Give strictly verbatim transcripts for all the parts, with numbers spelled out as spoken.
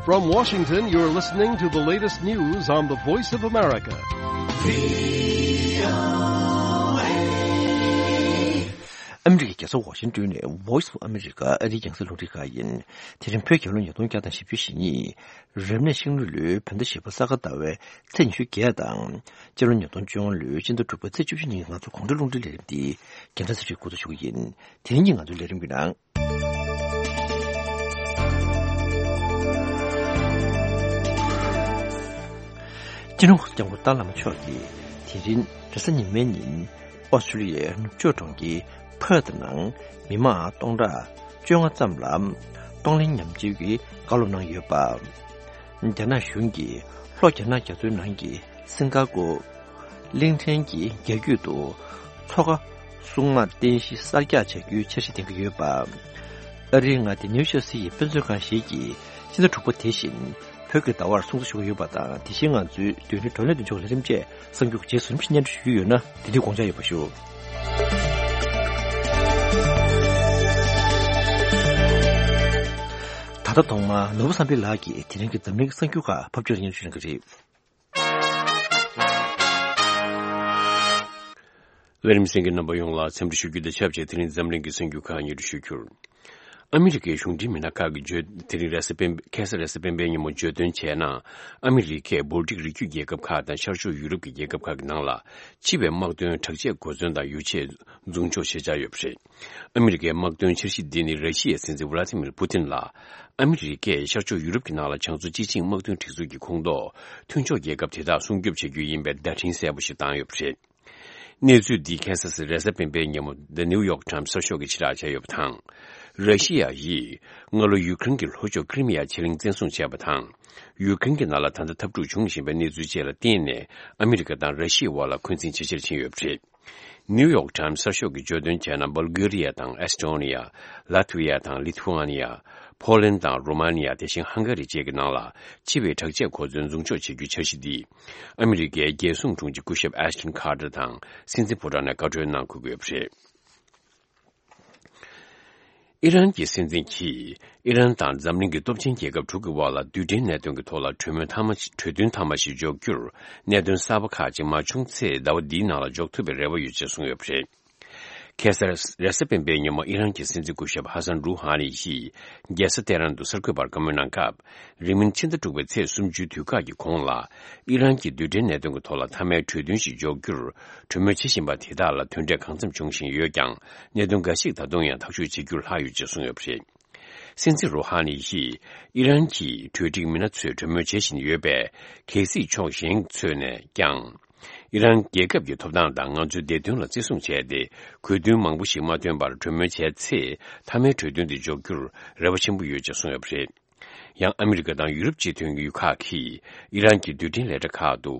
From Washington, you're listening to the latest news on the Voice of America. ཨ་མི་རི་ཀའི་རྒྱལ་ས་ཝ་ཤིང་ཏོན་ནས་Voice of America ཨ་རིའི་རྒྱང་སྲིང་རླུང་འཕྲིན་ཁང་ཡིན། དེ་རིང་བོད་རྒྱལ་ལོ་ཉིས་སྟོང་བརྒྱ་དང་བཞི་བཅུ་ཞེ་གཉིས། རབ་གནས་ཤིང་ལུག་ལོའི་བོད་ཟླ་བཞི་པ་ས་ག་ཟླ་བའི་ཚེས་ཉི་ཤུ་བརྒྱད་དང་། སྤྱི་ལོ་ཉིས་སྟོང་བཅོ་ལྔ་ལོའི་སྤྱི་ཟླ་དྲུག་པའི་ཚེས་བཅུ་བཞི་ཉིན་ང་ཚོ་དགོང་དྲོའི་རླུང་འཕྲིན་ལས་རིམ་འདི་རྒྱལ་ས་ཚེ་རིང་འགོ་འཛུགས་ཞུ་གི་ཡིན། དེ་རིང་གི་ང་ཚོའི་ལས་རིམ་གྱི་ནང་། སྤྱི་ནོར་སྐྱབས་མགོན་ཏཱ་བླ་མ་མཆོག་གིས་དེ་རིང་རེས་གཟའ་ཉི་མའི་ཉིན་ཨོ་སི་ཀྲུ་ལི་ཡའི་ནུབ་ཕྱོགས་གྲོང་ཁྱེར་ཕར་ཐི་ནང་མི་མང་སྟོང་ཕྲག་བཅོ་ལྔ་ཙམ་ལ་གཏོང་ལེན་ཉམས་བཅོས་ཀྱི་བཀའ་སློབ་གནང་ཡོད་པ། རྒྱ་ནག་གཞུང་གིས་ལྷོ་རྒྱ་ནག་རྒྱ་མཚོའི་ནང་གི་སིང་ག་པུར། གླིང་ཕྲན་གྱི་རྒྱ་རྒྱུད་དུ་མཚོ་ཁ་སྲུང་དམག་རྟེན་གཞི་གསར་རྒྱག་བྱ་རྒྱུའི་འཆར་གཞི་འདིང་གི་ཡོད་པ། ཨ་རིའི་མངའ་སྡེ་ནིའུ་ཇར་སི་ཡི་དཔེ་མཛོད་ཁང་ཞིག་གིས་ཕྱི་ཟླ་དྲུག་པ་དེ་བཞིན་བོད་ཀྱི་ཟླ་བར་སྲུང་བརྩི་ཞུ་གི་ཡོད་པ་དང་། དེ་བཞིན་ང་ཚོའི་བརྡ་ཡིག་བགྲོ་གླེང་མདུན་ལྕོག་ལས་རིམ་བཅས་གསར་འགྱུར་རྗེས་སུ་རིམ་བཞིན་སྙན་སྒྲོན་ཞུ་རྒྱུ་ཡོད་ན་དེ་དུས་དགོངས་འཇགས་ཡོད་པ་ཞུ། ད་ལྟ་ཐོག་མར་ནོར་བུ་བསམ་འཕེལ་ལགས་ཀྱིས་དེ་རིང་གི་འཛམ་གླིང་གི་གསར་འགྱུར་ཁག་ཕབ་སྒྱུར་སྙན་སྒྲོན་ཞུ་གནང་གི་རེད། ལས་རིམ་གསན་མཁན་རྣམ་པ་ཡོངས་ལ་འཚམས་འདྲི་ཞུ་རྒྱུ་དང་ཆབས་ཅིག་དེ་རིང་འཛམ་གླིང་གི་གསར་འགྱུར་ཁག་སྙན་སྒྲོན་ཞུ་རྒྱུར། ཨ་མི་རི་ཀའི་གཞུང་འབྲེལ་མི་སྣ་ཁག་གིས་བརྗོད། དེ་རིང་རེས་གཟའ་སྤེན། ཁ་སང་རེས་གཟའ་སྤེན་པའི་ཉིན་མོ་བརྗོད་དོན་བྱས་ན། ཨ་མི་རི་ཀས་བོལ་ཏིག་རི་རྒྱུད་རྒྱལ་ཁབ་ཁག་དང་ཤར་ཕྱོགས་ཡུ་རོབ་ཀྱི་རྒྱལ་ཁབ་ཁག་གི་ནང་ལ་ཕྱི་པའི་དམག་དོན་དྲག་ཆས་གོ་མཚོན་དང་ཡོ་ཆས་འཛུགས་འཇོག་བྱེད་འཆར་ཡོད་པ་རེད། ཨ་མི་རི་ཀའི་དམག་དོན་འཆར་གཞི་འདི་ནི་ར་ཤི་ཡའི་སྲིད་འཛིན་ཝ་ལ་ཏི་མིར་པུ་ཏིན་ལ་ཨ་མི་རི་ཀས་ཤར་ཕྱོགས་ཡུ་རོབ་ཀྱི་ནང་ལ་བྱང་མཚོ་སྤྱི་ཆིངས་དམག་དོན་སྒྲིག་འཛུགས་ཀྱི་ཁོངས་གཏོགས་མཐུན་ཕྱོགས་རྒྱལ་ཁབ་དེ་དག་སྲུང་སྐྱོབ་བྱེད་རྒྱུ་ཡིན་པའི་བརྡ་འཕྲིན་གསལ་པོ་ཞིག་བཏང་ཡོད་པ་རེད། གནས་ཚུལ་འདི་ཁ་སང་རེས་གཟའ་སྤེན་པའི་ཉིན་མོ་The New York Times གསར་ཤོག་གིས་ཕྱིར་བསྒྲགས་བྱས་ཡོད་པ་དང་། ར་ཤི་ཡ་ཡིས་སྔ་ལོ་ཡུ་ཀེ་རེན་གྱི་ལྷོ་ཕྱོགས་ཀི་རི་མི་ཡ་ཕྱེད་གླིང་བཙན་བཟུང་བྱས་པ་དང་། ཡུ་ཀེ་རེན་གྱི་ནང་ལ་ད་ལྟ་འཐབ་འཁྲུག་འབྱུང་བཞིན་པའི་གནས་ཚུལ་བཅས་ལ་བརྟེན་ནས་ཨ་མི་རི་ཀ་དང་ར་ཤི་ཡའི་དབར་ལ་འཁོན་འཛིན་ཇེ་ཆེར་ཕྱིན་ཡོད་པ་རེད། New York Times གསར་ཤོག་གིས་བརྗོད་དོན་བྱས་ན། སྦལ་གྷི་རི་ཡ་དང་ཨེ་སི་ཊོ་ནི་ཡ། ལ་ཐི་ཝི་ཡ་དང་ལི་ཐུ་ཨ་ནི་ཡ། ཕོ་ལན་དང་རོ་མ་ནི་ཡ། དེ་བཞིན་ཧང་ག་རི་བཅས་ཀྱི་ནང་ལ་ཕྱི་པའི་དྲག་ཆས་གོ་མཚོན་འཛུགས་འཇོག་བྱེད་རྒྱུའི་འཆར་གཞི་འདི། ཨ་མི་རི་ཀའི་རྒྱལ་སྲུང་དྲུང་ཆེ་སྐུ་ཞབས་ཨེ་ཤ་ཊོན་ཁ་ཏར་དང་སྲིད་འཛིན་ཕོ་བྲང་ནས་བཀའ་འཁྲོལ་གནང་དགོས་ཀྱི་ཡོད་པ་རེད། ཨི་རན་གྱི་སྲིད་འཛིན་གྱིས་ཨི་རན་དང་འཛམ་གླིང་གི་སྟོབས་ཆེན་རྒྱལ་ཁབ་དྲུག་གི་དབར་ལ་རྡུལ་ཕྲན་གནད་དོན་གྱི་ཐོག་ལ་གྲོས་མོལ་མཐའ་མ་ཞིག་གྲོས་མཐུན་མཐའ་མ་ཞིག་འཇོག་རྒྱུར་གནད་དོན་གསར་པ་ཁག་ཅིག་མ་བྱུང་ཚེ་ཟླ་བ་འདིའི་ནང་ལ་འཇོག་ཐུབ་པའི་རེ་བ་ཡོད་ཅེས་གསུངས་ཡོད་པ་རེད། ཁ་སང་རེས་གཟའ་སྤེན་པའི་ཉིན་མོ་ཨི་རན་གྱི་སྲིད་འཛིན་སྐུ་ཞབས་ཧ་སན་རུ་ཧ་ནི་ཡིས་རྒྱལ་ས་ཏེ་ཧྲན་དུ་གསར་འགོད་པར་བཀའ་མོལ་གནང་སྐབས། རིང་མིན་ཕྱི་ཟླ་དྲུག་པའི་ཚེས་སུམ་ཅུའི་དུས་བཀག་གི་གོང་ལ་ཨི་རན་གྱིས་རྡུལ་ཕྲན་གནད་དོན་གྱི་ཐོག་ལ་མཐའ་མའི་གྲོས་མཐུན་ཞིག་འཇོག་རྒྱུར་གྲོས་མོལ་བྱེད་བཞིན་པ་དེ་དག་ལ་དོན་འབྲས་གང་འཚམ་འབྱུང་བཞིན་ཡོད་ཀྱང་། གནད་དོན་འགའ་ཞིག་ད་དུང་ཡང་ཐག་གཅོད་བྱེད་རྒྱུར་ལྷག་ཡོད་ཅེས་གསུངས་ཡོད་པ་རེད། སྲིད་འཛིན་རུ་ཧ་ནི་ཡིས་ཨི་རན་གྱི་གྲོས་སྒྲིག་མི་སྣ་ཚོས་གྲོས་མོལ་བྱེད་བཞིན་ཡོད་པས། གལ་སྲིད་ཕྱོགས་གཞན་ཚོས་ནས་ཀྱང་ཨི་རན་རྒྱལ་ཁབ་ཀྱི་ཐོབ་ཐང་དང་ང་ཚོའི་བདེ་དོན་ལ་བརྩི་སྲུང་བྱས་ཏེ། དགོས་འདུན་མང་པོ་ཞིག་མ་བཏོན་པར་གྲོས་མོལ་བྱས་ཚེ། མཐའ་མའི་གྲོས་མཐུན་དེ་འཇོག་རྒྱུར་རེ་བ་ཆེན་པོ་ཡོད་ཅེས་གསུངས་ཡོད་པ་རེད། ཡང་ཨ་མི་རི་ཀ་དང་ཡུ་རོབ་སྤྱི་མཐུན་གྱི་ཡུལ་ཁག་གིས་ཨི་རན་གྱི་རྡུལ་ཕྲན་ལས་གྲྭ་ཁག་ཏུ་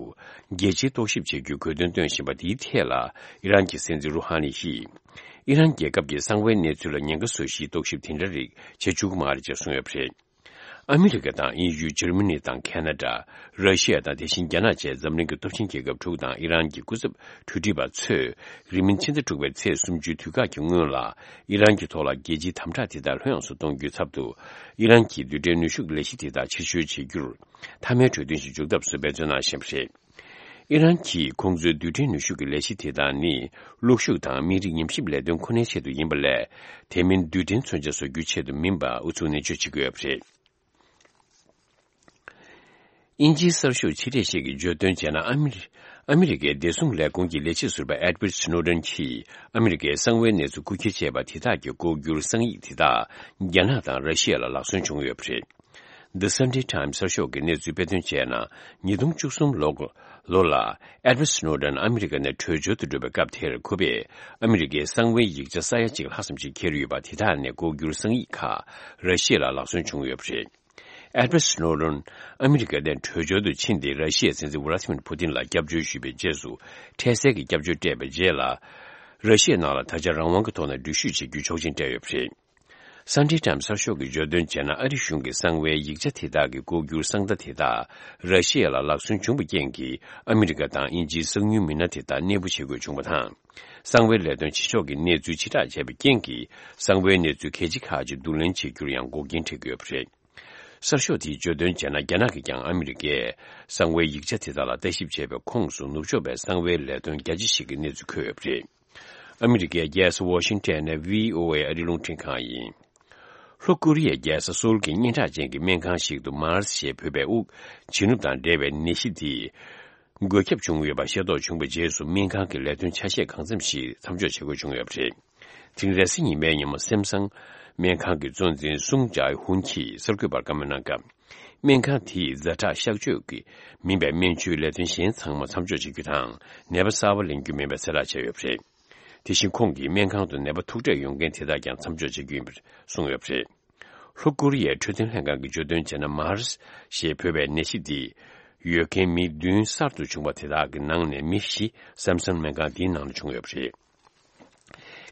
རྒྱལ་སྤྱིའི་རྟོག་ཞིབ་བྱེད་རྒྱུའི་དགོས་འདུན་བཏོན་བཞིན་པ་དེའི་ཐད་ལ། ཨི་རན་གྱི་སྲིད་འཛིན་རུ་ཧ་ནི་ཡིས། ཨི་རན་རྒྱལ་ཁབ་ཀྱི་གསང་བའི་གནས་ཚུལ་ལ་ཉེན་ཁ་བཟོ་གཞིའི་རྟོག་ཞིབ་དེ་འདྲ་རིགས་བྱེད་བཅུག་གི་མ་རེད་ཅེས་གསུངས་ཡོད་པ་རེད། ཨ་མི་རི་ཀ་དང་དབྱིན་ཡུལ། འཇར་མ་ནི་དང་ཁེ་ན་ཌ། ར་ཤི་ཡ་དང་དེ་བཞིན་རྒྱ་ནག་བཅས་འཛམ་གླིང་གི་སྟོབས་ཆེན་རྒྱལ་ཁབ་དྲུག་དང་ཨི་རན་གྱི་སྐུ་ཚབ་གྲོས་སྒྲིག་པ་ཚོས། རིང་མིན་ཕྱི་ཟླ་དྲུག་པའི་ཚེས་སུམ་ཅུའི་དུས་བཀག་གི་སྔོན་ལ། ཨི་རན་གྱི་ཐོག་ལ་རྒྱལ་སྤྱིའི་དམ་དྲག་དེ་དག་ལྷོད་ཡངས་སུ་གཏོང་རྒྱུའི་ཚབ་ཏུ། ཨི་རན་གྱི་རྡུལ་ཕྲན་ནུས་ཤུགས་ལས་གཞི་དེ་དག་ཕྱིར་བཤོལ་བྱེད་རྒྱུར། མཐའ་མའི་གྲོས་མཐུན་ཞིག་འཇོག་ཐབས་སུ་འབད་བརྩོན་གནང་བཞིན་པ་རེད། ཨི་རན་གྱིས་ཁོང་ཚོའི་རྡུལ་ཕྲན་ནུས་ཤུགས་ཀྱི་ལས་གཞི་དེ་དག་ནི། གློག་ཤུགས་དང་མི་རིགས་ཉམས་ཞིབ་ལས་དོན་ཁོ་ནའི་ཆེད་དུ་ཡིན་པ་ལས། དེ་མིན་རྡུལ་ཕྲན་མཚོན་ཆ་བཟོ་རྒྱུའི་ཆེད་དུ་མིན་པ་ཨུ་ཚུགས་ནན་བརྗོད་བྱེད་ཀྱི་ཡོད་པ་རེད། དབྱིན་ཇིའི་གསར་ཤོག་ཕྱི་འབྲེལ་ཞིག་གིས་བརྗོད་དོན་བྱས་ན། ཨ་མི་རི། ཨ་མི་རི་ཀའི་བདེ་སྲུང་ལས་ཁུངས་ཀྱི་ལས་བྱེད་ཟུར་པ་Edward Snowden གྱིས་ཨ་མི་རི་ཀའི་གསང་བའི་གནས་ཚུལ་རྐུ་འཁྱེར་བྱས་པ་དེ་དག་གི་ལྐོག་གྱུར་གསང་ཡིག་དེ་དག་རྒྱ་ནག་དང་ར་ཤི་ཡ་ལ་ལག་སོན་བྱུང་ཡོད་པ་རེད། The Sunday Times གསར་ཤོག་གིས་གནས་ཚུལ་སྤེལ་དོན་བྱས་ན། ཉིས་སྟོང་བཅུ་གསུམ་ལོ་ལོ་ལ་Edward Snowden ཨ་མི་རི་ཀ་ནས་བྲོས་བྱོལ་དུ་འགྲོ་བའི་སྐབས་དེར། ཁོ་པས་ཨ་མི་རི་ཀའི་གསང་བའི་ཡིག་ཆ་ས་ཡ་གཅིག་ལྷག་ཙམ་ཞིག་འཁྱེར་ཡོད་པ་དེ་དག་ནས་ལྐོག་གྱུར་གསང་ཡིག་ཁག་ར་ཤི་ཡ་ལ་ལག་སོན་བྱུང་ཡོད་པ་རེད། Edward Snowden ཨ་མི་རི་ཀ་ནས་བྲོས་བྱོལ་དུ་ཕྱིན་ཏེ། ར་ཤི་ཡའི་སྲིད་འཛིན་ཝ་ལ་ཏི་མིར་པུ་ཏིན་ལ་སྐྱབས་བཅོལ་ཞུས་པའི་རྗེས་སུ། འཕྲལ་སེལ་གྱི་སྐྱབས་བཅོལ་སྤྲད་པའི་རྗེས་ལ། ར་ཤི་ཡའི་ནང་ལ་ད་ཆ་རང་དབང་གི་ཐོག་ནས་འགྲུལ་བཞུད་བྱེད་རྒྱུའི་ཆོག་མཆན་སྤྲད་ཡོད་པ་རེད། Sunday Times གསར་ཤོག་གིས་བརྗོད་དོན་བྱས་ན། ཨ་རི་གཞུང་གིས་གསང་བའི་ཡིག་ཆ་དེ་དག་གི་ལྐོག་གྱུར་གསང་བརྡ་དེ་དག་ར་ཤི་ཡ་ལ་ལག་སོན་བྱུང་བའི་རྐྱེན་གྱིས། ཨ་མི་རི་ཀ་དང་དབྱིན་ཇིའི་གསང་ཉུལ་མི་སྣ་དེ་དག་གནས་སྤོ་བྱེད་དགོས་བྱུང་བ་དང་། གསང་བའི་ལས་དོན་བྱེད་ཕྱོགས་ཀྱི་གནས་ཚུལ་ཕྱིར་བསྒྲགས་བྱས་པའི་རྐྱེན་གྱིས། གསང་བའི་གནས་ཚུལ་གལ་ཆེ་ཁག་ཅིག་བསྡུ་ལེན་བྱེད་རྒྱུར་ཡང་འགོག་རྐྱེན་འཕྲད་ཀྱི་ཡོད་པ་རེད། གསར་ཤོག་དེས་བརྗོད་དོན་བྱས་ན། རྒྱ་ནག་གིས་ཀྱང་ཨ་མི་རི་ཀས་གསང་བའི་ཡིག་ཆ་དེ་དག་ལ་ལྟ་ཞིབ་བྱས་པའི་ཁོངས་སུ་ནུབ་ཕྱོགས་པའི་གསང་བའི་ལས་དོན་རྒྱ་ཆེ་ཞིག་གི་གནས་ཚུལ་འཁོད་ཡོད་པ་རེད། ཨ་མི་རི་ཀའི་རྒྱལ་ས་ཝ་ཤིང་ཊོན་ནས་བྷི་ཨོ་ཨེ་ཨ་རིའི་རླུང་འཕྲིན་ཁང་ཡིན། ལྷོ་ཀོ་རི་ཡའི་རྒྱལ་ས་སོའུལ་གྱི་སྙན་གྲགས་ཅན་གྱི་སྨན་ཁང་ཞིག་ཏུ་མཱར་སི་ཞེས་འབོད་པའི་དབུགས་བྱིན་རླབས་དང་འབྲེལ་བའི་ནད་གཞི་དེས་འགོས་ཁྱབ་བྱུང་ཡོད་པ་ཤེས་རྟོགས་བྱུང་བའི་རྗེས་སུ། སྨན་ཁང་གི་ལས་དོན་ཆ་ཤས་གང་འཚམ་ཞིག་མཚམས་འཇོག་བྱེད་དགོས་བྱུང་ཡོད་པ་རེད། དེ་རིང་རེས་གཟའ་ཉི་མའི་ཉིན་མོ། སེམ་སང་སྨན་ཁང་གི་གཙོ་འཛིན་སུང་ཅའེ་ཧུན་གྱིས་གསར་འགོད་པར་བཀའ་མོལ་གནང་སྐབས། སྨན་ཁང་དེས་ཛ་དྲག་གཤགས་བཅོས་ཀྱི་མིན་པའི་སྨན་བཅོས་ལས་དོན་གཞན་ཚང་མ་མཚམས་འཇོག་བྱེད་རྒྱུ་དང་། ནད་པ་གསར་པ་ལེན་རྒྱུ་མིན་པའི་གསལ་བསྒྲགས་བྱས་ཡོད་པ་རེད། དེ་བཞིན་ཁོང་གིས་སྨན་ཁང་དུ་ནད་པ་ཐུག་འཕྲད་ཡོང་མཁན་དེ་དག་ཀྱང་མཚམས་འཇོག་བྱེད་རྒྱུ་ཡིན་པར་གསུངས་ཡོད་པ་རེད། ལྷོ་ཀོ་རི་ཡའི་འཕྲོད་བསྟེན་ལྷན་ཁང་གིས་བརྗོད་དོན་བྱས་ན། མཱར་སི་ཞེས་འབོད་པའི་ནད་གཞི་འདི་ཡོད་མཁན་མི་བདུན་གསར་དུ་བྱུང་བ་དེ་དག་གི་ནང་ནས་མི་བཞི་སེམ་སང་སྨན་ཁང་འདིའི་ནང་ལ་བྱུང་ཡོད་པ་རེད།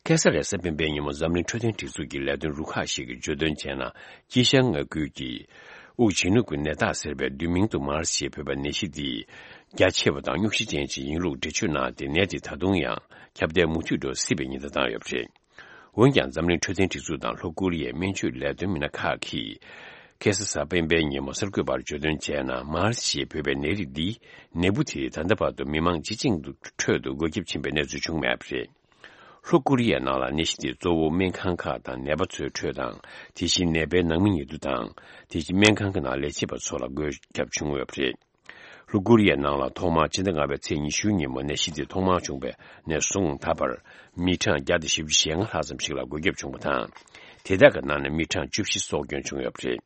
ཁ་སང་རེས་གཟའ་སྤེན་པའི་ཉིན་མོ། འཛམ་གླིང་འཕྲོད་བསྟེན་སྒྲིག་འཛུགས་ཀྱི་ལས་དོན་རུ་ཁག་ཞིག་གིས་བརྗོད་དོན་བྱས་ན། དཀྱིལ་ཤར་མངའ་ཁུལ་གྱི་དབུགས་བྱིན་རླབས་ཀྱི་ནད་རྟགས་ཟེར་བའི་བསྡུས་མིང་དུ་མཱར་སི་ཞེས་འབོད་པའི་ནད་གཞི་འདི་རྒྱ་ཆེ་བ་དང་རྙོག་གཞི་ཅན་ཞིག་ཡིན་ལུགས་འགྲེལ་བརྗོད་གནང་སྟེ། ནད་དེ་ད་དུང་ཡང་ཁྱབ་གདལ་མུ་མཐུད་འགྲོ་སྲིད་པའི་ཉེན་བརྡ་བཏང་ཡོད་པ་རེད། འོན་ཀྱང་། འཛམ་གླིང་འཕྲོད་བསྟེན་སྒྲིག་འཛུགས་དང་ལྷོ་ཀོ་རི་ཡའི་སྨན་བཅོས་ལས་དོན་མི་སྣ་ཁག་གིས་ཁ་སང་གཟའ་སྤེན་པའི་ཉིན་མོ་གསར་འགོད་པར་བརྗོད་དོན་བྱས་ན། མཱར་སི་ཞེས་འབོད་པའི་ནད་རིགས་འདིས་ནད་འབུ་དེ་ད་ལྟ་བར་དུ་མི་མང་སྤྱི་བྱིངས་ཁྲོད་དུ་འགོས་ཁྱབ་ཕྱིན་པའི་གནས་ཚུལ་བྱུང་མེད་པ་རེད། ལྷོ་ཀོ་རི་ཡའི་ནང་ལ་ནད་གཞི་དེ་གཙོ་བོ་སྨན་ཁང་ཁག་དང་ནད་པ་ཚོའི་ཁྲོད་དང་། དེ་བཞིན་ནད་པའི་ནང་མི་ཉེ་དུ་དང་། དེ་བཞིན་སྨན་ཁང་གི་ནང་ལས་བྱེད་པ་ཚོ་ལ་འགོས་ཁྱབ་བྱུང་ཡོད་པ་རེད། ལྷོ་ཀོ་རི་ཡའི་ནང་ལ་ཐོག་མར་སྤྱི་ཟླ་ལྔ་པའི་ཚེས་ཉི་ཤུའི་ཉིན་མོ་ནད་གཞི་དེ་ཐོག་མར་བྱུང་བ་ནས་བཟུང་ད་བར་མི་གྲངས་བརྒྱ་དང་བཞི་བཅུ་ཞེ་ལྔ་ལྷག་ཙམ་ཞིག་ལ་འགོས་ཁྱབ་བྱུང་བ་དང་། དེ་དག་གི་ནང་ནས་མི་གྲངས་བཅུ་བཞི་སྲོག་སྐྱོན་བྱུང་ཡོད་པ་རེད།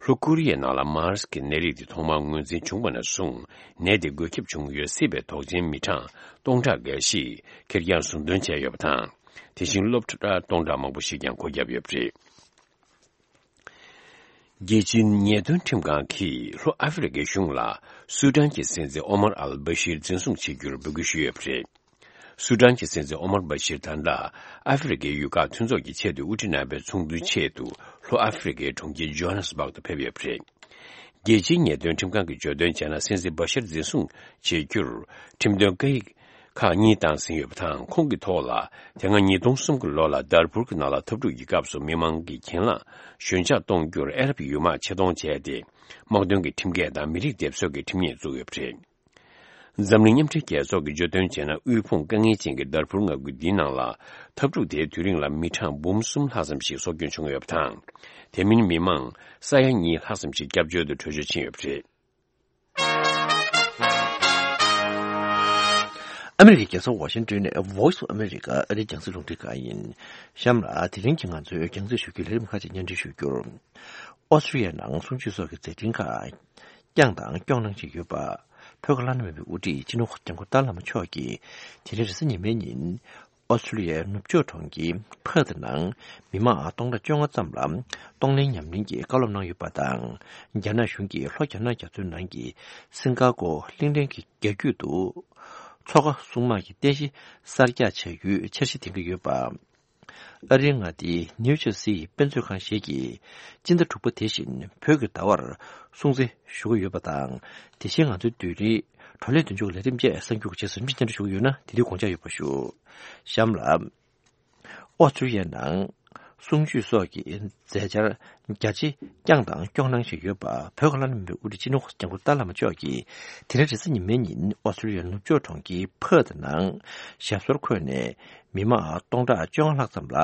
ལྷོ་ཀོ་རི་ཡའི་ནང་ལ་མཱར་སི་གི་ནད་རིགས་དེ་ཐོག་མར་ངོས་འཛིན་བྱུང་བ་ནས་བཟུང་། ནད་དེ་འགོས་ཁྱབ་བྱུང་ཡོད་སྲིད་པའི་དོགས་ཅན་མི་གྲངས་སྟོང་ཕྲག་འགའ་ཞིག་ཁེར་རྐྱང་ཟུར་འདོན་བྱས་ཡོད་པ་དང་། དེ་བཞིན་སློབ་གྲྭ་སྟོང་ཕྲག་མང་པོ་ཞིག་ཀྱང་སྒོ་བརྒྱབ་ཡོད་པ་རེད། རྒྱལ་སྤྱིའི་ཉེས་དོན་ཁྲིམས་ཁང་གིས་ལྷོ་ཨ་ཧྥེ་རི་ཁའི་གཞུང་ལ་སུ་ཏན་གྱི་སྲིད་འཛིན་ཨོ་མར་ཨལ་བྷ་ཤིར་འཛིན་བཟུང་བྱེད་རྒྱུར་འབོད་སྐུལ་ཞུས་ཡོད་པ་རེད། སུ་ཏན་གྱི་སྲིད་འཛིན་ཨོ་མར་བྷ་ཤིར་ད་ལྟ་ཨ་ཧྥེ་རི་ཁའི་ཡུལ་ཁག་མཐུན་ཚོགས་ཀྱི་ཆེས་མཐོའི་དབུ་ཁྲིད་རྣམ་པའི་ཚོགས་འདུའི་ཆེད་དུ་ལྷོ་ཨ་ཧྥེ་རི་ཁའི་གྲོང་ཁྱེར་ཇོ་ཧ་ནེ་སི་སྦག་ཏུ་ཕེབས་ཡོད་པ་རེད། རྒྱལ་སྤྱིའི་ཉེས་དོན་ཁྲིམས་ཁང་གིས་བརྗོད་དོན་བྱས་ན། སྲིད་འཛིན་བྷ་ཤར་འཛིན་བཟུང་བྱེད་རྒྱུར་ཁྲིམས་དོན་སྐད་ཡིག་ཁག་གཉིས་བཏང་ཟིན་ཡོད་པ་དང་། ཁོང་གི་ཐོག་ལ་དེ་སྔ་ཉིས་སྟོང་གསུམ་གྱི་ལོ་ལ་དར་ཕུར་གྱི་ནང་ལ་འཐབ་འཁྲུག་གི་སྐབས་སུ་མི་མང་གི་གྱེན་ལངས་ཞོད་འཇགས་གཏོང་རྒྱུར་ཨ་རབ་ཡུལ་དམག་ཆེད་གཏོང་བྱས་ཏེ། དམག་དོན་གྱི་ཁྲིམས་འགལ་དང་མི་རིགས་སྡེབ་གསོད་ཀྱི་ཁྲིམས་ཉེས་བཙུགས་ཡོད་པ་རེད། འཛམ་གླིང་མཉམ་འབྲེལ་རྒྱལ་ཚོགས་ཀྱིས་བརྗོད་དོན་བྱས་ན། དབུལ་ཕོངས་དཀའ་ངལ་ཅན་གྱི་དར་ཕུར་མངའ་ཁུལ་འདིའི་ནང་ལ་འཐབ་འཁྲུག་དེའི་དུས་རིང་ལ་མི་གྲངས་འབུམ་གསུམ་ལྷག་ཙམ་ཞིག་སྲོག་སྐྱོན་བྱུང་ཡོད་པ་དང་། དེ་མིན་མི་མང་ས་ཡ་གཉིས་ལྷག་ཙམ་ཞིག་སྐྱབས་བཅོལ་དུ་བྲོས་བྱོལ་ཕྱིན་ཡོད་པ་རེད། ཨ་མི་རི་ཀའི་རྒྱལ་ས་ཝ་ཤིང་ཏོན་ནས་Voice of America ཨ་རིའི་རྒྱང་སྲིང་རླུང་འཕྲིན་ཁང་ཡིན། གཤམ་ལ་དེ་རིང་གི་ང་ཚོའི་རྒྱང་སྲིང་ཞུ་རྒྱུའི་ལས་རིམ་ཁག་ཅིག་སྙན་སྒྲོན་ཞུ་རྒྱུར། ཨོ་སི་ཀྲི་ཡའི་ནང་གསུམ་བཅུའི་སོགས་ཀྱི་མཛད་འཕྲིན་ཁག་བསྐྱངས་དང་སྐྱོང་གནང་བཞིན་ཡོད་པ། བོད་ཀྱི་བླ་ན་མེད་པའི་དབུ་ཁྲིད་སྤྱི་ནོར་གོང་ས་སྐྱབས་མགོན་ཏཱ་ལའི་བླ་མ་མཆོག་གིས་དེ་རིང་རེས་གཟའ་ཉི་མའི་ཉིན། ཨོ་སི་ཀྲི་ཡའི་ནུབ་ཕྱོགས་གྲོང་ཁྱེར་ཕར་ཐི་ནང་མི་མང་སྟོང་ཕྲག་བཅོ་ལྔ་ཙམ་ལ་གཏོང་ལེན་ཉམས་ལེན་གྱི་བཀའ་སློབ་གནང་ཡོད་པ་དང་། རྒྱ་ནག་གཞུང་གིས་ལྷོ་རྒྱ་ནག་རྒྱ་མཚོའི་ནང་གི་སིང་ག་གོ་གླིང་ཕྲན་གྱི་རྒྱ་རྒྱུད་དུ་མཚོ་ཁ་སྲུང་དམག་གི་རྟེན་གཞི་གསར་རྒྱག་བྱ་རྒྱུའི་འཆར་གཞི་འདིང་གི་ཡོད་པ། ཨ་རིའི་མངའ་སྡེ་ནིའུ་ཇར་སིའི་དཔེ་མཛོད་ཁང་ཞིག་གིས་སྤྱི་ཟླ་དྲུག་པ་དེ་བཞིན་བོད་ཀྱི་ཟླ་བར་སྲུང་བརྩི་ཞུ་གི་ཡོད་པ་དང་། དེ་བཞིན་ང་ཚོའི་བདུད་རིའི་བགྲོ་གླེང་མདུན་ལྕོག་གི་ལས་རིམ་བཅས་གསར་འགྱུར་གྱི་རྗེས་སུ་མི་སྙན་སྒྲོན་ཞུ་གི་ཡོད་ན། དེ་དུས་དགོངས་འཇགས་ཡོད་པ་ཞུ། གཤམ་ལ། ཨོ་སི་ཀྲི་ཡའི་ནང་གསུམ་བཅུའི་སོགས་ཀྱི་མཛད་འཆར་རྒྱ་ཆེ་བསྐྱངས་དང་སྐྱོང་གནང་བཞིན་ཡོད་པ། བོད་ཀྱི་བླ་ན་མེད་པའི་དབུ་ཁྲིད་སྤྱི་ནོར་གོང་ས་སྐྱབས་མགོན་ཏཱ་ལའི་བླ་མ་མཆོག་གིས་དེ་རིང་རེས་གཟའ་ཉི་མའི་ཉིན་ཨོ་སི་ཀྲི་ཡའི་ནུབ་ཕྱོགས་གྲོང་ཁྱེར་ཕར་ཐི་ནང་ཞབས་སོར་འཁོད་ནས་མི་མང་སྟོང་ཕྲག་བཅོ་ལྔ་ལྷག་ཙམ་ལ་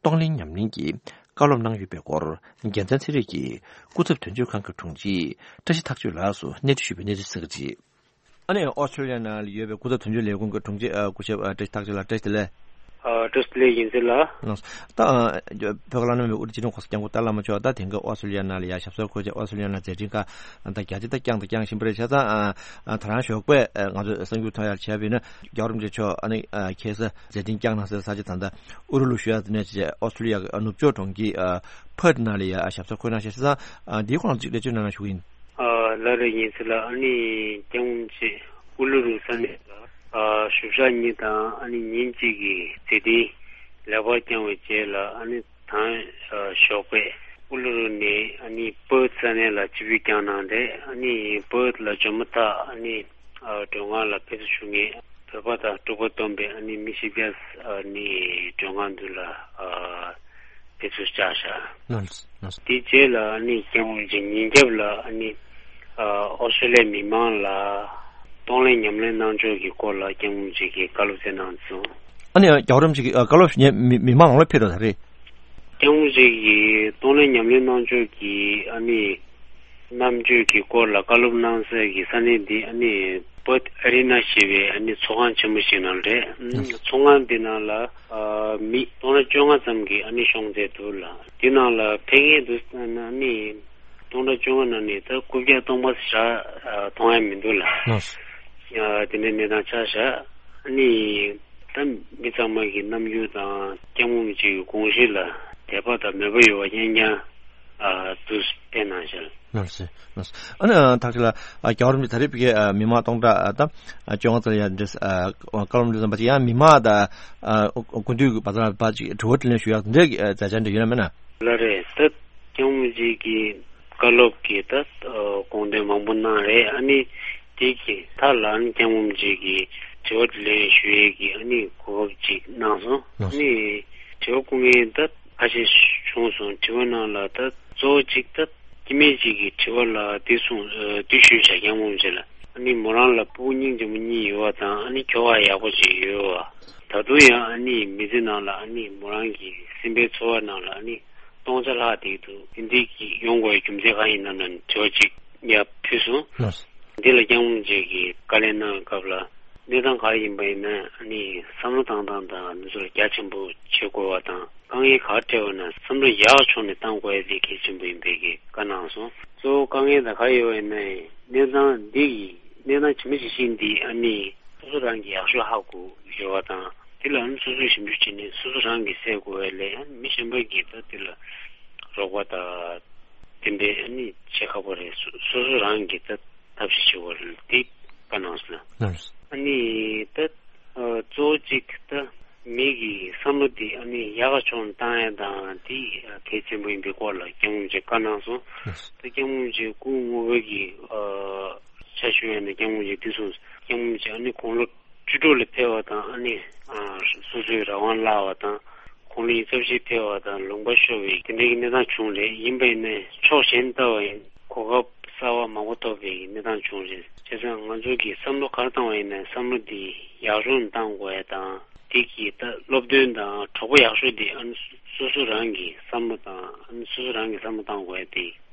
གཏོང་ལེན་ཉམས་ལེན་གྱི་བཀའ་སློབ་གནང་ཡོད་པའི་སྐོར། རྒྱལ་མཚན་ཚེ་རིང་གིས་སྐུ་ཚབ་དོན་གཅོད་ཁང་གི་དྲུང་ཆེ་བཀྲ་ཤིས་ཐག་ཆོད་ལགས་སུ་གནས་འདྲི་ཞུས་པའི་གནས་ཚུལ་གསན་གྱི་རེད། ཨ་ནི་ཨོ་སི་ཀྲི་ཡ་ནང་ལ་ཡོད་པའི་སྐུ་ཚབ་དོན་གཅོད་ལས་ཁུངས་ཀྱི་དྲུང་ཆེ། ཨ། སྐུ་ཞབས། ཨ། བཀྲ་ཤིས་ཐག་ཆོད་ལགས། བཀྲ་ཤིས་བདེ་ལེགས། ཨ། བཀྲ་ཤིས་བདེ་ལེགས། ཡིན་ཚུལ་ལགས། ལགས། ད། ཨ། བོད་ཀྱི་བླ་ན་མེད་པའི་དབུ་ཁྲིད་སྤྱི་ནོར་གོང་ས་སྐྱབས་མགོན་ཏཱ་ལའི་བླ་མ་མཆོག་ད་དེང་སྐབས་ཨོ་སི་ཀྲི་ཡ་ནང་ལ་ཡ་ཞབས་སོར་འཁོད་བྱས། ཨོ་སི་ཀྲི་ཡ་ནང་མཛད་འཕྲིན་ཁག་ད་རྒྱ་ཆེ་ད་བསྐྱངས་ད་བསྐྱངས་བཞིན་པ་རེད། བྱས་ཙང་། ཨ། ཨ། ད་རང་ཞོགས་པས། ཨ། ང་ཚོས་གསར་འགྱུར་ཐོན་ཡག་བྱས་པ་ཡིན་ན། རྒྱལ་བ་རིན་པོ་ཆེ་མཆོག་ཨ་ནི། ཨ། ཁ་སང་མཛད་འཕྲིན་བསྐྱངས་གནང་སའི་ས་ཆ་ད་ལྟ་ཨུ་རུ་ལུ་ཞུ་ཡག་དེ་ནས་བྱས། ཨོ་སི་ཀྲི་ཡ་གི་ནུབ་ཕྱོགས་གྲོང་ཁྱེར། ཨ། ཕར་ཐི་ནང་ལ་ཡ་ཞབས་སོར་འཁོད་གནང་བྱས། བྱས་ཙང་། ཨ། འདིའི་སྐོར་ལ་ཅིག་ལེགས་བཅོས་གནང་རོགས་ཞུ་གི་ཡིན། ཨ། ལགས་རེད། ཡིན་ཚུལ་ལགས། ཨ་ནི་སྐྱབས་མགོན་མཆོག་ཨུ་ལུ་རུ་ས་གནས་ལ། ཨ། བཞུགས་ཞག་གཉིས་དང་ཨ་ནི་ཉིན་གཅིག་གི་མཛད་འཕྲིན་ལེགས་པར་བསྐྱངས་པའི་རྗེས་ལ། ཨ་ནི་ད། ཨ། ཞོགས་པ་ཨུ་ལུ་རུ་ནས་ཨ་ནི་ཕར་ཐི་ས་གནས་ལ་ཆིབས་བསྒྱུར་བསྐྱངས་གནང་རེད། ཨ་ནི་ཕར་ཐི་ལ་འབྱོར་མ་ཐག་ཨ་ནི། ཨ། མགྲོན་ཁང་ལ་ཕེབས་བསུ་ཞུ་མཁན་བོད་པ་དང་འབྲུག་པ་བསྡོམས་པའི་ཨ་ནི་མི་བཞི་བརྒྱ། ཨ་ནི་མགྲོན་ཁང་མདུན་ལ། ཨ། དེ་ཚོ་བཅར་བཞག་ལགས་སོ། ལགས་སོ། དེའི་རྗེས་ལ་ཨ་ནི་སྐྱབས་མགོན་རིན་པོ་ཆེ་ཉིན་རྒྱབ་ལ་ཨ་ནི་ཨ་ཨོ་སི་ཀྲོ་ལི་ཡའི་མི་མང་ལ་གཏོང་ལེན་ཉམས་ལེན་གནང་ཕྱོགས་ཀྱི་སྐོར་ལ་སྐྱབས་མགོན་རིན་པོ་ཆེ་གིས་བཀའ་སློབ་སྩལ་གནང་སོང་། ཨ་ནི་རྒྱལ་བ་རིན་པོ་ཆེ་གིས་ཨ་བཀའ་སློབ་ཞུ་མཁན་མི་མི་མང་ལ་ཕེབས་འགྲོ་ད་རེད། སྐྱབས་མགོན་རིན་པོ་ཆེ་གིས་གཏོང་ལེན་ཉམས་ལེན་གནང་ཕྱོགས་ཀྱི་ཨ་ནི་རྣམ་དཔྱོད་ཀྱི་སྐོར་ལ་བཀའ་སློབ་གནང་སའི་གི་ས་གནས་འདི་ཨ་ནི་Perth Arena ཞེས་པའི་ཨ་ནི་ཚོགས་ཁང་ཆེན་པོ་ཞིག་ནང་རེད། ཚོགས་ཁང་འདི་ནང་ལ་ཨ་མི་སྟོང་ཕྲག་བཅོ་ལྔ་ཙམ་གྱིས་ཨ་ནི་ཤོང་མཛད་འདུག་ལ། འདི་ནང་ལ་ཕེབས་མཁན་འདུག་ན་ཨ་ནི་སྟོང་ཕྲག་བཅོ་ལྔ་ནང་ནས་ད་རྐུབ་བཀྱག་སྟོང་པ་ཞིག་མཐོང་ཡ་མི་འདུག་ལ། ལགས་སོ། ཨ་དེ་འདྲའི་གནས་སྟངས་ཆགས་བཞག་ཨ་ནི་ད་མི་ཚང་མ་གི་རྣམ་འགྱུར་དང་སྐྱབས་མགོན་རིན་པོ་ཆེ་གི་དགོངས་གཞི་ལ་དད་པ་དང་མོས་པ་ཡོད་པ་རྐྱང་རྐྱང་ཨ་འདུག་བསྟན་གནང་བཞག་ལགས་སོ། ལགས་སོ། ཨ་ནི་ཐག་ཆོད་ལ་ཨ་རྒྱལ་བ་རིན་པོ་ཆེ་ད་རེས་ཕ་གིའི་ཨ་མི་མང་སྟོང་ཕྲག་ཨ་ད་ཨ་བཅོ་ལྔ་ཙམ་ཡར་འདྲེས་ཨ་བཀའ་སློབ་འདི་ཙམ་པ་ཅིག་ཡང་མི་མང་དང་ཨ་སྐུ་མདུན་གྱི་བར་ཐག་ལ་ཕར་ཅིག་དྲི་བ་དྲིས་ལན་ཞུ་ཡག་དེ་འདྲའི་ཨ་མཛད་འཆར་འདྲ་ཡོད་ན་མེད་ན། ལགས་རེད། ད་སྐྱབས་མགོན་རིན་པོ་ཆེ་གིས་བཀའ་སློབ་ཀྱི་ད་ཨ་དགོངས་དོན་མང་པོ་གནང་རེད། ཨ་ནི་དེ་གི་མཐའ་ལ་ཨ་ནི་སྐྱབས་མགོན་རིན་པོ་ཆེ་གིས་དྲི་བ་དྲིས་ལན་ཞུ་ཡས་ཀྱི་ཨ་ནི་གོ་སྐབས་ཅིག་གནང་སོང་། ཨ་ནི་དྲི་བ་བཀོད་མཁན་ད་ཁ་ཤས་བྱུང་སོང་། དྲི་བ་ནང་ལ་ད་གཙོ་བོ་གཅིག་ད་སྐྱེ་དམན་གཅིག་གིས་དྲི་བ་ལ་འདི་གསུངས་ཨ་འདི་ཞུས་བཞག་སྐྱབས་མགོན་རིན་པོ་ཆེ་ལ། ཨ་ནི་མོ་རང་ལ་སྤུ་གུ་སྙིང་རྗེ་མོ་གཉིས་ཡོད་པ་དང་ཨ་ནི་ཁྱོ་ག་ཡག་པོ་ཅིག་ཡོད་པ། ད་དུང་ཡང་ཨ་ནི་མི་ཚེ་ནང་ལ་ཨ་ནི་མོ་རང་གི་སེམས་པའི་ཚོར་བ་ནང་ལ་ཨ་ནི་སྟོང་ཆ་ལྷག་བསྡད་འདུག་དེ་འདྲའི་གི་ཡོང་དགོས་པའི་རྒྱུ་མཚན་གང་ཡིན་ནམ་ལབ་ནས་དྲི་བ་གཅིག་ཡར་ཕུལ་སོང་། ལགས་སོ། འདི་ལ་སྐྱབས་མགོན་རིན་པོ་ཆེ་གིས་བཀའ་ལན་གནང་བའི་སྐབས་ལ་གནས་སྟངས་ག་རེ་ཡིན་པ་ཡིན་ན་ཨ་ནི་བསམ་བློ་བཏང་སྟངས་དང་འདི་ཚོ་ལ་རྒྱ་ཆེན་པོ་བྱེད་དགོས་པ་དང་དཀའ་ངལ་ག་རེ་འཕྲད་པ་ན་བསམ་བློ་ཡག་ཕྱོགས་ནས་བཏང་དགོས་ཡ་དེ་གལ་ཆེན་པོ་ཡིན་པའི་གི་བཀའ་གནང་སོང་། གཙོ་བོ་དཀའ་ངལ་དང་ག་རེ་ཡོད་པ་ཡིན་ན་གནས་སྟངས་འདི་ཡི་གནས་སྟངས་ཇི་མ་ཇི་བཞིན་འདི་ཨ་ནི་སོ་སོ་རང་གིས་ཡག་ཤོས་ཧ་གོ་ཡོད་པ་དང་དེ་ལ་ཨ་ནི་སོ་སོས་ཞིབ་འཇུག་བྱས་ནས་སོ་སོ་རང་གིས་སེལ་དགོས་པ་ལས་ཨ་ནི་མི་གཞན་པ་གིས་ད་དེ་ལ་རོགས་པ་དང་དེ་འདྲའི་ཨ་ནི་བྱེད་ཁག་པོ་རེད། སོ་སོ་རང་གིས་ད་ཐབས་ཤེས་བྱེད་དགོས་རེད། དེ་བཀའ་གནང་སོང་། ལགས་སོ། ཨ་ནི་ད་ཨ་གཙོ་བོ་གཅིག་ད་མི་གི་བསམ་བློ་དེ་ཨ་ནི་ཡག་ག་ཕྱོགས་ནས་བཏང་ཡ་དང་དེ་གལ་ཆེན་པོ་ཡིན་པའི་སྐོར་ལ་སྐྱབས་མགོན་རིན་པོ་ཆེ་བཀའ་གནང་སོང་། ལགས་སོ། ད་སྐྱབས་མགོན་རིན་པོ་ཆེ་སྐུ་ངོ་བོ་གི་ཨ་ཆ་ཞུ་ཡ་ནི་སྐྱབས་མགོན་རིན་པོ་ཆེ་དེ་གསུངས། སྐྱབས་མགོན་རིན་པོ་ཆེ་ཨ་ནི་དགུང་ལོ་བཅུ་དྲུག་ལ་ཕེབས་པ་དང་ཨ་ནི་ཨ་སོ་སོའི་རང་དབང་བརླག་པ་དང་དགུང་ལོ་ཉི་ཤུ་རྩ་བཞི་ཕེབས་པ་དང་ལུང་པ་ཤོར་བའི་དེ་འདྲའི་གི་གནས་སྟངས་བྱུང་རེད། ཡིན་པ་ཡིན་ནའི་ཕྱོགས་གཞན་ལྟ་བ་ཡིན་གོ་སྐབས་གསར་པ་མང་པོ་ཐོབ་པའི་གནས་སྟངས་བྱུང་རེད། བྱས་ཙང་ང་ཚོ་གིས་བསམ་བློ་ག་རེ་བཏང་བ་ཡིན་ནའི་བསམ་བློ་འདི་ཡག་ཤོས་ནས་བཏང་དགོས་ཡ་དང་དེ་གི་ད་སློབ་སྟོན་དང་གྲོགས་པོ་ཡག་ཤོས་དེ་ཨ་ནི་སོ་སོ་རང་གི་བསམ་བློ་དང་ཨ་ནི་སོ་སོ་རང་གི་བསམ་བློ་བཏང་དགོས་ཡ་དེ་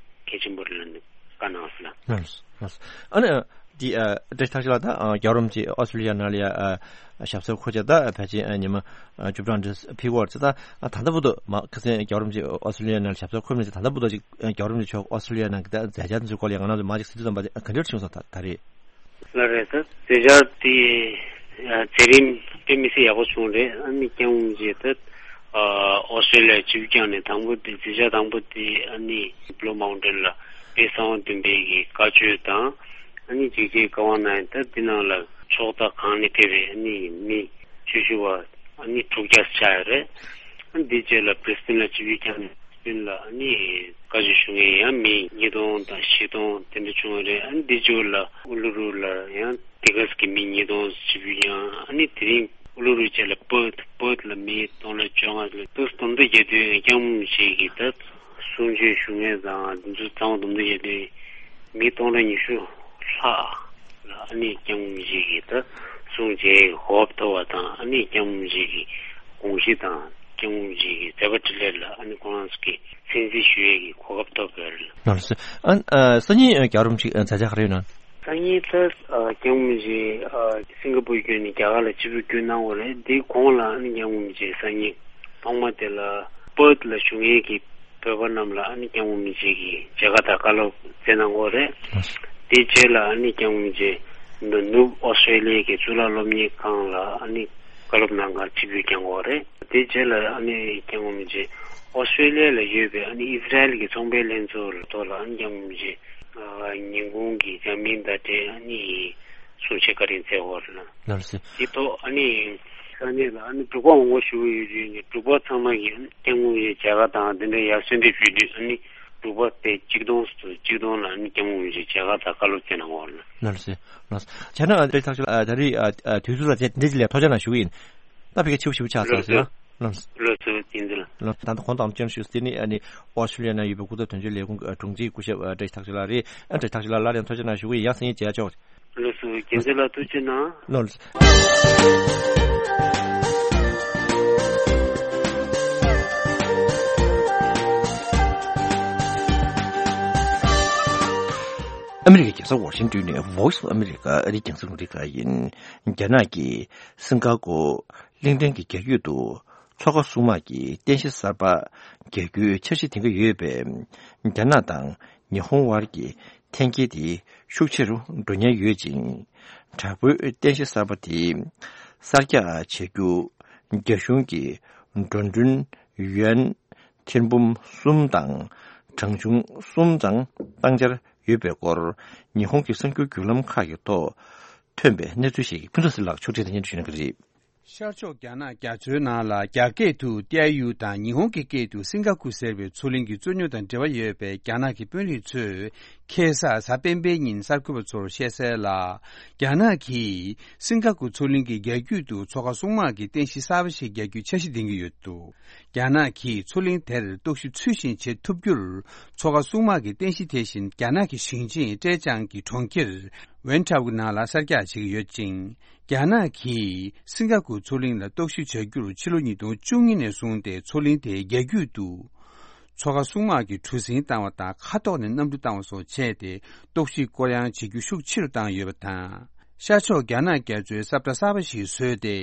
གལ་ཆེན་པོ་རེད་ལབ་ནས་བཀའ་གནང་སོང་ལ། ལགས་སོ། ལགས་སོ། ཨ་ནི་འདི་ཨ་བཀྲ་ཤིས་ཐར་ཤིང་ལགས་ད་ཨ་རྒྱལ་བ་རིན་པོ་ཆེ་ཨོ་སི་ཀྲོ་ལི་ཡ་ནང་ལ་ཡ་ཨ་ཞབས་སོར་འཁོད་བྱས་ད་ཕལ་ཆེར་ཨ་ཉི་མ་ཨ་བཅུ་གྲངས་འདྲ་ཕེབས་ཀྱི་ཡོད་རེད། ད་ཨ་ད་ལྟ་བར་དུ་མ་ཁ་སང་རྒྱལ་བ་རིན་པོ་ཆེ་ཨོ་སི་ཀྲོ་ལི་ཡ་ནང་ལ་ཞབས་སོར་འཁོད་མི་ཚེ་ད་ལྟ་བར་དུ་ཅིག་ཨ་རྒྱལ་བ་རིན་པོ་ཆེ་མཆོག་ཨོ་སི་ཀྲོ་ལི་ཡ་ནང་གི་ད་མཛད་འཆར་དེ་ཚོའི་སྐོར་ལ་ཡ་ང་རང་ཚོ་མ་ཅིག་གསལ་སྟོན་ཙམ་པ་ག་འདྲ་བྱུང་སོང་ད་ད་རེས། ལགས་རེད། ད་མཛད་འཆར་དེ་ཨ་མཛད་རིམ་དཔེ་མི་སྲིད་ཡག་པོ་བྱུང་རེད། ཨ་ནི་སྐྱབས་མགོན་རིན་པོ་ཆེ་ད་ཨ་ཨོ་སི་ཀྲོ་ལི་ཡ་ཆིབས་བསྒྱུར་བསྐྱངས་ནས་དང་པོ་དེ་མཛད་འཆར་དང་པོ་དེ་ཨ་ནི་བློ་མའོན་ཊེན་ལ་དཔལ་གསང་བ་བདུན་པའི་གི་བཀའ་ཆོས་དང་ཨ་ནི་འཇིགས་བྱེད་བཀའ་དབང་གནང་ཡ་ད་འདི་ནང་ལ་ཕྱོགས་མཐའ་གང་ནས་ཕེབས་པའི་ཨ་ནི་མི་ཆོས་ཞུ་བ་ཨ་ནི་དྲུག་བརྒྱ་ཆགས་ཡོད་རེད། ཨ་ནི་འདི་རྗེས་ལ་བྷི་རི་སི་ཏན་ལ་ཆིབས་བསྒྱུར་བསྐྱངས་ནས། སྤིན་ལ་ཨ་ནི་བཀའ་ཆོས་ཞུ་མཁན་ཡང་མི་ཉིས་སྟོང་དང་བཞི་སྟོང་དེ་འདྲ་བྱུང་བ་རེད། ཨ་ནི་འདི་ཕྱོགས་ལ་ཨུ་ལུ་རུ་ལ་ཡང་དེ་ག་ཙམ་གྱི་མི་ཉིས་སྟོང་ཆིབས་བསྒྱུར་བསྐྱངས། ཨ་ནི་དེ་རིང་ཨུ་ལུ་རུ་བཅས་ལ་པར་ཐི་པར་ཐི་ལ་མི་སྟོང་ཕྲག་བཅོ་ལྔ་ལ་ཏུ་སྟོང་ཕྲག་བརྒྱད་དོན་སྐྱབས་མགོན་ཆེ་གི་ད་གསུང་ཆོས་ཞུ་མཁན་དང་འདི་ཚོ་ཚང་མ་སྟོང་ཕྲག་བརྒྱད་དོན་མི་སྟོང་ཕྲག་ཉི་ཤུ་ལྷག་ལ་ཨ་ནི་སྐྱབས་མགོན་ཆེ་གི་ད་གསུང་ཆོས་གོ་སྐབས་ཐོབ་པ་དང་ཨ་ནི་སྐྱབས་མགོན་ཆེ་གི་དགོངས་གཞི་དང་སྐྱབས་མགོན་ཆེ་གི་མཛད་པ་འཕྲིན་ལས་ལ་ཨ་ནི་ཁོང་རང་ཚོ་གི་གསན་གཟིགས་ཞུ་ཡས་ཀྱི་གོ་སྐབས་ཐོབ་ཡོད་རེད། ལགས་སོ། ཨ་ཨ་སང་ཉིན་རྒྱལ་བ་རིན་པོ་ཆེ་མཛད་འཆར་ག་རེ་ཡོད་ན། སང་ཉིན་ད་སྐྱབས་མགོན་ཆེ་སིང་ག་པུར་བསྐྱོད་ནས་རྒྱ་གར་ལ་ཆིབས་བསྒྱུར་བསྐྱོད་གནང་བ་རེད། དེའི་གོང་ལ་ཨ་ནི་སྐྱབས་མགོན་ཆེ་སང་ཉིན་ཐོག་མ་དེ་ལ་པར་ཐི་ལ་བཞུགས་མཁན་གྱི་བོད་པ་རྣམས་ལ་ཨ་ནི་སྐྱབས་མགོན་ཆེ་གིས་མཇལ་ཁ་དང་བཀའ་སློབ་སྩལ་གནང་གི་ཡོད་རེད། དེའི་རྗེས་ལ་ཨ་ནི་སྐྱབས་མགོན་ཆེ་ནུབ་ཨོ་སི་ཀྲོ་ལི་ཡའི་གི་གཙུག་ལག་སློབ་གཉེར་ཁང་ལ་ཨ་ནི་བཀའ་སློབ་གནང་གར་ཆིབས་བསྒྱུར་བསྐྱངས་ཡོད་རེད། དེའི་རྗེས་ལ་ཨ་ནི་སྐྱབས་མགོན་ཆེ་ཨོ་སི་ཀྲོ་ལི་ཡ་ལ་ཡོད་པའི་ཨ་ནི་ཨི་ཟི་རལ་གྱི་ཚོང་པའི་ལྷན་ཚོགས་ལ་ཐོག་ལ་ཨ་ནི་སྐྱབས་མགོན་ཆེ་ཉིན་གུང་གི་ཇ་མིན་དང་འབྲེལ་ཨ་ནི་གསུང་བཤད་བཀའ་དྲིན་སྩལ་ཡོད་རེད། ལགས་སོ། དེ་ཐོག་ཨ་ནི་ས་གནས་ལ་ཨ་ནི་འབྲུག་པ་ངོ་རྒོལ་ཞུ་གི་ཡོད་དུས་ནས་འབྲུག་པ་ཚང་མ་གིས་ཨ་ནི་སྐྱབས་མགོན་ཆེ་མཇལ་ཁ་དང་དེ་འདྲའི་ཡར་གསོལ་འདེབས་ཞུས་དུས་ཨ་ནི་འབྲུག་པ་དེ་གཅིག་སྟོང་ཙམ་གཅིག་སྟོང་ལ་ཨ་ནི་སྐྱབས་མགོན་ཆེ་མཇལ་ཁ་དང་བཀའ་སློབ་སྩལ་གནང་ཡོད་རེད། ལགས་སོ། ལགས་སོ། བྱས་ན་ཨ་ད་ཐག་ཆོད་ཨ་ད་རེས་ཨ་ཨ་དུས་ཚོད་ལ་དེ་འདྲ་ཅིག་ལ་ཐུགས་རྗེ་གནང་ཞུ་གི་ཡིན། ད་ཕ་གི་ཆེ་བོ་ཞེ་པོ་ཆགས་སོང་ཟེར་ཡ། ལགས། ལགས་སོ། བསྟན་འཛིན་ལགས། ལགས། ད་ལྟ་གོང་དུ་ཨམ་ཅོན་ཞུས་དེ་ནི་ཨ་ནི་ཨོ་སི་ཀྲི་ལི་ཡ་ན་ཡོད་པའི་སྐུ་ཚབ་དོན་གཅོད་ལས་ཁུངས་ཀྱི་དྲུང་ཆེ་སྐུ་ཞབས་བཀྲ་ཤིས་ཐར་ལྕོག་ལགས་རེད། ཨ་བཀྲ་ཤིས་ཐར་ལྕོག་ལགས། སླར་ཡང་ཐུགས་རྗེ་གནང་ཞུ་གི་ཡིན། ཡང་སང་ཉིན་མཇལ་ཆོག། ལགས་སོ། བསྟན་འཛིན་ལགས་ཐུགས་རྗེ་གནང་། ལགས། ཨ་མི་རི་ཀའི་རྒྱལ་ས་ཝ་ཤིང་ཏོན་ནས་Voice of America ཨ་རིའི་རྒྱང་སྲིང་རླུང་འཕྲིན་ཁང་ཡིན། རྒྱ་ནག་གིས་སིང་ག་པོར་གླིང་ཕྲན་གྱི་རྒྱ་ཁུལ་དུ་མཚོ་ཁ་སྲུང་དམག་གི་རྟེན་གཞི་གསར་པ་རྒྱག་རྒྱུའི་འཆར་གཞི་འདིང་གི་ཡོད་པས། རྒྱ་ནག་དང་ཉི་ཧོང་དབར་གྱི་འཐེན་འཁྱེར་དེ་ཤུགས་ཆེ་རུ་འགྲོ་ཉེན་ཡོད་ཅིང་། དྲག་པོའི་རྟེན་གཞི་གསར་པ་དེ་གསར་རྒྱག་བྱེད་རྒྱུ་རྒྱ་གཞུང་གི་འགྲོ་གྲོན་ཡུན་ཐེར་འབུམ་གསུམ་དང་གྲངས་ཆུང་གསུམ་ཙམ་བཏང་འཆར་ཡོད་པའི་སྐོར་ཉི་ཧོང་གི་གསར་འགྱུར་བརྒྱུད་ལམ་ཁག་གི་ཐོག་ཐོན་པའི་གནས་ཚུལ་ཞིག་ཕུན་ཚོགས་ཟེར་ལགས་ཕྱོགས་སྒྲིག་དང་སྙན་སྒྲོན་ཞུ་གནང་གི་རེད། ཤར་ཕྱོགས་རྒྱ་ནག་རྒྱ་མཚོའི་ནང་ལ་རྒྱ་སྐད་དུ་ཏའེ་ཡུ་དང་ཉི་ཧོང་གི་སྐད་དུ་སིང་ག་ཀུ་ཟེར་བའི་མཚོ་གླིང་གི་རྩོད་རྙོག་དང་འབྲེལ་བ་ཡོད་པའི་རྒྱ་ནག་གི་དཔོན་རིགས་ཚོས་ཁ་སང་གཟའ་སྤེན་པའི་ཉིན་གསར་འགོད་པ་ཚོར་བཤད་གསལ་ལ། རྒྱ་ནག་གིས་སིང་ག་ཀུ་མཚོ་གླིང་གི་རྒྱ་རྒྱུད་དུ་མཚོ་ཁ་སྲུང་དམག་གི་རྟེན་གཞི་གསར་པ་ཞིག་རྒྱག་རྒྱུའི་འཆར་གཞི་འདིང་གི་ཡོད་འདུག། རྒྱ་ནག་གིས་མཚོ་གླིང་དེར་སྟོབས་ཤུགས་ཚུལ་བཞིན་བྱེད་ཐུབ་རྒྱུར་མཚོ་ཁ་སྲུང་དམག་གི་རྟེན་གཞི་དེ་བཞིན་རྒྱ་ནག་གི་ཞིང་ཆེན་ཀྲེ་ཅང་གི་གྲོང་ཁྱེར་ཝན་ཁྲའོ་གི་ནང་ལ་གསར་རྒྱག་བྱེད་ཀྱི་ཡོད་ཅིང་། རྒྱ་ནག་གིས་སིང་ག་ཀུ་མཚོ་གླིང་ལ་སྟོབས་ཤུགས་བྱ་རྒྱུར་ཕྱི་ལོ་ཉིས་སྟོང་བཅུ་གཉིས་ནས་བཟུང་སྟེ་མཚོ་གླིང་དེའི་རྒྱ་རྒྱུད་དུ་མཚོ་ཁ་སྲུང་དམག་གི་གྲུ་གཟིངས་བཏང་བ་དང་ཁ་ཐོག་ནས་གནམ་གྲུ་བཏང་བ་སོགས་བྱས་ཏེ་སྟོབས་ཤུགས་སྐོར་གཡེང་བྱེད་རྒྱུ་ཤུགས་ཆེ་རུ་བཏང་ཡོད་པ་དང་། ཤར་ཕྱོགས་རྒྱ་ནག་རྒྱ་མཚོའི་ས་བཀྲ་གསར་པ་ཞིག་བཟོས་ཏེ།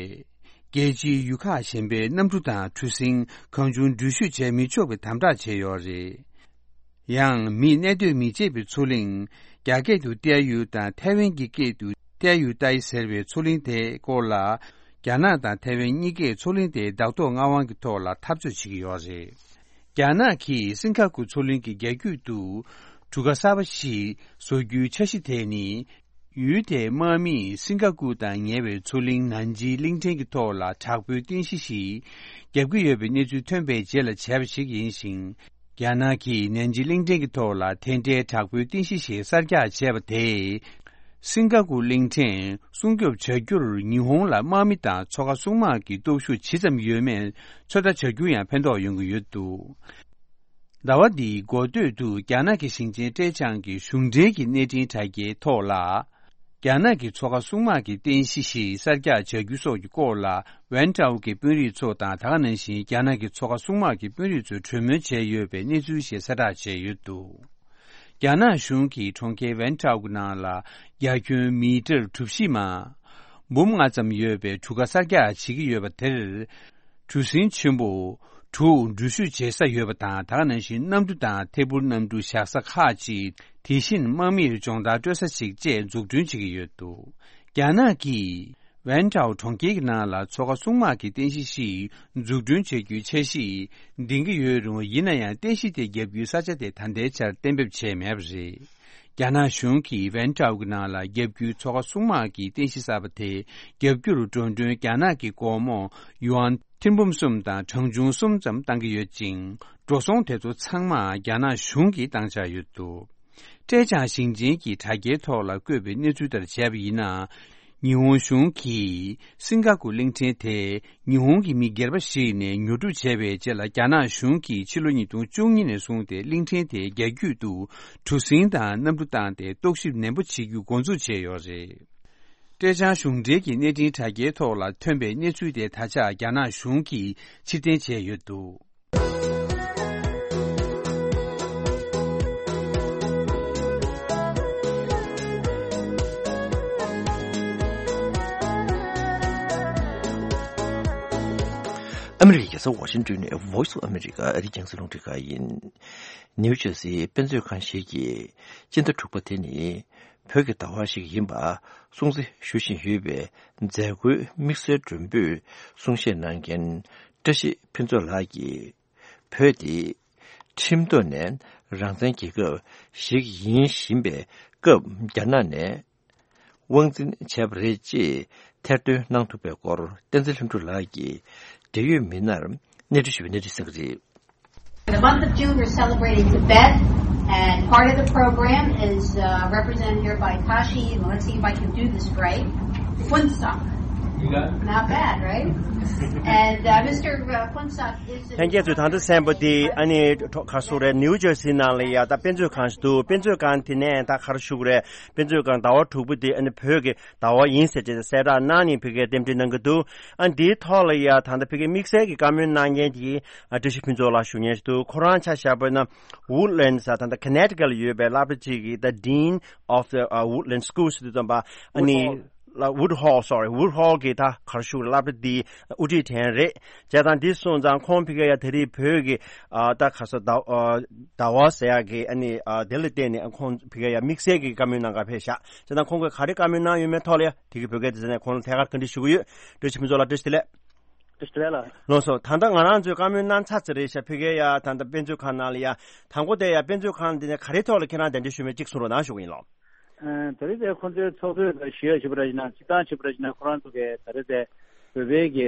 རྒྱལ་སྤྱིའི་ཡུལ་ཁག་གཞན་པའི་གནམ་གྲུ་དང་གྲུ་གཟིངས་གང་བྱུང་འགྲུལ་བཞུད་བྱས་མི་ཆོག་པའི་དམ་དྲག་བྱས་ཡོད་རེད། ཡང་མིས་གནས་སྡོད་མི་བྱེད་པའི་མཚོ་གླིང་། རྒྱ་སྐད་དུ་ཏའེ་ཡུ་དང་ཐའེ་ཝན་གྱི་སྐད་དུ་ཏའེ་ཡུ་ཏའེ་ཟེར་བའི་མཚོ་གླིང་དེའི་སྐོར་ལ། རྒྱ་ནག་དང་ཐའེ་ཝན་གཉིས་ཀས་མཚོ་གླིང་དེའི་བདག་ཐོག་མངའ་དབང་གི་ཐོག་ལ་འཐབ་རྩོད་བྱེད་ཀྱི་ཡོད་རེད། རྒྱ་ནག་གིས་སིང་ག་ཀུ་མཚོ་གླིང་གི་རྒྱ་རྒྱུད་དུ་གྲུ་ཁ་གསར་པ་ཞིག་བཟོ་རྒྱུའི་འཆར་གཞི་དེ་ནི། ཡུལ་དེའི་དམག་མིས་སིང་ག་ཀུ་དང་ཉེ་བའི་མཚོ་གླིང་ནན་ཅི་གླིང་ཕྲན་གྱི་ཐོག་ལ་དྲག་པོའི་རྟེན་གཞི་ཞིག་བརྒྱབ་ཀྱི་ཡོད་པའི་གནས་ཚུལ་ཐོན་པའི་རྗེས་ལ་བྱས་པ་ཞིག་ཡིན་ཞིང་། རྒྱ་ནག་གིས་ནན་ཅི་གླིང་ཕྲན་གྱི་ཐོག་ལ་དེ་འདྲའི་དྲག་པོའི་རྟེན་གཞི་ཞིག་གསར་རྒྱག་བྱས་པ་དེས། སིང་ག་ཀུ་གླིང་ཕྲན་སྲུང་སྐྱོབ་བྱ་རྒྱུར་ཉི་ཧོང་ལ་དམག་མི་དང་མཚོ་ཁ་སྲུང་དམག་གི་སྟོབས་ཤུགས་ཇི་ཙམ་ཡོད་མེད་ཚོད་ལྟ་བྱ་རྒྱུར་ཡང་ཕན་ཐོགས་ཡོང་གི་ཡོད་འདུག། ཟླ་བ་འདིའི་འགོ་སྟོད་དུ་རྒྱ་ནག་གི་ཞིང་ཆེན་ཀྲེ་ཅང་གི་གཞུང་འབྲེལ་གྱི་གནས་འཕྲིན་དྲ་རྒྱའི་ཐོག་ལ། རྒྱ་ནག་གི་མཚོ་ཁ་སྲུང་དམག་གི་རྟེན་གཞི་ཞིག་གསར་རྒྱག་བྱ་རྒྱུ་སོགས་ཀྱི་སྐོར་ལ་ཝན་ཀྲའོ་གི་དཔོན་རིགས་ཚོ་དང་ད་ག་ནང་བཞིན་རྒྱ་ནག་གི་མཚོ་ཁ་སྲུང་དམག་གི་དཔོན་རིགས་ཚོས་གྲོས་མོལ་བྱས་ཡོད་པའི་གནས་ཚུལ་ཞིག་གསལ་བསྒྲགས་བྱས་ཡོད་འདུག། རྒྱ་ནག་གཞུང་གིས་གྲོང་ཁྱེར་ཝན་ཀྲའོ་གི་ནང་ལ་རྒྱ་ཁྱོན་མི་ཊར་གྲུ་བཞི་མ། འབུམ་ལྔ་ཙམ་ཡོད་པའི་གྲུ་ཁ་གསར་རྒྱག་བྱེད་ཀྱི་ཡོད་པ་དེར། གྲུ་གཟིངས་ཆེན་པོ་དྲུག་འགྲུལ་བཞུད་བྱེད་ས་ཡོད་པ་དང་ད་ག་ནང་བཞིན་གནམ་གྲུ་དང་ཐད་འཕུར་གནམ་གྲུ་བཞག་ས་ཁག་ཅིག་དེ་བཞིན་དམག་མིར་སྦྱོང་བརྡར་སྤྲོད་ས་ཅིག་བཅས་འཛུགས་སྐྲུན་བྱེད་ཀྱི་ཡོད་འདུག། རྒྱ་ནག་གིས་ཝན་ཀྲའོ་གྲོང་ཁྱེར་གྱི་ནང་ལ་མཚོ་ཁ་སྲུང་དམག་གི་རྟེན་གཞི་ཞིག་འཛུགས་སྐྲུན་བྱ་རྒྱུའི་འཆར་གཞི་འདིང་གི་ཡོད་རུང་ཡིན་ན་ཡང་རྟེན་གཞི་དེ་བརྒྱབ་རྒྱུའི་ས་ཆ་དེ་ད་ལྟའི་ཆར་གཏན་འབེབས་བྱས་མེད་པ་རེད། རྒྱ་ནག་གཞུང་གིས་ཝན་ཀྲའོ་གི་ནང་ལ་བརྒྱབ་རྒྱུའི་མཚོ་ཁ་སྲུང་དམག་གི་རྟེན་གཞི་གསར་པ་དེ་བརྒྱབ་རྒྱུར་འགྲོ་གྲོན་རྒྱ་ནག་གི་སྒོར་མོ་ཡུའན་ཐེར་འབུམ་གསུམ་དང་གྲངས་ཆུང་གསུམ་ཙམ་བཏང་གི་ཡོད་ཅིང་། འགྲོ་སོང་དེ་ཚོ་ཚང་མ་རྒྱ་ནག་གཞུང་གིས་བཏང་འཆར་ཡོད་འདུག། ཀྲེ་ཅང་ཞིང་ཆེན་གྱི་དྲ་རྒྱའི་ཐོག་ལ་བཀོད་པའི་གནས་ཚུལ་ལྟར་བྱས་པ་ཡིན་ན། ཉི་ཧོང་གཞུང་གིས་སིང་ག་ཀུ་གླིང་ཕྲན་དེ་ཉི་ཧོང་གི་མི་སྒེར་པ་ཞིག་ནས་ཉོ་སྒྲུབ་བྱས་པའི་རྗེས་ལ་རྒྱ་ནག་གཞུང་གིས་ཕྱི་ལོ་ཉིས་སྟོང་བཅུ་གཉིས་ནས་བཟུང་སྟེ་གླིང་ཕྲན་དེའི་རྒྱ་རྒྱུད་དུ་གྲུ་གཟིངས་དང་གནམ་གྲུ་བཏང་སྟེ་རྟོག་ཞིབ་ནན་པོ་བྱེད་རྒྱུ་འགོ་འཛུགས་བྱས་ཡོད་རེད། ཀྲེ་ཅང་གཞུང་འབྲེལ་གྱི་གནས་འཕྲིན་དྲ་རྒྱའི་ཐོག་ལ་ཐོན་པའི་གནས་ཚུལ་དེ་ད་ཆ་རྒྱ་ནག་གཞུང་གིས་ཕྱིར་འཐེན་བྱས་ཡོད་འདུག། ཨ་མི་རི་ཀའི་རྒྱལ་ས་ཝ་ཤིང་ཏོན་ནས་Voice of America ཨ་རིའི་རྒྱང་སྲིང་རླུང་འཕྲིན་ཁང་ཡིན། ནིའུ་ཇར་སིའི་དཔེ་མཛོད་ཁང་ཞིག་གིས་སྤྱི་ཟླ་དྲུག་པ་དེ་ནི་བོད་ཀྱི་ཟླ་བ་ཞིག་ཡིན་པ་སྲུང་བརྩི་ཞུ་བཞིན་ཡོད་པའི་མཛད་སྒོའི་དམིགས་བསལ་མགྲོན་པོས་གསུང་བཤད་གནང་མཁན་བཀྲ་ཤིས་ཕུན་ཚོགས་ལགས་ཀྱིས། བོད་དེ་ཁྲིམས་ཐོག་ནས་རང་བཙན་རྒྱལ་ཁབ་ཞིག་ཡིན་བཞིན་པའི་སྐབས། རྒྱ་ནག་ནས་དབང་འཛིན་བྱས་པ་རེད་ཅེས་ཐེར་འདོན་གནང་ཐུབ་པའི་སྐོར། བསྟན་འཛིན་ལྷུན་གྲུབ་ལགས་ཀྱིས་འབྲེལ་ཡོད་མི་སྣར་གནས་འདྲི་ཞུས་པའི་གནས་ཚུལ་གསན་གྱི་རེད། In the month of June, we're celebrating Tibet, and part of the program is uh, represented here by Kashi, and let's see if I can do this right. Wuntsang. Not bad, right? And uh, Mister Khonsat is. ལྷན་རྒྱས་ཚོས་ད་ལྟ་གསན་པ་དེ་ཨ་ནི་ག་རེ་ཟེར་དགོས་རེད། ནིའུ་ཇར་སི་ནང་ལ་ཡ་ད་དཔེ་མཛོད་ཁང་ཞིག་འདུག་དཔེ་མཛོད་ཁང་དེ་ནས་ད་ག་རེ་ཞུ་དགོས་རེད། དཔེ་མཛོད་ཁང་ཟླ་བ་དྲུག་པ་དེ་ཨ་ནི་བོད་ཀྱི་ཟླ་བ་ཡིན་ཟེར་བྱས་གསལ་བསྒྲགས་གནང་ནས་ཕ་གིར་རྟེན་འབྲེལ་གནང་གི་འདུག་ཨ་འདིའི་ཐོག་ལ་ཡ་ད་ལྟ་ཕ་གིར་དམིགས་བསལ་གྱི་བཀའ་མོལ་གནང་མཁན་དེ་ཨ་བཀྲ་ཤིས་ཕུན་ཚོགས་ལགས་ཞུ་མཁན་ཞིག་འདུག་ཁོ་རང་ཆ་བཞག་པ་ན་Woodlands ཟེར་ད་ལྟ་Connecticut ལ་ཡོད་པའི་སློབ་གྲྭ་གཅིག་གི་the Dean of the uh, Woodland School ཟེར་དུས་ཙམ་པ་ཨ་ནི་Woodhall. ལ་Woodhall, sorry, Woodhall གི་ད་ག་རེ་ཞུ་སློབ་གྲྭ་འདི་དབུ་ཁྲིད་དྲན་རེད། བྱས་ཙང་འདི་སོང་ཙང་ཁོང་ཕ་གིར་ཡ་ད་རེས་བོད་ཀྱི་ཨ་ད་ག་རེ་ཟེར་ཟླ་ཨ་ཟླ་བ་ཟེར་ཡག་གི་ཨ་ནི་ཨ་དེ་ལ་བརྟེན་ནས་ཁོང་ཕ་གིར་ཡ་དམིགས་བསལ་གྱི་བཀའ་མོལ་གནང་གར་ཕེབས་ཤག་བྱས་ཙང་ཁོང་གིས་ག་རེ་བཀའ་མོལ་གནང་ཡོད་མེད་ཐོག་ལ་ཡ་དེ་གི་བོད་སྐད་དེ་ཟེར་ནས་ཁོང་ལ་ཐད་ཀར་བཀའ་འདྲི་ཞུ་གི་ཡོད། བཀྲ་ཤིས་ཕུན་ཚོགས་ལགས་བཀྲ་ཤིས་བདེ་ལེགས། བཀྲ་ཤིས་བདེ་ལེགས་ལགས། ལགས་སོ། ད་ལྟ་ང་རང་ཚོས་བཀའ་མོལ་གནང་ཚར་ཚར་རེད་ཤག་ཕ་གིར་ཡ་ད་ལྟ་དཔེ་མཛོད་ཁང་ནང་ལ་ཡ་དང་པོ་དེ་ཡ་དཔེ་མཛོད་ཁང་འདི་ནས་ག་རེ་ཐོག་ལ་ཁྱེད་རང་གདན་འདྲེན་ཞུས་མེད་ཅིག་གསུང་རོགས་གནང་ཞུ་གི་ཡིན་ལགས། ཨ་ད་རེས་དེ་ཁོང་ཚོའི་ཚོགས་གཙོས་ཞུ་ཡ་བྱས་པ་ར་ཡིན་ན་སྤྱིར་བཏང་བྱས་པ་ར་ཡིན་ན་ཁོ་རང་ཚོ་གིས་ད་རེས་དེ་བོད་པའི་གི་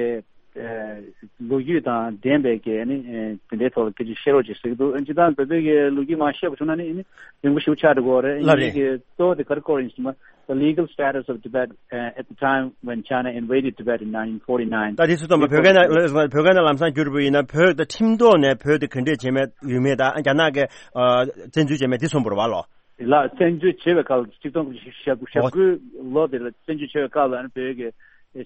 ཨ་ལོ་རྒྱུས་དང་ལྡན་པའི་གི་ཨ་ནི་ཨ་དེ་འདྲའི་ཐོག་ལ་སྐད་ཆ་བཤད་རོགས་ཅིག་ཟེར་གི་འདུག་སྤྱིར་བཏང་བོད་པའི་གི་ལོ་རྒྱུས་མར་བཤད་པ་བྱུང་ན་ནི་ཨ་ནི་རིང་པོ་ཞེ་པོ་ཆགས་འགྲོ་གི་རེད། ལགས་རེད། ངེད་ཀྱི་གཙོ་བོ་དེ་ག་རེ་སྐོར་ཡིན་ཟེར་ན། The legal status of Tibet uh, at the time when China invaded Tibet in nineteen forty-nine. ད་དེ་ཚོ་དང་པོ་བོད་སྐད་ནང་བོད་སྐད་ནང་ལམ་སང་བསྒྱུར་བ་ཡིན་ན་བོད་ད་ཁྲིམས་ཐོག་ནས་བོད་དེ་ག་འདྲས་བྱས་མེད་ཡོད་མེད་དང་རྒྱ་ནག་གིས་ཨ་བཙན་འཛུལ་བྱས་མེད་དེ་གསུངས་པ་རེད་བ་ལགས། ལགས། བཙན་འཛུལ་བྱས་པའི་སྐབས་ཆིག་སྟོང་དགུ་བརྒྱ་ཞེ་དགུ་ལོ་དེ་ལ་བཙན་འཛུལ་བྱས་པའི་སྐབས་ལ་ཨ་ནི་བོད་ཀྱི་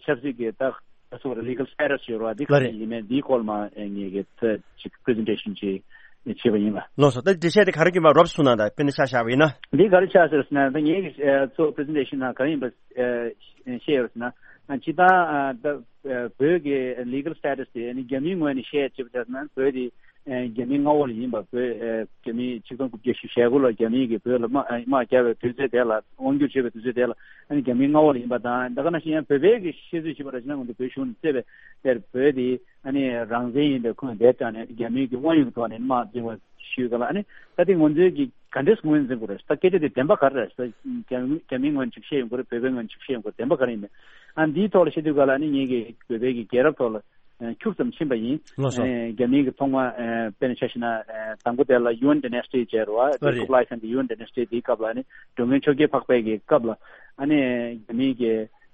ཆབ་སྲིད་ཀྱི་ད་ད་སོ་legal status ཡོད་རེད་བ། འདི་ག་ལགས་རེད། རེ་ཡིན་མིན་འདིའི་སྐོར་མ་ངེད་ཀྱིས་ད་ཅིག་presentation ཅིག་བྱས་པ་ཡིན་ལ། ལགས་སོ། ད་འགྲེལ་བཤད་དེ་ག་རེ་བརྒྱུད་པ་རོབ་གསུངས་གནང་དང་། དཔེར་ན་ཆ་བཞག་པ་ཡིན་ན། འདི་ག་རེ་ཆགས་ཟེར་ན་ད་ངེད་ཀྱི་གཙོ་presentation ནང་ག་རེ་ཡིན་པ་བཤད་ཡོད་ཟེར་ན། སྤྱིར་བཏང་ད་བོད་ཀྱི་legal status དེ་ནི་རྒྱ་མིའི་ངོས་ནས་བཤད་ཅེས་པ་ན་བོད་དེ་རྒྱ་མིའི་མངའ་འོག་ལ་ཡིན་པ། བོད་རྒྱ་མིའི་ཆིག་སྟོང་དགུ་བརྒྱ་ཞེ་དགུ་ལ་རྒྱ་མིས་ཀྱི་བོད་ལ་དམག་དམག་རྒྱག་པའི་དུས་ཚོད་དེ་ལ་དབང་སྒྱུར་བྱས་པའི་དུས་ཚོད་དེ་ལ་ཨ་ནི་རྒྱ་མིའི་མངའ་འོག་ལ་ཡིན་པ་དང་། ད་ག་ནང་བཞིན་ཡང་བོད་པའི་གི་བཤད་ཚུལ་བྱས་པ་ར་ཅིག་ན་ང་ཚོ་བོད་གཞུང་ནས་བརྩད་པའི་དེར་བོད་དེ་ཨ་ནི་རང་བཙན་ཡིན་པའི་ཁུངས་དེ་དྲངས་ནས་རྒྱ་མིའི་གི་དབང་ཡོད་ཀྱི་ཐོག་ནས་དམག་འཛིང་བ་ཞུས་ག་ལ། ཨ་ནི་ད་དེ་ང་ཚོའི་གི་ག་འདྲས་ངོས་འཛིན་དགོས་རེད། ད་སྐད་ཆ་དེ་བདེན་པ་ག་རེ་རེད། ད་རྒྱ་རྒྱ་མིའི་ངོས་ནས་ཅིག་བཤད་ཡོང་གི་རེད། བོད་པའི་ངོས་ནས་ཅིག་བཤད་ཡོང་གི་རེད། བདེན་པ་ག་རེ་ཡིན་མིན། ཨ་འདིའི་ཐོག་ལ་བཤད་དུས་ག་ལ་ཨ་ནི་ངེད་ཀྱི་བོད་པའི་གི་རྒྱལ་རབས་ཐོག་ལ་ཁྱུག་ཙམ་ཕྱིན་པ་ཡིན། ལགས་སོ། ཨེ་རྒྱ་མིའི་གི་ཐོག་མ་ཨེ་དཔེར་ན་ཆ་བཞག་ན་ཨེ་དང་པོ་དེ་ལ་Yuan dynasty བྱས་རེད་བ། ཨ་རེད། ཀུབ་ལའི་ཁཱན་གྱི་Yuan dynasty དེའི་སྐབས་ལ་ཨ་ནི་འགྲོ་མགོན་ཆོས་རྒྱལ་འཕགས་པའི་གི་སྐབས་ལ་ཨ་ནི་རྒྱ་མིའི་གི་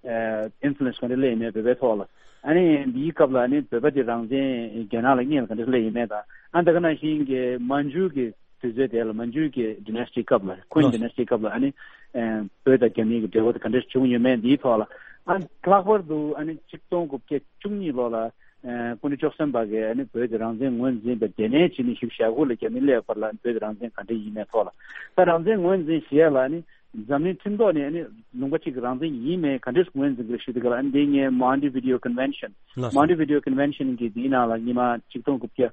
ཨེ་influence ག་འདྲ་སླེབས་ཡོད་མེད་བོད་པའི་ཐོག་ལ། ཨ་ནི་འདིའི་སྐབས་ལ་ཨ་ནི་བོད་པ་དེ་རང་བཙན་རྒྱ་ནག་ལ་སྔོན་ལ་ག་འདྲ་སླེབས་ཡོད་མེད་དང་། ཨ་ད་ག་ནང་བཞིན་གི་མན་ཇུ་གི་དུས་ཚོད་དེ་ལ་མན་ཇུ་གི་dynasty སྐབས་ལ། Qing dynasty སྐབས་ལ་ཨ་ནི་ཨེ་བོད་དང་རྒྱ་མིའི་གི་འབྲེལ་བ་དེ་ག་འདྲ་བྱུང་ཡོད་མེད་འདིའི་ཐོག་ལ། ཨ་ལྷག་པར་དུ་ཨ་ནི་ཆིག་སྟོང་དགུ་བརྒྱ་བཅུ་གཉིས་ལོ་ལ་ཨེ་སྐུ་ཕྲེང་བཅུ་གསུམ་པ་གིས་ཨ་ནི་བོད་ཀྱི་རང་བཙན་ངོས་འཛིན་པའི་སྡེ་གནས་བྱས་ནས་བཞུགས་ཞག་དགུ་ལ་རྒྱ་མི་སླེབས་བར་ལ་བོད་ཀྱི་རང་བཙན་ག་འདྲ་ཡིན་མེད་ཐོག་ལ། ད་རང་བཙན་ངོས་འཛིན་ཞེས་ལ་ཨ་ནི་འཛམ་གླིང་ཁྲིམས་ཐོག་ནས་ཨ་ནི་ལུང་པ་གཅིག་གི་རང་བཙན་ཡིན་མིན་ག་འདྲས་ངོས་འཛིན་དགོས་ཞུ་དུས་ག་ལ། ཨ་ནི་འདི་ངས་Montevideo Convention། ལགས་སོ། Montevideo Convention གི་འདིའི་ནང་ལ་ཉི་མ་ཆིག་སྟོང་དགུ་བརྒྱ་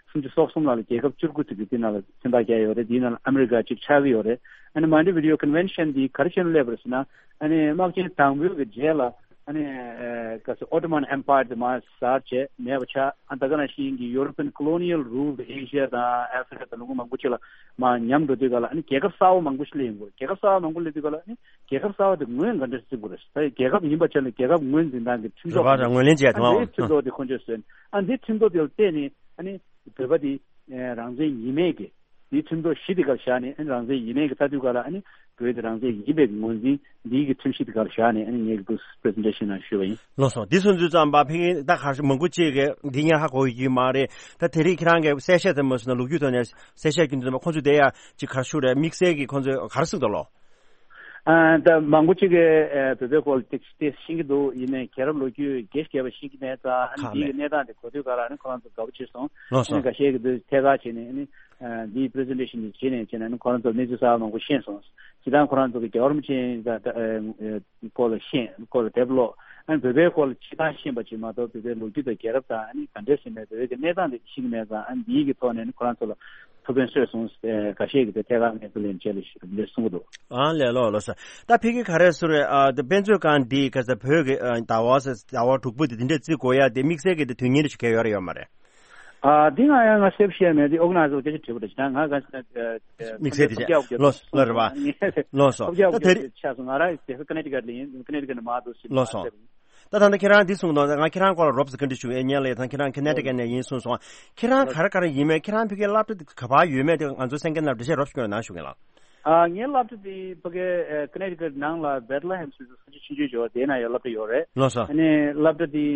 སུམ་ཅུ་སོ་གསུམ་ལ་རྒྱལ་ཁབ་བཅུ་དགུ་ཙམ་གྱིས་འདི་ནང་ལ་མཚན་རྟགས་བརྒྱབ་ཡོད་རེད། འདིའི་ནང་ལ་ཨ་མི་རི་ཀ་གཅིག་ཆགས་ཀྱི་ཡོད་རེད། ཨ་ནི་Montevideo Convention འདི་ག་རེ་བྱས་ནས་སླེབས་པ་རེད་ཟེར་ན། ཨ་ནི་དམག་ཆེན་དང་པོའི་གི་རྗེས་ལ་ཨ་ནི་ཨ་ག་ཟེར་Ottoman Empire དེ་མར་ཟག་བྱས་མེད་པ་ཆགས། ཨ་ད་ག་ནང་བཞིན་གྱི་European colonial rule དེ་ཨེ་ཤི་ཡ་དང་ཨ་ཧྥི་རི་ཀ་དང་ལུང་པ་མང་པོ་ཅིག་ལ་མར་ཉམས་འགྲོ་དུས་ག་ལ། ཨ་ནི་རྒྱལ་ཁབ་གསར་པ་མང་པོ་ཞིག་སླེབས་ཡོང་གི་རེད། རྒྱལ་ཁབ་གསར་པ་མང་པོ་སླེབས་དུས་ག་ལ་ཨ་ནི་རྒྱལ་ཁབ་གསར་པ་དེ་ངོས་ག་འདྲ་འཛིན་དགོས་རེད། ད་རྒྱལ་ཁབ་ཡིན་པ་ཆ་ནས་རྒྱལ་ཁབ་ངོས་འཛིན་སྟངས་ཀྱི་ཁྲིམས་ཐོག་རེད་པ། ངོས་ལེན་བྱས། ཨ་ཐུབ་འདིའི་ཁྲིམས་ཐོག་དེ་ཁོང་ཚོས་བཟོས་ནས། ཨ་འདིའི་ཁྲིམས་ཐོག་དེ་ལ་བརྟེན་ནས་ཨ་ནི་བོད་པ་དེ་རང་བཙན་ཡིན་མེད་ཀྱི། དེའི་ཁྲིམས་ཐོག་གཞི་དེ་གར་བཞག་ནས་ཨ་ནི་རང་བཙན་ཡིན་མིན་གྱི་ལྟ་དུས་ག་ལ་ཨ་ནི་བོད་དེ་རང་བཙན་ཡིན་པའི་ངོས་འཛིན་འདིའི་གི་ཁྲིམས་གཞི་དེ་གར་བཞག་ནས་ཨ་ནི་ངས་ཀྱི་presentation ནང་ཞུས་པ་ཡིན། ལགས་སོ། འདི་སོང་ཚུལ་ཙམ་པ་ཕ་གི་ད་གར་མང་པོ་ཅིག་གིས་འདི་སྔོན་ཧ་གོ་ཡོད་ཀྱི་མ་རེད། ད་དེ་རིང་ཁྱེད་རང་གིས་གསལ་བཤད་དེ་མ་སོང་ན་ལོ་རྒྱུས་ཐོག་ནས་གསལ་བཤད་རྒྱུ་འདི་ཚོ་ཁོང་ཚོས་དེ་ཡ་ཅིག་གར་ཞུ་རེད། དམིགས་བསལ་གྱི་ཁོང་ཚོས་ག་རེ་གསུངས་འདུག་ལོ། ཨ་ད་མང་པོ་ཅིག་གིས་ཨ་བོད་པའི་སྐོར་ཏོག་ཙམ་ཤེས་ཀྱི་འདུག་ཡིན་ནའི་རྒྱལ་རབས་ལོ་རྒྱུས་རྒྱས་ཤིག་རྒྱས་པ་ཤེས་ཀྱི་མེད་ཙང་། ཨ་ནི་ཁག་མེད། འདིའི་གནས་སྟངས་དེ་གོ་དུས་ག་ལ་ཨ་ནི་ཁོ་རང་ཚོ་དགའ་པོ་བྱས་སོང་། ལགས་སོ། ཨ་ནི་འགའ་ཤས་ཀྱིས་འདི་ཐད་ཀར་བྱས་ནས་ཨ་ནི་ཨ་འདིའི་presentation འདི་བྱས་ནས་བྱས་ནས་ཨ་ནི་ཁོ་རང་ཚོ་གནས་ཚུལ་གསར་པ་མང་པོ་ཤེས་སོང་། སྤྱིར་བཏང་ཁོ་རང་ཚོ་གི་རྒྱལ་བ་རིན་པོ་ཆེ་ད་ད་ཨ་ཨ་སྐོར་ལ་ཤེས། སྐོར་ལ་དེབ་ཀློག་ཨ་ནི་བོད་པའི་སྐོར་ལ་སྤྱིར་བཏང་ཤེས་པ་ཅིག་མ་གཏོགས་བོད་པའི་ལོ་རྒྱུས་དང་རྒྱལ་རབས་དང་ཨ་ནི་ག་འདྲས་ཟེར་ནས་བོད་པའི་གི་གནས་སྟངས་དེ་ཤེས་ཀྱི་མེད་ཙང་། ཨ་ནི་འདིའི་གི་ཐོག་ནས་ཨ་ནི་ཁོ་རང་ཚོ་ལ་ཐུགས་ཕན་གསོས་སོང་། ཨེ་འགའ་ཤས་ཀྱིས་དེ་ཐད་ཀར་ངས་ཁས་ལེན་བྱས་ལ་ཞུ་ལས་གསུང་གི་འདུག་ཨ་ལས་ལོ་ལོ་ས། ད་ཕ་གི་ག་རེ་ཟེར་རེད། ཨ་དེ་དཔེ་མཛོད་ཁང་འདི་ག་ས་བོད་ཀྱི་ཨ་ཟླ་བ་ཟེར་ཟླ་བ་དྲུག་པོ་དེ་དེ་འདྲས་བརྩི་དགོས་ཡ་དེ་དམིགས་བསལ་གྱི་དེ་དུས་ངན་རེ་ཞིག་གས་ཡོད་རེད་ཡོད་མ་རེད། ཨ་འདི་ང་ཡང་ང་སེབ་བཤད་མེད། དེ་organizer སྐད་ཆ་དྲིས་པ་རེད། ད་ང་ག་ས་དམིགས་བསལ་དེ་བྱས་ལོ་ལོ་རེད་བ། ལོ་སོ། ད་དེ་རིང་ཆགས་སོང་། ང་རང་དེ་ཁ་ཀ་ནེ་ཊི་ཀཊ་ལ་ཡིན། ཀ་ནེ་ཊི་ཀཊ་ནས་མར་འདུག་ཟེར། ལོ་སོ། ད་ད་ལྟ་ཁྱེད་རང་འདི་གསུངས་དང་། ང་ཁྱེད་རང་སྐོར་ལ་རོབ་ཙམ་བཀའ་འདྲི་ཞུ་ཨེ་ཉན་ལེ། ད་ཁྱེད་རང་ཁ་ནེ་ཊི་ཀཊ་ནས་ཡིན་གསུངས་སོང་། ཁྱེད་རང་ག་རེ་ག་རེ་ཡིན་མིན། ཁྱེད་རང་ཕ་གིའི་སློབ་གྲྭ་ག་པར་ཡོད་མེད་དེ་ང་ཚོ་གསན་མཁན་རྣམས་འགྲེལ་བཤད་རོབ་ཞུ་གནང་ཞུ་གི་ལགས། ཨ། ངའི་སློབ་གྲྭ་དེ་ཕ་གི་ཨ་Connecticut ནང་ལ་Bethlehem ཟེར་ས་ཆ་ཆུང་ཆུང་ཅིག་ཡོད། དེ་ན་ཡང་སློབ་གྲྭ་ཡོད་རེད། ལགས་སོ། ཨ་ནི་སློབ་གྲྭ་དེ་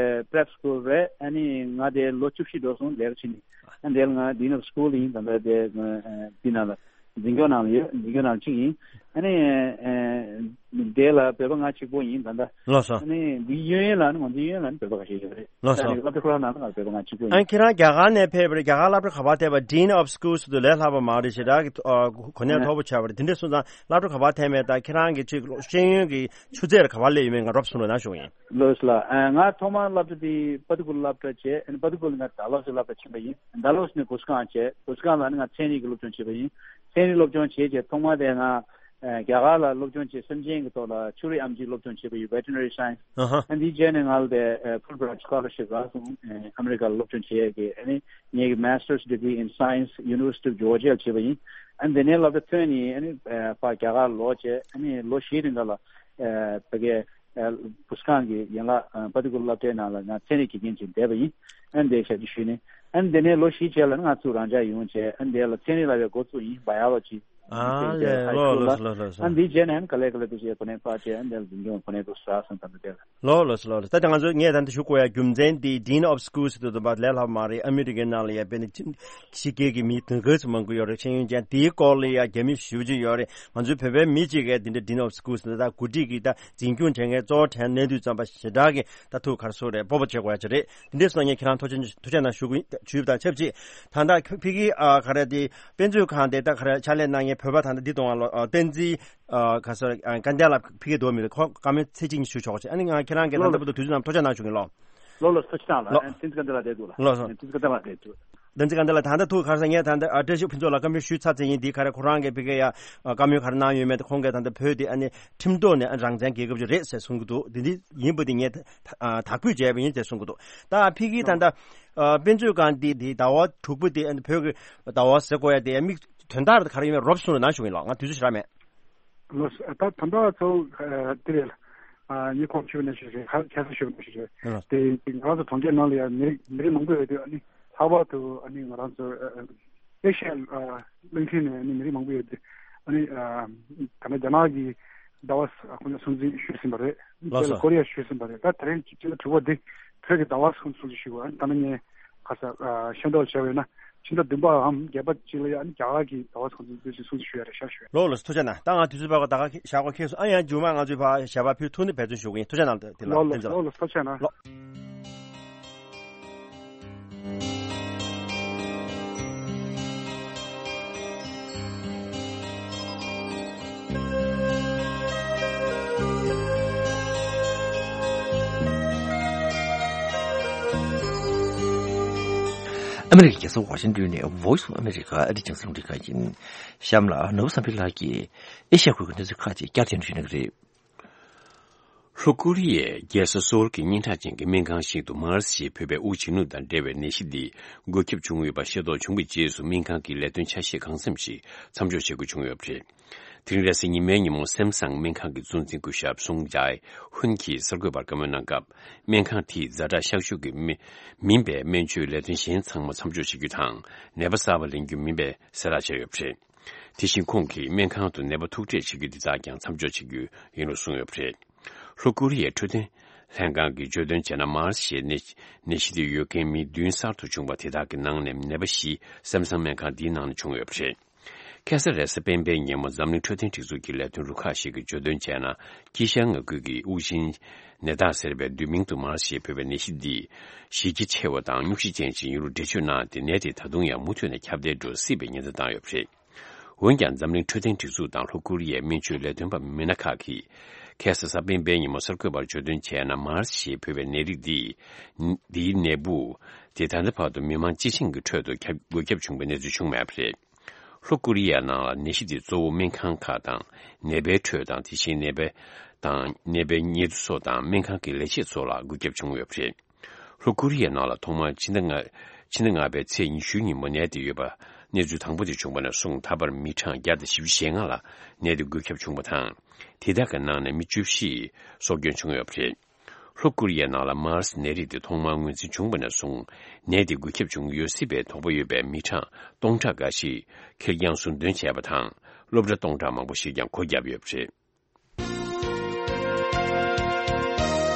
ཨ་prep school རེད། ཨ་ནི་ང་དེ་ལོ་བཅུ་བཞི་འགྲོ་སོང་ལས་ཀ་བྱེད་ནི། ཨ་ནི་དེ་ལ་ང་Dean of School ཡིན། ད་ལྟ་དེ་ཨ་དེ་ན་ལ་འཛིན་སྐྱོང་ནང་ལ་ཡོད། འཛིན་སྐྱོང་ནང་གཅིག་ཡིན། ཨ་ནི་ཨ་དེ་ལ་བོད་པ་ང་གཅིག་པོ་ཡིན་ད་ལྟ། ལགས་སོ། ཨ་ནི་འདི་གཡས་གཡོན་ལ་ནི་ང་ཚོའི་གཡས་གཡོན་ལ་ནི་བོད་པ་ཁ་ཤས་ཡོད་རེད། ལགས་སོ། ཨ་ནི་སློབ་གྲྭ་ཁོ་རང་ནང་ལ་ང་བོད་པ་ང་གཅིག་པོ་ཡིན། ཨ་ཁྱེད་རང་རྒྱ་གར་ནས་ཕེབས་པ་རེད། རྒྱ་གར་སློབ་གྲྭ་ག་པར་ཐེབས་པ། Dean of Schools དུ་ལས་སླ་པོ་མ་རེད། ཞེ་དྲག་གི་ཨ་གོ་གནས་མཐོ་པོ་ཆགས་པ་རེད། དེ་འདྲ་སོང་ཙང་སློབ་གྲྭ་ག་པར་ཐེབས་མེད་དང་ཁྱེད་རང་གི་ཅིག་ཤེས་ཡོན་གྱི་ཆུ་ཚད་ག་པར་སླེབས་ཡོད་མེད་ང་རོབ་གསུང་རོགས་གནང་ཞུ་གི་ཡིན། ལགས་སོ་ལགས། ཨ་ང་ཐོག་མར་སློབ་གྲྭ་དེ་པ་དུ་ཀུལ་སློབ་གྲྭ་བྱས། ཨ་ནི་པ་དུ་ཀུལ་ང་ཌལ་ཧོ་སི་སློབ་གྲྭ་ཕྱིན་པ་ཡིན། ཌལ་ཧོ་སི་ནས་གུ་སི་ཁང་བྱས། གུ་སི་ཁང་ལ་ནི་ང་ཚན་རིག་གི་སློབ་སྦྱོང་བྱས་པ་ཡིན། ཚན་རིག་སློབ་སྦྱོང་བྱས་རྗེས་ཐོག་མར་དེ་ང་ཨ་རྒྱ་གར་ལ་སློབ་སྦྱོང་བྱས། སེམས་ཅན་གྱི་ཐོག་ལ་ཕྱུགས་རིགས་ཨེམ་ཆི་སློབ་སྦྱོང་བྱས་པ་ཡིན། Veterinary Science། ཨ་ཧ། ཨ་འདིའི་རྗེས་ནས་ང་ལ་དེ་ཨ་Fulbright Scholarship རག་སོང་། ཨ་ཨ་མི་རི་ཀ་ལ་སློབ་སྦྱོང་བྱེད་ཡས་ཀྱི། ཨ་ནི་ངེད་ཀྱི་Master's Degree in Science University of Georgia ལ་བྱས་པ་ཡིན། ཨ་འདི་ནས་སློབ་གྲྭ་ཐོན་ནས་ཨ་ནི་ཨ་ཕར་རྒྱ་གར་ལོག་བྱས། ཨ་ནི་ལོ་བཞིའི་རིང་ག་ལ་ཨ་ཕ་གི་ཨ་གུ་སི་ཁང་གི་ཡན་ལག་ཨ་པ་དུ་ཀུལ་སློབ་གྲྭའི་ནང་ལ་ང་ཚན་རིག་དགེ་རྒན་ཅིག་བསྡད་པ་ཡིན། ཨ་འདི་ཞབས་ཕྱི་ཞུས་ནས། ཨ་འདི་ནས་ལོ་བཞི་རྗེས་ལ་ང་ཚུར་རང་འཇགས་ཡོང་བྱས། ཨ་འདི་ལ་ཚན་རིག་ལ་བའི་འགོ་བཙུགས་ཡིན། Biology། ཨ་ལས། ལོ་ལོ་ལོ་ལོ། ཨ་འདིའི་རྗེས་ནས་ག་ལེ་ག་ལེ་དུ་བྱས་གོ་གནས་འཕར་བྱས། ཨ་འདི་ལ་འཛིན་སྐྱོང་གོ་གནས་དུ་བཞག་སོང་། ད་འདི་ལ། ལོ་ལོ་ལོ་ལོ། ད་ང་ཚོ་ངས་ད་འདི་ཞུ་དགོས་ཡ་རྒྱུ་མཚན་འདི་Dean of Schools དུ་དུ་བ་ལས་སླ་མ་རེད། ཨ་མི་རི་ཀའི་ནང་ལ་ཡ་དཔེ་ནི་ཕྱི་རྒྱལ་གྱི་མི་དུང་ཕྱུར་མང་པོ་ཡོད་རེད། ཤེས་ཡོན་ཅན་དེའི་སྐོར་ལ་ཡ་རྒྱ་མི་ཞེ་པོ་ཅིག་ཡོད་རེད། ང་ཚོའི་བོད་པའི་མི་གཅིག་གིས་འདི་འདྲ་Dean of Schools ད་འགོ་ཁྲིད་ཀྱི་ད་འཛིན་སྐྱོང་བྱེད་མཁན་གཙོ་བོ་དྲན་གནས་དུས་ཙམ་པ་ཞེ་དྲག་གི་ད་ཐུགས་ཁར་སོ་རེད། སྤོབས་པ་བྱེད་དགོས་ཡ་ཅིག་རེད། འདི་འདྲ་སོང་ངས་ཁྱེད་རང་ཐུགས་རྗེ་ཐུགས་རྗེ་གནང་ཞུ་གི་ཞུས་པ་དང་ཆབས་ཅིག་ད་ལྟ་ཕ་གི་ཨ་ག་རེ་དེ་དཔེ་མཛོད་ཁང་དེ་ད་ག་རེ་ཕྱག་ལས་གནང་མཁན་བོད་པ་ད་ལྟ་འདི་གཏོང་བ་ལ་ཨ་བསྟན་འཛིན་ཨ་ག་སོ་ཨ་སྐལ་ལྡན་ལགས་ཕ་གི་འདུག་མི་འདུག་ཁོ་བཀའ་མོལ་ཚིག་གཅིག་གཉིས་ཞུ་ཆོག་ཅིག་ཨ་ནི་ང་ཁྱེད་རང་གི་ད་ལྟ་བར་དུ་དུས་ཚོད་ནང་ཐུགས་རྗེ་གནང་ཞུ་གི་ལོ། ལོ་ལོ་ཐུགས་རྗེ་གནང་ལ། ལོ། ཨ་བསྟན་འཛིན་སྐལ་ལྡན་ལགས་བསྡད་འདུག་ལ། ལོ་སོ། ཨ་བསྟན་འཛིན་སྐལ་ལྡན་ལགས་བསྡད་འདུག་བསྟན་འཛིན་སྐལ་ལྡན་ལགས་ད་ལྟ་ཐུགས་ཁར་སང་ངས་ད་ལྟ་ཨ་བཀྲ་ཤིས་ཕུན་ཚོགས་ལ་བཀའ་མོལ་ཞུས་ཚར་ཚར་ཡིན། འདི་ག་རེ་ཁོ་རང་གིས་ཕ་གི་ཡ་ཨ་བཀའ་མོལ་ག་རེ་གནང་ཡོད་མེད་དེ། ཁོང་གིས་ད་ལྟ་བོད་དེ་ཨ་ནི་ཁྲིམས་ཐོག་ནས་ཨ་རང་བཙན་རྒྱལ་ཁབ་ཅིག་རེད་ཟེར་གསུང་གི་འདུག་འདི་འདི་ཡིན་པ་འདི་ངས་ད་ཨ་དག་པོས་བྱས་པ་ཡིན་ཟེར་གསུང་གི་འདུག་ད་ཕ་གི་ད་ལྟ་ཨ་དཔེ་མཛོད་ཁང་འདི་འདི་ཟླ་བ་དྲུག་པ་འདི་ཨ་ནི་བོད་ཀྱི་ཟླ་བ་ཟེར་དགོས་ཡ་འདི་ཨ་མིག་དོན་དག་ག་རེ་ཡིན་མིན་རོབ་གསུང་རོགས་གནང་ཞུ་གི་ཡིན་ལགས། ང་དུས་ཚོད་ཞེ་དྲག་མེད། ལགས་སོ། ད་ད་ལྟ་ཚོ་ཨ་དེ་རེད་ལ། ཨ་ངས་ཁོང་ཞུ་ནས་ཞུ་རེད། ཁ་ཁ་ས་ཞུ་ནས་ཞུ་རེད། ལགས། དེ་དེ་ང་རང་ཚོ་གྲོང་ཁྱེར་ནང་ལ་ཡང་མི་རིགས་མི་རིགས་མང་པོ་ཡོད་དུས། ཨ་ནི་ལྷག་པར་དུ་ཨ་ནི་ང་རང་ཚོ་ཨ་ཨེ་ཤ་ཡ་ཨ་གླིང་ཕྲན་ནས་ཨ་ནི་མི་རིགས་མང་པོ་ཡོད་དུས། ཨ་ནི་ཨ་ད་ལྟ་རྒྱ་ནག་གི་ཟླ་བ་ཁོ་ན་སྲུང་བརྩི་ཞུས་ཟིན་པ་རེད། ལགས་སོ། དེ་ལ་ཀོ་རི་ཡ་ཞུས་ཟིན་པ་རེད། ད་དེ་རིང་སྤྱི་ཟླ་དྲུག་པ་འདི་བོད་ཀྱི་ཟླ་བ་སྲུང་བརྩི་ཞུ་བ། ཨ་ནི་ད་ནི་ངས་ཁ་ས་ཨ་ཤེས་རྟོགས་བྱས་པ་ཡིན་ན། ཕྱི་ཟླ་བདུན་པའམ་བརྒྱད་པ་ཅིག་ལ་ཡང་རྒྱ་གར་གྱི་ཟླ་བ་སྲུང་བརྩི་ཞུ་ཡ་རེད་ཤག་ཞུ། ལགས་ལགས། ཐུགས་རྗེ་གནང་། ད་ང་དུས་ཚོད་ཕར་ཁ་ད་ག་ཞག་པ་ཁེལ་སོང་། ཨ་ཡང་མཇུག་མ་ང་ཚོས་ཕར་ཞག་པ་ཕུལ་ཐུབ་ན་འབད་བརྩོན་ཞུ་གི་ཡིན། ཐུགས་རྗེ་གནང་། དེ་ལ་ལགས་བསྟན་འཛིན་ལགས། ལགས་ལགས། ཐུགས་རྗེ་གནང་། ལགས། ཨ་མི་རི་ཀའི་རྒྱལ་ས་ཝ་ཤིང་ཏོན་ནས་Voice of America ཨ་རིའི་རྒྱང་སྲིང་རླུང་འཕྲིན་ཁང་ཡིན། གཤམ་ལ་ནོར་བུ་བསམ་འཕེལ་ལགས་ཀྱིས་ཨེ་ཤ་ཡ་ཁུལ་གྱི་གནས་ཚུལ་ཁག་ཅིག་བསྐྱར་ཟློས་ཞུ་གནང་གི་རེད། ལྷོ་ཀོ་རི་ཡའི་རྒྱལ་ས་སོལ་གྱི་སྙན་གྲགས་ཅན་གྱི་སྨན་ཁང་ཞིག་ཏུ་མཱར་སི་ཞེས་འབོད་པའི་དབུགས་འབྱིན་རྔུབ་དང་འབྲེལ་བའི་ནད་གཞི་འདི་འགོས་ཁྱབ་བྱུང་ཡོད་པ་ཤེས་རྟོགས་བྱུང་བའི་རྗེས་སུ། སྨན་ཁང་གི་ལས་དོན་ཆ་ཤས་གང་འཚམ་ཞིག་མཚམས་འཇོག་བྱེད་དགོས་བྱུང་ཡོད་པ་རེད། དེ་རིང་རེས་གཟའ་ཉི་མའི་ཉིན་མོ་སེམ་སང་སྨན་ཁང་གི་གཙོ་འཛིན་སྐུ་ཞབས་སུང་ཇའེ་ཧུན་གྱིས་གསར་འགོད་པར་བཀའ་མོལ་གནང་སྐབས། སྨན་ཁང་དེས་ཛ་དྲག་གཤག་བཅོས་ཀྱི་མི་མིན་པའི་སྨན་བཅོས་ལས་དོན་གཞན་ཚང་མ་མཚམས་འཇོག་བྱེད་རྒྱུ་དང་། ནད་པ་གསར་པ་ལེན་རྒྱུ་མིན་པའི་གསལ་བསྒྲགས་བྱས་ཡོད་པ་རེད། དེ་བཞིན་ཁོང་གིས་སྨན་ཁང་དུ་ནད་པ་ཐུག་འཕྲད་བྱེད་རྒྱུ་འདི་དག་ཀྱང་མཚམས་འཇོག་བྱེད་རྒྱུ་ཡིན་ལུགས་གསུངས་ཡོད་པ་རེད། ལྷོ་ཀོ་རི་ཡའི་འཕྲོད་བསྟེན་ལྷན་ཁང་གིས་བརྗོད་དོན་བྱས་ན། མཱར་སི་ཞེས་ནད་ནད་གཞི་དེ་ཡོད་མཁན་མི་བདུན་གསར་དུ་བྱུང་བ་དེ་དག་གི་ནང་ནས་ནད་པ་བཞི་སེམས་བཟང་སྨན་ཁང་འདིའི་ནང་ནས་བྱུང་ཡོད་པ་རེད། ཁ་སང་རེས་གཟའ་སྤེན་པའི་ཉིན་མོ་འཛམ་གླིང་འཕྲོད་བསྟེན་སྒྲིག་འཛུགས་ཀྱི་ལས་དོན་རུ་ཁག་ཞིག་གིས་བརྗོད་དོན་བྱས་ན། དཀྱིལ་ཤར་མངའ་ཁུལ་གྱི་དབུགས་འབྱིན་ནད་རྟགས་ཟེར་བའི་བསྡུས་མིང་དུ་མཱར་སི་ཞེས་འབོད་པའི་ནད་གཞི་འདི་གཞི་རྒྱ་ཆེ་བ་དང་སྙུང་གཞི་ཅན་ཞིག་ཡིན་ལུགས་འགྲེལ་བརྗོད་གནང་སྟེ། ནད་དེ་ད་དུང་ཡང་མུ་མཐུད་ནས་ཁྱབ་གདལ་འགྲོ་སྲིད་པའི་ཉེན་བརྡ་བཏང་ཡོད་པ་རེད། འོན་ཀྱང་། འཛམ་གླིང་འཕྲོད་བསྟེན་སྒྲིག་འཛུགས་དང་ལྷོ་ཀོ་རི་ཡའི་སྨན་བཅོས་ལས་དོན་པ་མི་སྣ་ཁག་གིས་ཁ་སང་གཟའ་སྤེན་པའི་ཉིན་མོ་གསར་འགོད་པར་བརྗོད་དོན་བྱས་ན། མཱར་སི་ཞེས་འབོད་པའི་ནད་རིགས་འདི་འདིའི་ནད་འབུ་དེ་ད་ལྟ་བར་དུ་མི་མང་སྤྱི་བྱིངས་ཀྱི་ཁྲོད་དུ་ཁྱབ་འགོས་ཁྱབ་བྱུང་བའི་གནས་ཚུལ་བྱུང་མེད་པ་རེད། ལྷོ་ཀོ་རི་ཡའི་ནང་ལ་ནད་གཞི་འདི་གཙོ་བོ་སྨན་ཁང་ཁག་དང་། ནད་པའི་ཁྲོད་དང་། དེ་བཞིན་ནད་པའི་དང་ནད་པའི་ཉེ་དུ་ཚོ་དང་སྨན་ཁང་གི་ལས་བྱེད་ཚོ་ལ་འགོས་ཁྱབ་བྱུང་ཡོད་པ་རེད། ལྷོ་ཀོ་རི་ཡའི་ནང་ལ་ཐོག་མར་ཕྱི་ཟླ་ལྔ་ཕྱི་ཟླ་ལྔ་པའི་ཚེས་ཉི་ཤུའི་ཉིན་མོ་ནད་དེ་ཡོད་པ་གནས་ཚུལ་དང་པོ་དེ་བྱུང་བ་ནས་བཟུང་། ད་བར་མི་གྲངས་བརྒྱ་དང་བཞི་བཅུ་ཞེ་ལྔ་ལ་ནད་དེ་འགོས་ཁྱབ་བྱུང་བ་དང་། དེ་དག་གི་ནང་ནས་མི་བཅུ་བཞི་སྲོག་སྐྱོན་བྱུང་ཡོད་པ་རེད། ལྷོ་ཀོ་རི་ཡའི་ནང་ལ་མཱར་སི་ནད་རིགས་དེ་ཐོག་མར་ངོས་འཛིན་བྱུང་བ་ནས་བཟུང་། ནད་དེ་འགོས་ཁྱབ་བྱུང་ཡོད་སྲིད་པའི་དོགས་པ་ཡོད་པའི་མི་གྲངས་སྟོང་ཕྲག་འགའ་ཞིག་ཁེར་རྐྱང་ཟུར་འདོན་བྱས་པ་དང་། སློབ་གྲྭ་སྟོང་ཕྲག་མང་པོ་ཞིག་ཀྱང་སྒོ་བརྒྱབ་ཡོད་པ་རེད།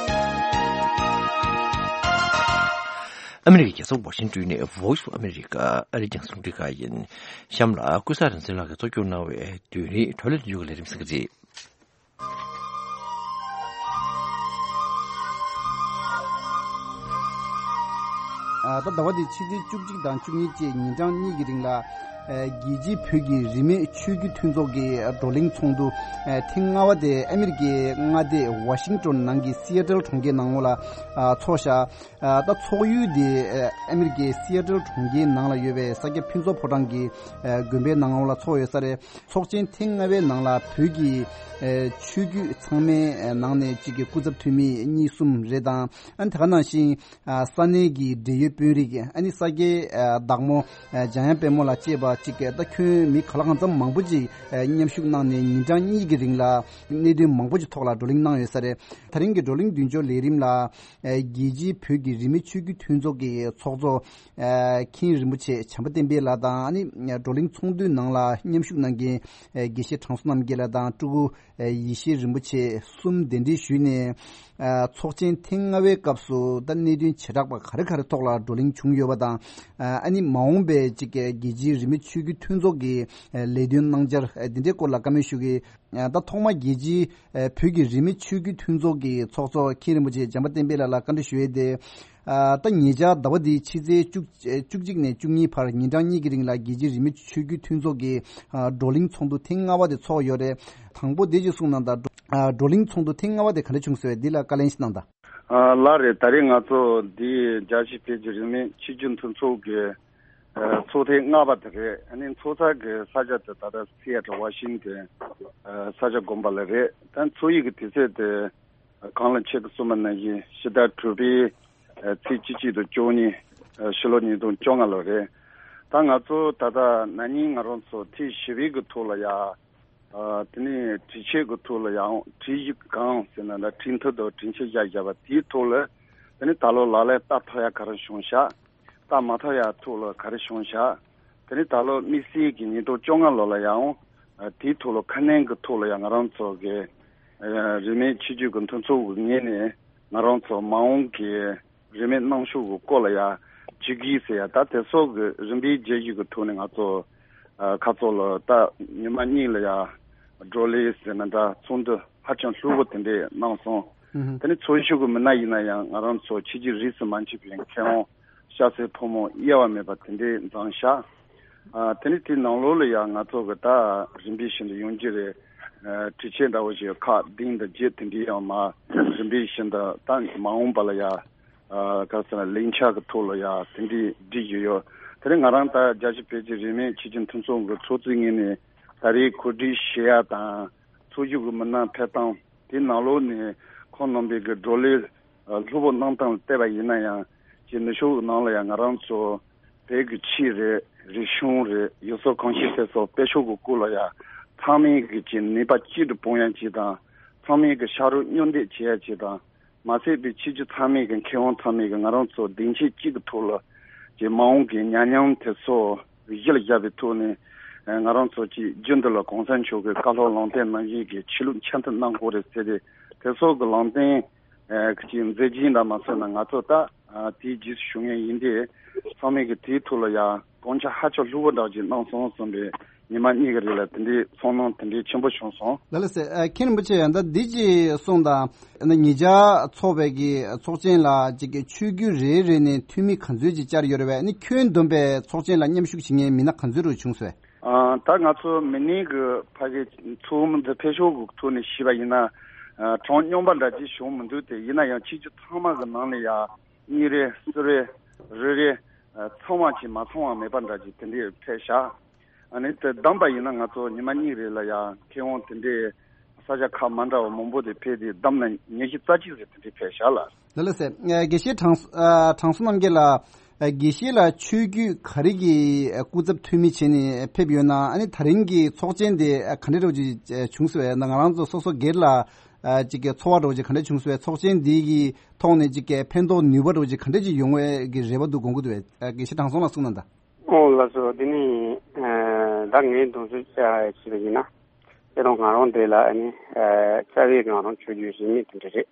ཨ་མི་རི་ཀའི་རྒྱལ་ས་ཝ་ཤིང་ཏོན་ནས་Voice of America ཨ་རིའི་རྒྱང་སྲིང་རླུང་འཕྲིན་ཁང་ཡིན། གཤམ་ལ་ཀུན་བཟང་རིག་འཛིན་ལགས་ཀྱིས་གཙོ་སྐྱོང་གནང་བའི་དུས་རིང་བགྲོ་གླེང་བསྡུས་ཀྱི་ལས་རིམ་གསན་གྱི་རེད། ད་ཟླ་བ་འདིའི་ཕྱི་ཚེས་བཅུ་གཅིག་དང་བཅུ་གཉིས་བཅས་ཉིན་གྲངས་གཉིས་ཀྱི་རིང་ལ། རྒྱལ་སྤྱིའི་བོད་ཀྱི་རིས་མེད་ཆོས་བརྒྱུད་མཐུན་ཚོགས་ཀྱི་བགྲོ་གླེང་ཚོགས་འདུ་ཐེངས་ལྔ་པ་དེ་ཨ་མི་རི་ཀའི་མངའ་སྡེ་ཝ་ཤིང་ཏོན་ནང་གི་སི་ཨེ་ཏལ་གྲོང་ཁྱེར་ནང་ལ་ཚོགས་བཞག་ད་ཚོགས་ཡུལ་དེ་ཨ་མི་རི་ཀའི་སི་ཨེ་ཏལ་གྲོང་ཁྱེར་ནང་ལ་ཡོད་པའི་ས་སྐྱ་ཕུན་ཚོགས་ཕོ་བྲང་གི་དགོན་པའི་ནང་ལ་ཚོགས་ཡོད་ས་རེད། ཚོགས་ཆེན་ཐེངས་ལྔ་པའི་ནང་ལ་བོད་ཀྱི་ཆོས་བརྒྱུད་ཚང་མའི་ནང་ནས་གཅིག་གི་སྐུ་ཚབ་འཐུས་མི་གཉིས་གསུམ་རེད་དང་། ཨ་ནི་དེ་ག་ནང་བཞིན་ས་གནས་ཀྱི་འབྲེལ་ཡོད་དཔོན་རིགས། ཨ་ནི་ས་སྐྱའི་བདག་མོ་འཇམ་དབྱངས་དཔལ་མོ་ལ་བཅས་པ་གཅིག་ད་ཁྱོན་མི་ག་ལ་གང་འཚམ་མང་པོ་ཅིག་མཉམ་ཞུགས་གནང་ནས་ཉིན་གྲངས་གཉིས་ཀྱི་རིང་ལ་གནད་དོན་མང་པོ་ཅིག་ཐོག་ལ་བགྲོ་གླེང་གནང་ཡོད་ས་རེད། ད་རིང་གི་བགྲོ་གླེང་མདུན་སྐྱོར་ལས་རིམ་ལ་རྒྱལ་སྤྱིའི་བོད་ཀྱི་རིས་མེད་ཆོས་བརྒྱུད་མཐུན་ཚོགས་ཀྱི་ཚོགས་གཙོ་མཁན་རིན་པོ་ཆེ་བྱམས་པ་བསྟན་འཕེལ་ལགས་དང་། ཨ་ནི་བགྲོ་གླེང་ཚོགས་འདུའི་ནང་ལ་མཉམ་ཞུགས་གནང་མཁན་དགེ་བཤེས་དྲང་སྲོང་རྣམ་རྒྱལ་ལགས་དང་སྤྲུལ་སྐུ་ཡེ་ཤེས་རིན་པོ་ཆེ་གསུམ་གདན་འདྲེན་ཞུས་ནས། ཚོགས་ཆེན་ཐེངས་ལྔ་པའི་སྐབས་སུ་ད་གནད་དོན་བྱེ་བྲག་པ་ག་རེ་ག་རེ་ཐོག་ལ་བགྲོ་གླེང་བྱུང་ཡོད་པ་དང་། ཨ་ནི་མ་འོངས་པའི་གཅིག་རྒྱལ་སྤྱིའི་རིས་མེད་ཆོས་བརྒྱུད་མཐུན་ཚོགས་ཀྱི་ལས་དོན་གནང་འཆར་འདི་འདྲའི་སྐོར་ལ་བཀའ་མོལ་ཞུ་གི། ད་ཐོག་མ་རྒྱལ་སྤྱིའི་བོད་ཀྱི་རིས་མེད་ཆོས་བརྒྱུད་མཐུན་ཚོགས་ཀྱི་ཚོགས་གཙོ་མཁན་རིན་པོ་ཆེ་བྱམས་པ་བསྟན་འཕེལ་ལགས་ལ་བཀའ་འདྲི་ཞུ་ཡས་དེ། ད་ཉེ་ཆར་ཟླ་བ་འདིའི་ཕྱི་ཚེས་བཅུ་བཅུ་གཅིག་ནས་བཅུ་གཉིས་བར་ཉིན་གྲངས་གཉིས་ཀྱི་རིང་ལ་རྒྱལ་སྤྱིའི་རིས་མེད་ཆོས་བརྒྱུད་མཐུན་ཚོགས་ཀྱི་བགྲོ་གླེང་ཚོགས་འདུ་ཐེངས་ལྔ་པ་དེ་ཚོགས་ཡོད་རེད། དང་པོ་དེ་ཅིག་གསུངས་གནང་དང་། བགྲོ་གླེང་ཚོགས་འདུ་ཐེངས་ལྔ་པ་དེ་ག་འདྲ་བྱུང་ཟེར་བས་འདི་ལ་བཀའ་ལན་ཞིག་གནང་དང་། ལགས་རེད། ད་རེས་ང་ཚོ་འདི་རྒྱལ་སྤྱིའི་བོད་ཀྱི་རིས་མེད་ཆོས་བརྒྱུད་མཐུན་ཚོགས་ཀྱི་ཚོགས་ཐེངས་ལྔ་པ་དེ་རེད། ཨ་ནི་ཚོགས་ས་གི་ས་ཆ་དེ་ད་ལྟ་སི་ཨེ་ཊལ་ཝ་ཤིང་ཏོན་ས་ཆ་དགོན་པ་ལ་རེད། ད་ཚོགས་ཡིག་གི་དུས་ཚོད་དེ་གོང་ལ་ཁྱེད་ཀྱིས་གསུངས་པ་ནང་བཞིན་ཕྱི་ཟླ་དྲུག་པའི་ཚེས་བཅུ་གཅིག་དང་བཅུ་གཉིས། ཕྱི་ལོ་ཉིས་སྟོང་བཅོ་ལྔ་ལོ་རེད། ད་ང་ཚོ་ད་ལྟ་ན་ནིང་ང་རང་ཚོ་ཐེངས་བཞི་པའི་གི་ཐོག་ལ་ཡ། དེ་ནས་དྲི་ཆད་གི་ཐོག་ལ་ཡང་དྲི་ཡིག་གང་ཟེར་ན་ད་དྲི་མཐུད་དང་དྲི་ཆད་བཞག་བཞག་པ་དེའི་ཐོག་ལ། དེ་ནས་ད་ལོ་ལག་ལེན་བསྟར་ཐུབ་ཡ་ག་རེ་བྱུང་ཤག་བསྟར་མ་ཐུབ་ཡ་ཐོག་ལ་ག་རེ་བྱུང་ཤག་དེ་ནས་ད་ལོ་དམིགས་བསལ་གྱི་ཉིས་སྟོང་བཅོ་ལྔ་ལོ་ལ་ཡང་དེའི་ཐོག་ལ་ཁ་སྣོན་གི་ཐོག་ལ་ཡང་ང་རང་ཚོ་གི་རིས་མེད་ཆོས་བརྒྱུད་ཀྱི་མཐུན་ཚོགས་ཀྱི་ངོས་ནས་ང་རང་ཚོ་མ་འོངས་ཀྱི་རིས་མེད་གནང་ཕྱོགས་ཀྱི་སྐོར་ལ་ཡ་བཅོས་སྒྱུར་ཟེར་ཡ་ད་དེ་སོགས་ཀྱི་རིམ་པས་བརྗེ་བཞི་གི་ཐོག་ནས་ང་ཚོ་ཁ་ཚོ་ལ་ད་ཉི་མ་གཉིས་ལ་ཡ་བགྲོ་གླེང་ཟེར་ན་འདྲ་ཚོགས་འདུ་ཧ་ཅང་ལྷུག་པོ་དེ་འདྲས་གནང་སོང་། དེ་ནས་ཚོགས་ཞུགས་ཀྱི་མི་སྣ་ཡིན་ན་ཡང་ང་རང་ཚོ་ཕྱི་རྒྱལ་རིས་སུ་མ་ཆད་པའི་མཁས་དབང་སྐྱ་སེར་ཕོ་མོ་དབྱེ་བ་མེད་པ་དེ་འདྲས་འཛོམས་ཤག་དེ་ནས་དེའི་ནང་ལོགས་ལ་ཡང་ང་ཚོ་གི་ད་རིམ་པས་བཞིན་དུ་ཡོང་རྒྱུ་རེད། དྲི་ཆད་འདྲ་བོ་ཞིག་ཁག་བདུན་དང་བརྒྱད་དེ་འདྲའི་ཡང་མ་རིམ་པས་བཞིན་དུ་ད་མ་འོངས་པ་ལ་ཡ། ག་ཟེར་ན་ལས་འཆར་གྱི་ཐོག་ལ་ཡ་དེ་འདྲའི་སྒྲིག་གི་ཡོད། དེ་རིང་ང་རང་ད་རྒྱལ་སྤྱིའི་བོད་ཀྱི་རིས་མེད་ཆོས་བརྒྱུད་མཐུན་ཚོགས་ཀྱི་ཚོགས་གཙོའི་ངོས་ནས་ད་རེས་གོ་སྒྲིག་བྱེད་ཡ་དང་ཚོགས་ཞུགས་ཀྱི་མི་སྣ་ཕེབས་སྟངས་དེ་ནང་ལོགས་ནས་ཁོང་རྣམ་པའི་གི་བགྲོ་གླེང་ལྷུག་པོ་གནང་སྟངས་ལ་བལྟས་པ་ཡིན་ན་ཡང་ཅིག་ནུབ་ཕྱོགས་ཀྱི་ནང་ལ་ཡང་ང་རང་ཚོ་བོད་ཀྱི་ཆོས་རེད། རིག་གཞུང་རེད། ཡུལ་སྲོལ་གོམས་གཤིས་དེ་ཚོ་སྤེལ་ཕྱོགས་ཀྱི་སྐོར་ལ་ཡང་ཚང་མས་གི་ཅིག་ནུས་པ་གཅིག་ཏུ་སྤུངས་ཡ་ཅིག་དང་། ཚང་མས་གི་ཕྱག་རོགས་མཉམ་འདེགས་བྱེད་ཡ་ཅིག་དང་། མ་ཟད་པའི་ཕྱི་རྒྱལ་ཚང་མས་གི་མཁས་དབང་ཚང་མས་གི་ང་རང་ཚོ་སྡིངས་ཆ་གཅིག་གི་ཐོག་ལ་ཅིག་མ་འོངས་ཀྱི་ཉམས་མྱོང་དེ་ཚོ་གཞི་ལ་བཞག་པའི་ཐོག་ནས་ང་རང་ཚོ་ཅིག་རྒྱུན་དུ་ལ་གོང་ས་མཆོག་གི་བཀའ་སློབ་ལམ་སྟོན་ནང་བཞིན་གྱི་ཆོས་ལུགས་འཆམ་མཐུན་གནང་དགོས་རེད་ཟེར་ཏེ་དེ་ཚོ་གི་ལམ་སྟོན་གྱི་མཛད་རྗེས་འདྲ་མ་སོང་ན་ང་ཚོ་ད་དེའི་རྗེས་སུ་ཞུ་མཁན་ཡིན་ཏེ་ཚང་མས་གི་དེའི་ཐོག་ལ་ཡང་དགོངས་འཆར་ཧ་ཅང་ལྷུག་པོ་འདྲ་ཅིག་གནང་སོང་གསུངས་པས། ཉི་མ་གཉིས་ཀྱི་རིང་ལ་དེ་འདྲའི་ཚོར་སྣང་དེ་འདྲའི་ཆེན་པོ་བྱུང་སོང་། ལགས་ལགས་སེ། ཨ། མཁན་རིན་པོ་ཆེ་ཡང་ད་འདི་ཅིག་གསུངས་དང་། ཨ་ནི་ཉེ་ཆར་ཚོགས་པའི་གི་ཚོགས་ཆེན་ལ་ཅིག་གི་ཆོས་བརྒྱུད་རེ་རེ་ནས་འཐུས་མི་ག་ཚོད་ཅིག་བཅར་ཡོད་རེད་པས། ཨ་ནི་ཁྱོན་བསྡོམས་པའི་ཚོགས་ཆེན་ལ་མཉམ་ཞུགས་བྱེད་མཁན་མི་སྣ་ག་ཚོད་རུ་བྱུང་སོང་། ཨ། ད་ང་ཚོ་མི་སྣའི་གི་ཕ་གི་ཚོགས་མི་འདི་ཕེབས་ཕྱོགས་གི་ཐོག་ནས་ཞུས་པ་ཡིན་ན། ཨ། གྲངས་སྙོམས་པ་འདྲ་ཅིག་བྱུང་མི་འདུག་སྟེ། ཡིན་ན་ཡང་ཆོས་བརྒྱུད་ཚང་མ་གི་ནང་ནས་ཡ་གཉིས་རེ་གསུམ་རེ་རེ་རེ་ཚང་བ་ཅིག་མ་ཚང་བ་མེད་པ་འདྲ་ཅིག་དེ་འདྲའི་ཕེབས་ཤག་ཨ་ནི་དེ་བསྡོམས་པ་ཡིན་ན་ང་ཚོ་ཉི་མ་གཉིས་རེ་ལ་ཡང་མཁས་དབང་དེ་འདྲའི་ས་ཆ་ཁག་མ་འདྲ་བ་མང་པོ་དེ་ཕེབས་ཏེ་བསྡོམས་ན་ཉི་ཤུ་རྩ་གཅིག་རེ་དེ་འདྲའི་ཕེབས་ཤག་ལགས། ལགས་ལགས་སེ། ཨ། དགེ་བཤེས་དྲང་ཨ་དྲང་སྲོང་རྣམ་རྒྱལ་ལགས། ཨ། དགེ་བཤེས་ལགས་ཆོས་བརྒྱུད་ག་རེ་གི་སྐུ་ཚབ་འཐུས་མི་བྱས་ནས་ཕེབས་ཡོད་ན། ཨ་ནི་ད་རིང་གི་ཚོགས་ཆེན་དེ་ག་འདྲ་འདྲ་བོ་ཅིག་བྱུང་སོང་བས། ང་རང་ཚོ་སོ་སོ་སྒེར་ལ་ཨ་ཅིག་གི་ཚོར་བ་འདྲ་བོ་ཅིག་ག་འདྲ་བྱུང་སོང་བས། ཚོགས་ཆེན་འདི་གི་ཐོག་ནས་ཅིག་གི་ཕན་ཐོགས་ནུས་པ་འདྲ་བོ་ཅིག་ག་འདྲ་ཅིག་ཡོང་བའི་གི་རེ་བ་འདུག་དགོངས་ཀྱི་འདུག་བས། ཨ། དགེ་བཤེས་དྲང་སྲོང་ལགས་གསུངས་གནང་དང་། ཨོ་ལགས་སོ། དེ་ནི་ཨ་ ད་ངས་དུང་ཚོད་བྱས་པ་ཡིན་ན། དེ་རུང་ང་རང་འདི་ལ་ཨ་ནི་རྩ་བའི་ང་རང་ཆོས་བརྒྱུད་རིས་མེད་དེ་འདྲ་རེད།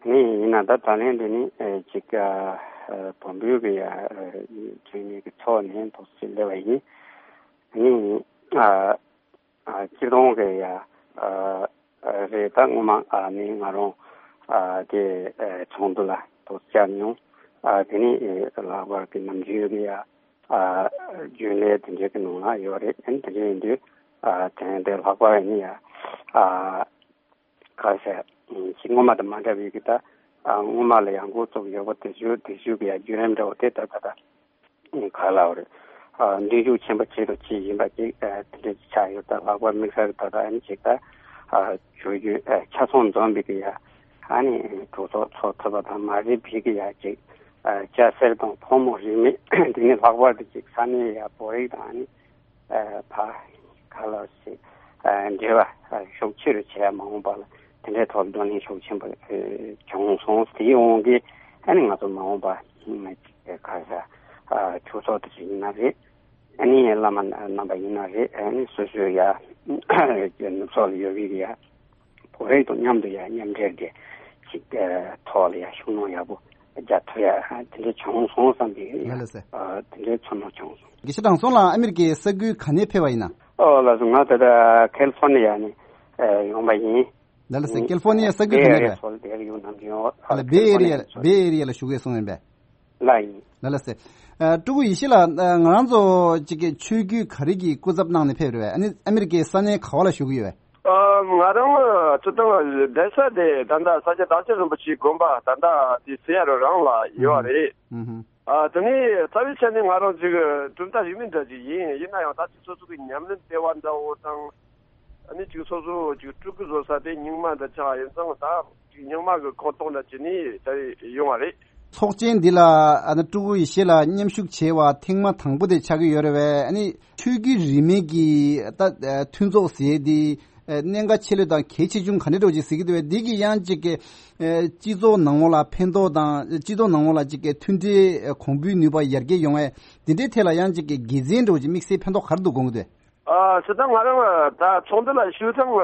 ཨ་ནི་ཡིན་ན་ད་ད་ལན་འདི་ནི་ཅིག་བོན་པོའི་གི་ཡ་ཚོགས་གཉིས་ཀྱི་ཐོག་ནས་ཐོག་ཅིག་སླེབས་པ་ཡིན། ཨ་ནི། སྤྱིར་བཏང་གི་ཡ། རེད། ད་སྔོན་མ་ནི་ང་རང་དེ་ཚོགས་འདུ་ལ་ཐོག་བཅར་མྱོང་། དེ་ནི་ལྷག་པར་གྱི་ནམ་རྒྱུན་གྱི་ཡ། རྒྱུན་ལས་དེ་འདྲའི་གི་ནང་ལ་ཡོད་རེད། དེ་འདྲ་ཡིན་དུས་དེ་དེ་ལྷག་པར་ནི་ཡ། ཁ་ཤས་ཅིག་སྔོན་མ་དང་མ་འདྲ་བའི་གི་ད། སྔོན་མ་ལ་ཡང་འགོ་བཙུགས་ཡོད་པ་དེ་ཚོ་དེ་ཚོའི་གི་ཡ་བརྒྱུད་རིམ་འདྲ་བོ་དེ་ད་ད་ད། ག་ལ་བ་རེད། ཨ། མདུན་ཞུགས་ཆེན་པོ་བྱེད་དུ་ཅི་ཡིན་པ་ཅིག་ཨ། དེ་འདྲ་ཅིག་ཆགས་ཡོད། ད་ལྷག་པར་དམིགས་བསལ་ད་ལྟ་ཨ་ནི་ཅིག་ད། ཨ། ཆོས་བརྒྱུད་ཨ། ཆ་ཚང་འཛོམས་པའི་གི་ཡ། ཨ་ནི་གྲོས་ཚོགས་ཚོགས་ཐུབ་པ་དང་མ་རེད་པའི་གི་ཡ་ཅིག་ཨ། སྐྱ་སེར་དང་ཕོ་མོ་རིས་མེད་དེ་ནི་ལྷག་པར་དུ་ཅིག་ས་གནས་ཡ་བོད་རིགས་དང་ཨ་ནི། ཨ། ཕ་ག་ལ་ཞིག་ཨ། འབྲེལ་བ་ཨ། ཤུགས་ཆེ་རུ་བྱས་མ་འོངས་པ་ལ་དེ་འདྲའི་ཐོག་བགྲོ་གླེང་ཤུགས་ཆེན་པོ་ཨ། བྱུང་སོང་། དེའི་དབང་གིས་ཨ་ནི་ང་ཚོ་མ་འོངས་པ་ཨ། ག་ས་ཨ། ཆོས་ཚོགས་དེ་ཚོ་ཡིན་ན་རེད། ཨ་ནི་བླ་མ་རྣམ་པ་ཡིན་ན་རེད། ཨ་ནི་སོ་སོའི་ཡ་ནུབ་ཕྱོགས་ལ་ཡོད་པའི་ཡ་བོད་རིགས་དང་མཉམ་དུ་ཡ་མཉམ་འབྲེལ་གྱི་ཅིག་ཨ། ཐོག་ལ་ཡ་ཤུགས་སྣོན་ཡག་པོ་རྒྱག་ཐུབ་ཡ་དེ་འདྲ་བྱུང་སོང་བསམ་པའི་ཡ། ལགས་སེ། ཨ། དེ་འདྲའི་ཚོར་སྣང་བྱུང་སོང་། དགེ་བཤེས་དྲང་སྲོང་ལགས་ཨ་མེ་རི་ཀའི་ས་ཁུལ་ག་ནས་ཕེབས་པ་ཡིན་ན། ཨོ་ལགས་སོ། ང་ད་ལྟ་ཁེ་ལི་ཧྥོར་ནི་ཡ་ནས་ཡོང་པ་ཡིན། ལགས་སེ། ཁེ་ལི་ཧྥོར་ནི་ཡ་ས་ཁུལ་ག་ནས་རེད། ཨ་ལ་བེ་ཨེ་རི་ཡ། བེ་ཨེ་རི་ཡ་ལ་བཞུགས་ཡོད་སོང་ཡིན་པས། ལགས་ཡིན། ལགས་སེ། ཨ། སྤྲུལ་སྐུ་ཡེ་ཤེས་ལགས། ང་རང་ཚོ་གཅིག་གི་ཆོས་བརྒྱུད་ག་རེ་གི་སྐུ་ཚབ་གནང་ནས་ཕེབས་རེད་པས། ཨ་ནི་ཨ་མེ་རི་ཀའི་ས་གནས་ག་བ་ལ་བཞུགས་ཀྱི་ཡོད་པས། ཨ། ང་རང་སྤྱིར་བཏང་བསྡད་ས་དེ་ད་ལྟ་ས་སྐྱ་བདག་ཆེན་རིན་པོ་ཆེའི་དགོན་པ་ད་ལྟ་དེ་སེ་ཡ་རུ་རང་ལ་ཡོད་རེད། ཨ། དེ་ནས་རྩ་བའི་ཆ་ནས་ང་རང་ཅིག་གྲུབ་མཐའ་རིས་མེད་འདྲ་ཅིག་ཡིན། ཡིན་ན་ཡང་ད་ཅིག་སོ་སོ་གི་ཉམས་ལེན་ལྟེ་བ་འདྲ་བོ་དང་། ཨ་ནི་ཅིག་སོ་སོ་ཅིག་སྤྲུལ་སྐུ་བཟོ་ས་དེ་རྙིང་མ་འདྲ་ཆགས་ཡིན་ཙང་ད་ཅིག་རྙིང་མ་གི་ཁོངས་གཏོགས་འདྲ་བྱས་ནས་ད་ཡོང་བ་རེད། ཚོགས་ཆེན་འདི་ལ་ཨ་ནི་སྤྲུལ་སྐུ་ཡེ་ཤེས་ལགས་མཉམ་ཞུགས་བྱས་པ་ཐེངས་མ་དང་པོ་དེ་ཆགས་ཀྱི་ཡོད་རེད་པས། ཨ་ནི་ཆོས་བརྒྱུད་རིས་མེད་ཀྱི་ད་མཐུན་ཚོགས་ཟེར་དེ་གནད་འགག་ཆེ་ལོས་དང་གལ་ཆེ་ཆུང་ག་འདྲ་འདྲ་ཅིག་གཟིགས་ཀྱི་འདུག་པས། འདི་གིས་ཡང་ཅིག་གི་སྤྱི་ཚོགས་ནང་ལོགས་ལ་ཕན་ཐོགས་དང་སྤྱི་ཚོགས་ནང་ལོགས་ལ་ཅིག་གི་མཐུན་སྒྲིལ་གོང་འཕེལ་ནུས་པ་ཡར་རྒྱས་ཡོང་བས་འདི་འདྲའི་ཐད་ལ་ཡང་ཅིག་གི་དགེ་མཚན་འདྲ་ཅིག་དམིགས་བསལ་ཕན་ཐོགས་ག་རེ་འདུག་དགོངས་ཀྱི་འདུག་ཨ། སྤྱིར་བཏང་ང་རང་ད་ཚོགས་འདུ་ལ་ཞུགས་ཐེངས་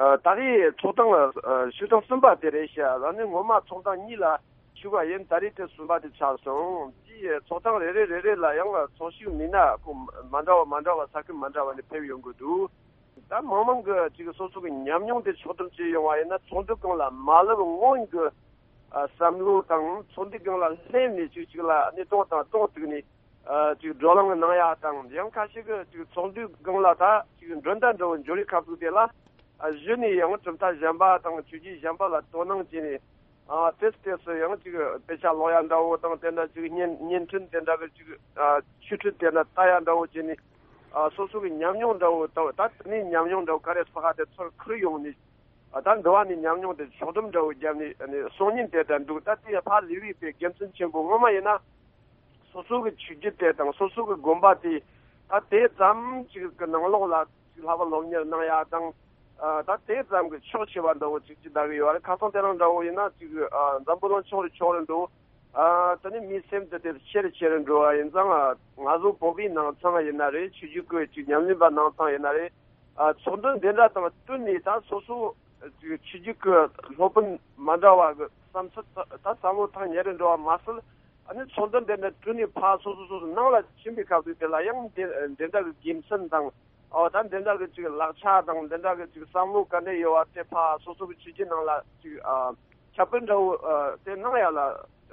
ཨ། ད་རེས་ཚོགས་ཐེངས་ཨ། ཞུགས་ཐེངས་གསུམ་པ་དེ་རེད་ཤག་ཨ་ནི་སྔོན་མ་ཚོགས་ཐེངས་གཉིས་ལ་ཞུགས་པ་ཡིན། ད་རེས་དེ་གསུམ་པ་དེ་ཆགས་སོང་། དེའི་ཚོགས་ཐེངས་རེ་རེ་རེ་རེ་ལ་ཡང་ཚོགས་ཞུགས་མི་སྣ་ཁོ་མ་འདྲ་བ་མ་འདྲ་བ་ས་ཁུལ་མ་འདྲ་བ་ནས་ཕེབས་ཡོང་གི་འདུག་ད་མང་མང་གི་ཅིག་སོ་སོ་གི་ཉམས་མྱོང་དེ་ཕྱོགས་སྒྲིག་བྱས་ཡོང་བ་ཡིན་ན་ཚོགས་འདུ་སྒང་ལ་མ་སླེབས་སྔོན་གྱི་ཨ། བསམ་བློ་དང་ཚོགས་འདུ་སྒང་ལ་སླེབས་ནས་ཅིག་ཅིག་ལ་གནས་སྟངས་དང་སྟངས་བཙུགས་ནས། ཨ། ཅིག་བགྲོ་གླེང་གནང་ཡ་དང་། ཡང་ཁ་ཤས་ཀྱིས་ཅིག་ཚོགས་འདུའི་སྒང་ལ་ད་ཅིག་མགྲོན་བརྡ་འདྲ་བོ་འབྱོར་བའི་སྐབས་སུ་དེ་ལ། ཨ། གཞི་ནས་ཡང་གྲུབ་མཐའ་གཞན་པ་དང་ཆོས་བརྒྱུད་གཞན་པ་ལ་དོ་སྣང་བྱས་ནས། ཨ། ཏོག་ཙམ་ཏོག་ཙམ་ཡང་ཅིག་དཔེ་ཆ་ཀློག་ཡ་འདྲ་བོ་དང་། དེ་འདྲ་ཅིག་བརྙན་བརྙན་འཕྲིན་དེ་འདྲ་གི་ཅིག་ཨ། ཆོས་འཕྲིན་དེ་འདྲ་ལྟ་ཡ་འདྲ་བོ་བྱས་ནས། ཨ། སོ་སོ་གི་ཉམས་མྱོང་འདྲ་བོ་དང་། ད་དེ་ནས་ཉམས་མྱོང་འདྲ་བོ་ག་རེ་ཕ་ག་དེ་ཚུར་ཁུར་ཡོང་ནས། ཨ། ད་འགྲོ་བ་མིའི་ཉམས་མྱོང་དེ་ཕྱོགས་སྒྲིག་འདྲ་བོ་བརྒྱབ་ནས་གསུང་ཉན་དེ་འདྲ་འདུག་ད་དེ་ཕར་ལུས་པའི་དགེ་མཚན་ཆེན་པོ་ངོ་མ་ཡིན་ན། སོ་སོ་གི་ཆོས་བརྒྱུད་དེ་དང་སོ་སོ་གི་དགོན་པ་དེ་ད་དེ་ཙམ་ཅིག་གི་ནང་ལོགས་ལ་ཅིག་ལྷག་པར་སློབ་གཉེར་གནང་ཡ་དང་། ཨ། ད་དེ་ཙམ་གི་ཕྱོགས་ཆེ་བ་འདྲ་བོ་ཅིག་ཅིག་ད་གི་ཡོད་རེད། ཁ་སང་དེ་རིང་འདྲ་བོ་ཡིན་ན་ཅིག་ཨ། འཛམ་བུ་གླིང་ཕྱོགས་རེ་ཕྱོགས་རེ་འགྲོ། ཨ། དེ་ནས་མིའི་སེམས་དེ་དེ་ཆེ་རེ་ཆེ་རེ་འགྲོ་བ་ཡིན་ཙང་། ང་ཚོ་བོད་པའི་ནང་ཚང་ཡིན་ན་རེད། ཆོས་བརྒྱུད་ཀྱི་ཅིག་ཉམས་ལེན་པ་ནང་ཚང་ཡིན་ན་རེད། ཨ། ཚོགས་འདུ་འདི་འདྲ་དང་བསྟུན་ནས་ད་སོ་སོ་ཅིག་ཆོས་བརྒྱུད་ཀྱི་སློབ་དཔོན་མ་འདྲ་བ་གི་བསམ་ཚུལ་ད་བསམ་བློ་ཐག་ཉེ་རུ་འགྲོ་བ་མ་ཟད། ཨ་ནི་ཚོགས་འདུ་འདི་འདྲ་བསྟུན་ནས་ཕར་སོ་སོ་སོ་སོ་ནང་ལ་ཕྱིན་པའི་སྐབས་དུས་དེ་ལ་ཡང་འདི་འདི་འདྲ་གི་དགེ་མཚན་དང་། ཨོ། ད་འདི་འདྲ་གི་ཅིག་ལག་ཆ་དང་འདི་འདྲ་གི་ཅིག་བསམ་བློ་ག་འདྲ་ཡོད་བ་དེ་ཕར་སོ་སོ་གི་ཆོས་བརྒྱུད་ནང་ལ་ཅིག་ཨ། ཁྱབ་སྤེལ་འདྲ་བོ་ཨ། དེ་གནང་ཡ་ལ་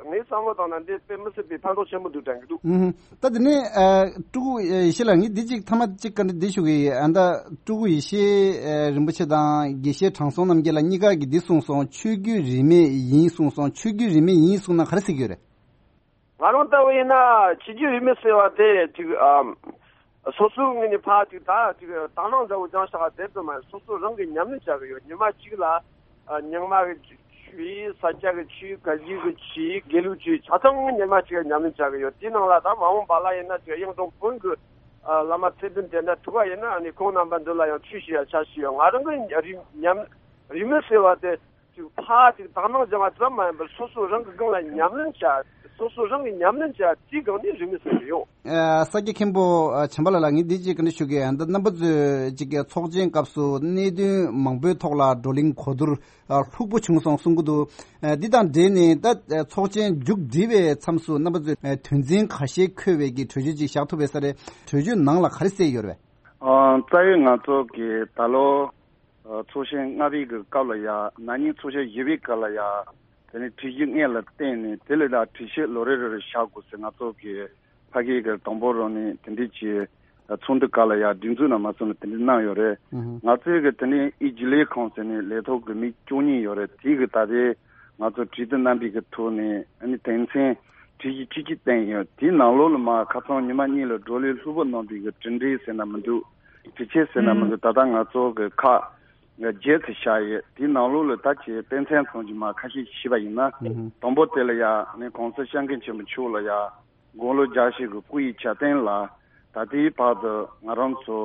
ངའི་བསམ་བློ་བཏང་ན་འདི་དཔེ་མི་སྲིད་པའི་ཕན་ཐོགས་ཆེན་པོ་འདུག་དྲན་གི་འདུག་ཨུ་ཧུམ། ད་དེ་ནས་ཨ། སྤྲུལ་སྐུ་ཡེ་ཤེས་ལགས། ངས་འདི་ཅིག་ཐ་མ་ཅིག་བཀའ་འདྲི་འདི་ཞུ་གི་ཡིན། ཨ། ད་སྤྲུལ་སྐུ་ཡེ་ཤེས་ཨ། རིན་པོ་ཆེ་དང་དགེ་བཤེས་དྲང་སྲོང་རྣམ་རྒྱལ་ལགས་གཉིས་ཀ་གིས་འདི་གསུངས་སོང་། ཆོས་བརྒྱུད་རིས་མེད་ཡིན་གསུངས་སོང་། ཆོས་བརྒྱུད་རིས་མེད་ཡིན་གསུངས་ན་ག་རེ་ཟེར་གྱི་ཡོད་རེད། ང་རང་ལྟ་བུ་ཡིན་ན་ཆོས་བརྒྱུད་རིས་མེད་ཟེར་བ་དེ་ཅིག་ཨ། སོ་སོའི་ངོས་ནས་ཕར་ཅིག་ད་ཅིག་དག་སྣང་འདྲ་བོ་སྦྱངས་བཞག་པ་དེ་ཙམ་མ་ཡིན། སོ་སོ་རང་གིས་ཉམས་ལེན་བྱ་གི་ཡོད། ཉི་མ་གཅིག་ལ་ཨ། རྙིང་མ་གི་ཆོས། ས་སྐྱ་གི་ཆོས། བཀའ་བརྒྱུད་ཀྱི་ཆོས། དགེ་ལུགས་ཆོས། ཆ་ཚང་ཉི་མ་གཅིག་ལ་ཉམས་ལེན་བྱ་གི་ཡོད། དེའི་ནང་ལ་ད་མ་འོངས་པ་ལ་ཡིན་ན་ཅིག་གཡུང་དྲུང་བོན་གྱི་ཨ། བླ་མ་ཚད་ལྡན་དེ་འདྲ་ཐུག་པ་ཡིན་ན་ཨ་ནི་ཁོང་རྣམ་པ་འདི་ལ་ཡང་ཆོས་ཞུ་ཡ་ཕྱག་ཞུ་ཡ། ང་རང་གི་རིས་ཉམས་རིས་མེད་ཟེར་བ་དེ་ཅིག་ཕར་ཅིག་དག་སྣང་སྦྱང་བ་ཙམ་མ་ཡིན་པར་སོ་སོ་རང་གི་སྒང་ལ་ཉམས་ལེན་བྱ། སོ་སོ་རང་གི་ཉམས་ལེན་བྱ་དེའི་སྒང་ནས་རིག་གནས་ཟེར་གྱི་ཡོད། ཨ། ས་སྐྱ་མཁན་པོ། ཨ། བྱམས་པ་ལགས་ལ་ངས་འདི་གཅིག་བཀའ་འདྲི་ཞུ་གི་ཡིན། ད་རྣམ་པ་ཚོས་གཅིག་གི་ཚོགས་ཆེན་སྐབས་སུ་གནད་དོན་མང་པོའི་ཐོག་ལ་བགྲོ་གླེང་གོ་བསྡུར། ཨ། ལྷུག་པོ་བྱུང་སོང་གསུང་གི་འདུག་ཨ། འདི་དང་འབྲེལ་ནས་ད། ཨ། ཚོགས་ཆེན་མཇུག་བསྒྲིལ་བའི་མཚམས་སུ་རྣམ་པ་ཚོས། ཨ། དོན་ཚན་ཁ་ཤས་འཁོད་པའི་གི་གྲོས་ཆོད་ཅིག་བཞག་ཐུབ་པའི་ས་རེད། གྲོས་ཆོད་ནང་ལ་ག་རེ་གསལ་ཡོད་རེད་པས། ཨ། རྩ་བའི་ང་ཚོ་གི་ད་ལོ། ཨ། ཚོགས་ཆེན་ལྔ་པའི་གི་སྐབས་ལ་ཡ། ན་ནིང་ཚོགས་ཆེན་བཞི་པའི་སྐབས་ལ་ཡ། དེ་ནས་གྲོས་གཞི་ལྔ་ལ་བརྟེན་ནས་དེ་ལས་ད་གྲོས་ཆོད་ལོ་རེ་རེ་རེ་བཞག་དགོས་ཟེར་ང་ཚོ་གི་ཕ་གི་གི་དང་པོ་རང་ནས་དེ་འདྲས་ཀྱི་ཚོགས་འདུ་ཁག་ལ་ཡ་སྒྲིག་འཛུགས་ནང་མ་སོང་ནས་དེ་འདྲས་གནང་ཡོད་རེད། ང་ཚོའི་གི་དེ་ནས་ཨི་རྒྱུན་ལས་ཁང་ཟེར་ནས་ལས་ཐོག་གི་མི་བཅུ་གཉིས་ཡོད་རེད། དེ་གི་ད་ལྟའི་ང་ཚོ་གྲོས་བསྡུར་གནང་པའི་གི་ཐོག་ནས་ཨ་ནི་དོན་ཚན་གྲོས་གཞི་བཅུ་གཅིག་བཏོན་ཡོད། དེའི་ནང་ལོགས་ལ་མ་ཁ་སང་ཉི་མ་གཉིས་ལ་བགྲོ་གླེང་ལྷུག་པོ་གནང་པའི་གི་གྲུབ་འབྲས་ཟེར་ན་མི་འདུག་གྲོས་ཆོད་ཟེར་ན་མི་འདུག་ད་ལྟ་ང་ཚོ་གི་ཁག་བརྒྱད་ཙམ་བཞག་ཡོད། དེའི་ནང་ལོགས་ལ་ད་ཆེ་དཔེ་མཚོན་ཙམ་གྱི་མ་ཁ་ཤས་ཤིག་བཤད་པ་ཡིན་ན། དང་པོ་དེ་ལ་ཡ་ནི་གོང་ས་སྐྱབས་མགོན་ཆེན་པོ་མཆོག་ལ་ཡ་དགུང་ལོ་བརྒྱད་ཅུ་གི་སྐུ་ཡི་གྱ་སྟོན་ལ་ད་ལྟའི་བར་དུ་ང་རང་ཚོ་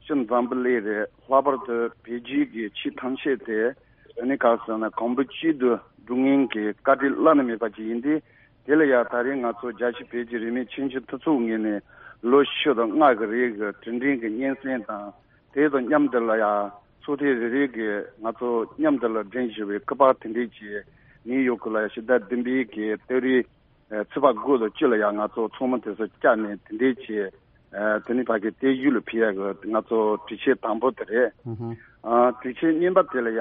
སྤྱི་འཛམ་བུ་གླིང་རེད། ལྷག་པར་དུ་བོད་བརྒྱུད་ཀྱི་ཆོས་ཐམས་ཅད་དེ་ནི་ག་ཟེར་ན་གོང་བུ་གཅིག་ཏུ་སྒྲིལ་མཁན་གྱི་བཀའ་དྲིན་བླ་ན་མེད་པ་ཅིག་ཡིན་ཏེ། དེ་ལ་ཡ་ད་རེས་ང་ཚོ་རྒྱལ་སྤྱི་བོད་ཀྱི་རིས་མེད་ཆོས་བརྒྱུད་མཐུན་ཚོགས་ངོས་ནས་ལོ་བཞི་དང་ལྔ་གི་རིང་གི་གྲུབ་འབྲས་ཀྱི་སྙན་སེང་དང་། དེ་དང་མཉམ་དུ་ལ་ཡ་ཚོགས་ཐེངས་རེ་རེ་གི་ང་ཚོ་མཉམ་དུ་ལ་སྒྲིག་ཞུ་བའི་སྐུ་པར་དེ་འདྲས་ཀྱི་ནིའུ་ཡོག་གི་ལ་ཕྱི་ཟླ་བདུན་པའི་གི་སྟོད་རའི་ཚེས་པ་དགུ་དང་བཅུ་ལ་ཡ་ང་ཚོ་ཚོགས་མི་དེ་ཚོ་བཅར་ནས་དེ་འདྲས་ཀྱི་དེ་ནི་ཕ་གི་བལྟས་བཞུགས་ལ་ཕུལ་ཡ་གི་ང་ཚོ་གྲོས་ཆོད་དང་པོ་དེ་རེད། ཨ། གྲོས་ཆོད་གཉིས་པ་དེ་ལ་ཡ་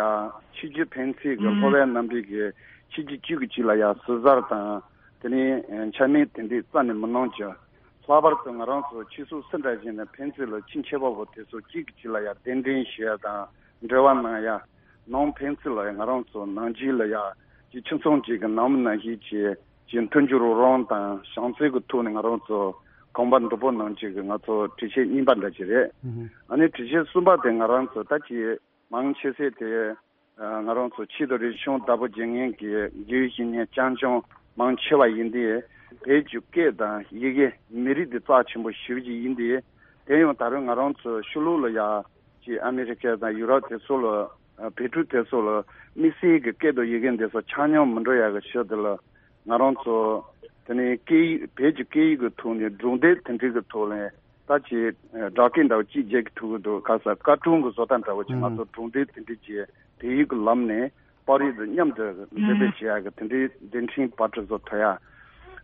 ཆོས་བརྒྱུད་ཕན་ཚུན་གྱི་ལྷོ་པའི་རྣམ་པའི་གི་ཆོས་བརྒྱུད་བཅུ་གི་གཅིག་ལ་ཡ་ཟུར་ཟ་དང་དེ་ནས་འཕྱ་སྨོད་དེ་འདྲས་རྩ་ནས་མི་གནང་རྒྱུ། ལྷག་པར་དུ་ང་རང་ཚོ་ཆོས་སྲིད་ཟུང་འབྲེལ་བྱས་ནས་ཕན་ཚུན་ལ་ཆེས་མཁས་པ་བོ་དེ་ཚོ་གཅིག་གིས་གཅིག་ལ་ཡ་གདན་འདྲེན་ཞུ་ཡ་དང་འབྲེལ་བ་གནང་ཡ། ནང་ཕན་ཚུན་ལ་ཡ་ང་རང་ཚོ་ནང་ཆོས་ལ་ཡ་ཅིག་ཁྱིམ་ཚང་གཅིག་གི་ནང་མི་ནང་བཞིན་གྱི་ཅིག་མཐུན་འགྱུར་རོགས་རམ་དང་བྱམས་བརྩེ་གི་ཐོག་ནས་ང་རང་ཚོ་གོམ་པ་མདུན་སྤོ་གནང་ཆེད་ཀྱི་ང་ཚོ་གྲོས་ཆོད་གཉིས་པ་འདྲ་ཅིག་རེད། ཨ་ནི་གྲོས་ཆོད་གསུམ་པ་དེ་ང་རང་ཚོ་ད་ཅིག་མང་ཆེ་ཤོས་དེ། ང་རང་ཚོ་ཆོས་དང་རིག་གཞུང་བདག་པོ་བྱེད་མཁན་གྱི་དགེ་བའི་བཤེས་གཉེན་རྐྱང་རྐྱང་མང་ཆེ་བ་ཡིན་ཏེ། བོད་ཀྱི་སྐད་དང་ཡི་གེ་མི་རིགས་འདི་རྩ་ཆེན་པོ་ཞེ་པོ་ཅིག་ཡིན་ཏེ། དེ་ཡང་ད་རུང་ང་རང་ཚོ་ཕྱི་ལོགས་ལ་ཡ་ཅིག་ཨ་མི་རི་ཀ་དང་ཡུ་རོབ་དེ་ཚོ་ལ་བོད་ཕྲུག་དེ་ཚོ་ལ་དམིགས་བསལ་གྱི་སྐད་དང་ཡི་གེ་འདི་ཚོ་ཆ་སྙོམས་མི་འགྲོ་ཡ་གི་ཕྱིར་དེ་ལ་ང་རང་ཚོ་དེ་ནས་སྐད་ཡིག་བོད་ཀྱི་སྐད་ཡིག་གི་ཐོག་ནས་སྒྲུང་དེབ་དེ་འདྲའི་གི་ཐོག་ནས། ད་ཅིག་སྦྲག་སྐད་འདྲ་བོ་གཅིག་རྒྱག་གི་ཐུག་གི་འདུག་ག་ས་བཀའ་དྲུང་གི་བཟོ་ལྟ་འདྲ་བོ་ཅིག་ང་ཚོ་སྒྲུང་དེབ་དེ་འདྲ་ཅིག་བོད་ཡིག་གི་ལམ་ནས་པར་རིས་དང་མཉམ་དུ་འགྲེམས་སྤེལ་བྱེད་ཡག་གི་དེ་འདྲའི་མཛད་འཕྲིན་བར་སྐྲུན་བཟོ་ཐུབ་ཡ།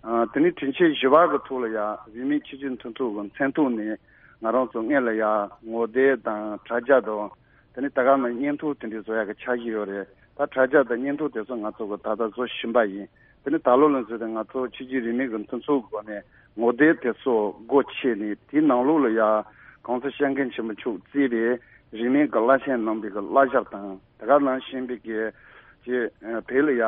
དེ་ནས་གྲོས་ཆོད་བཞི་པ་གི་ཐོག་ལ་ཡ་རིས་མེད་ཆོས་བརྒྱུད་མཐུན་ཚོགས་ཀྱི་མཚན་ཐོག་ནས་ང་རང་ཚོ་སྔོན་ལ་ཡ་ངོ་དེབ་དང་དྲ་རྒྱ་དང་། དེ་ནས་ད་ག་ནང་བརྙན་ཐུང་དེ་འདྲའི་བཟོ་ཡག་གི་འཆར་གཞི་ཡོད་རེད། ད་དྲ་རྒྱ་དང་བརྙན་ཐུང་དེ་ཚོ་ང་ཚོ་གི་ད་ལྟ་བཟོ་བཞིན་པ་ཡིན། དེ་ནས་ད་ལོ་ལ་མཛད་དེ་ང་ཚོ་ཆོས་བརྒྱུད་རིས་མེད་ཀྱི་མཐུན་ཚོགས་སྒོ་ནས་ངོ་དེབ་དེ་ཚོ་སྒོ་ཕྱེ་ནས་དེའི་ནང་ལོགས་ལ་ཡ་གོང་ས་སྐྱབས་མགོན་ཆེན་པོ་མཆོག་གཙོས་པའི་རིས་མེད་ཀྱི་བླ་ཆེན་རྣམ་པའི་གི་བསླབ་བྱ་དང་། དེ་ག་ནང་བཞིན་པའི་གི་ཅིག་བོད་ལ་ཡ་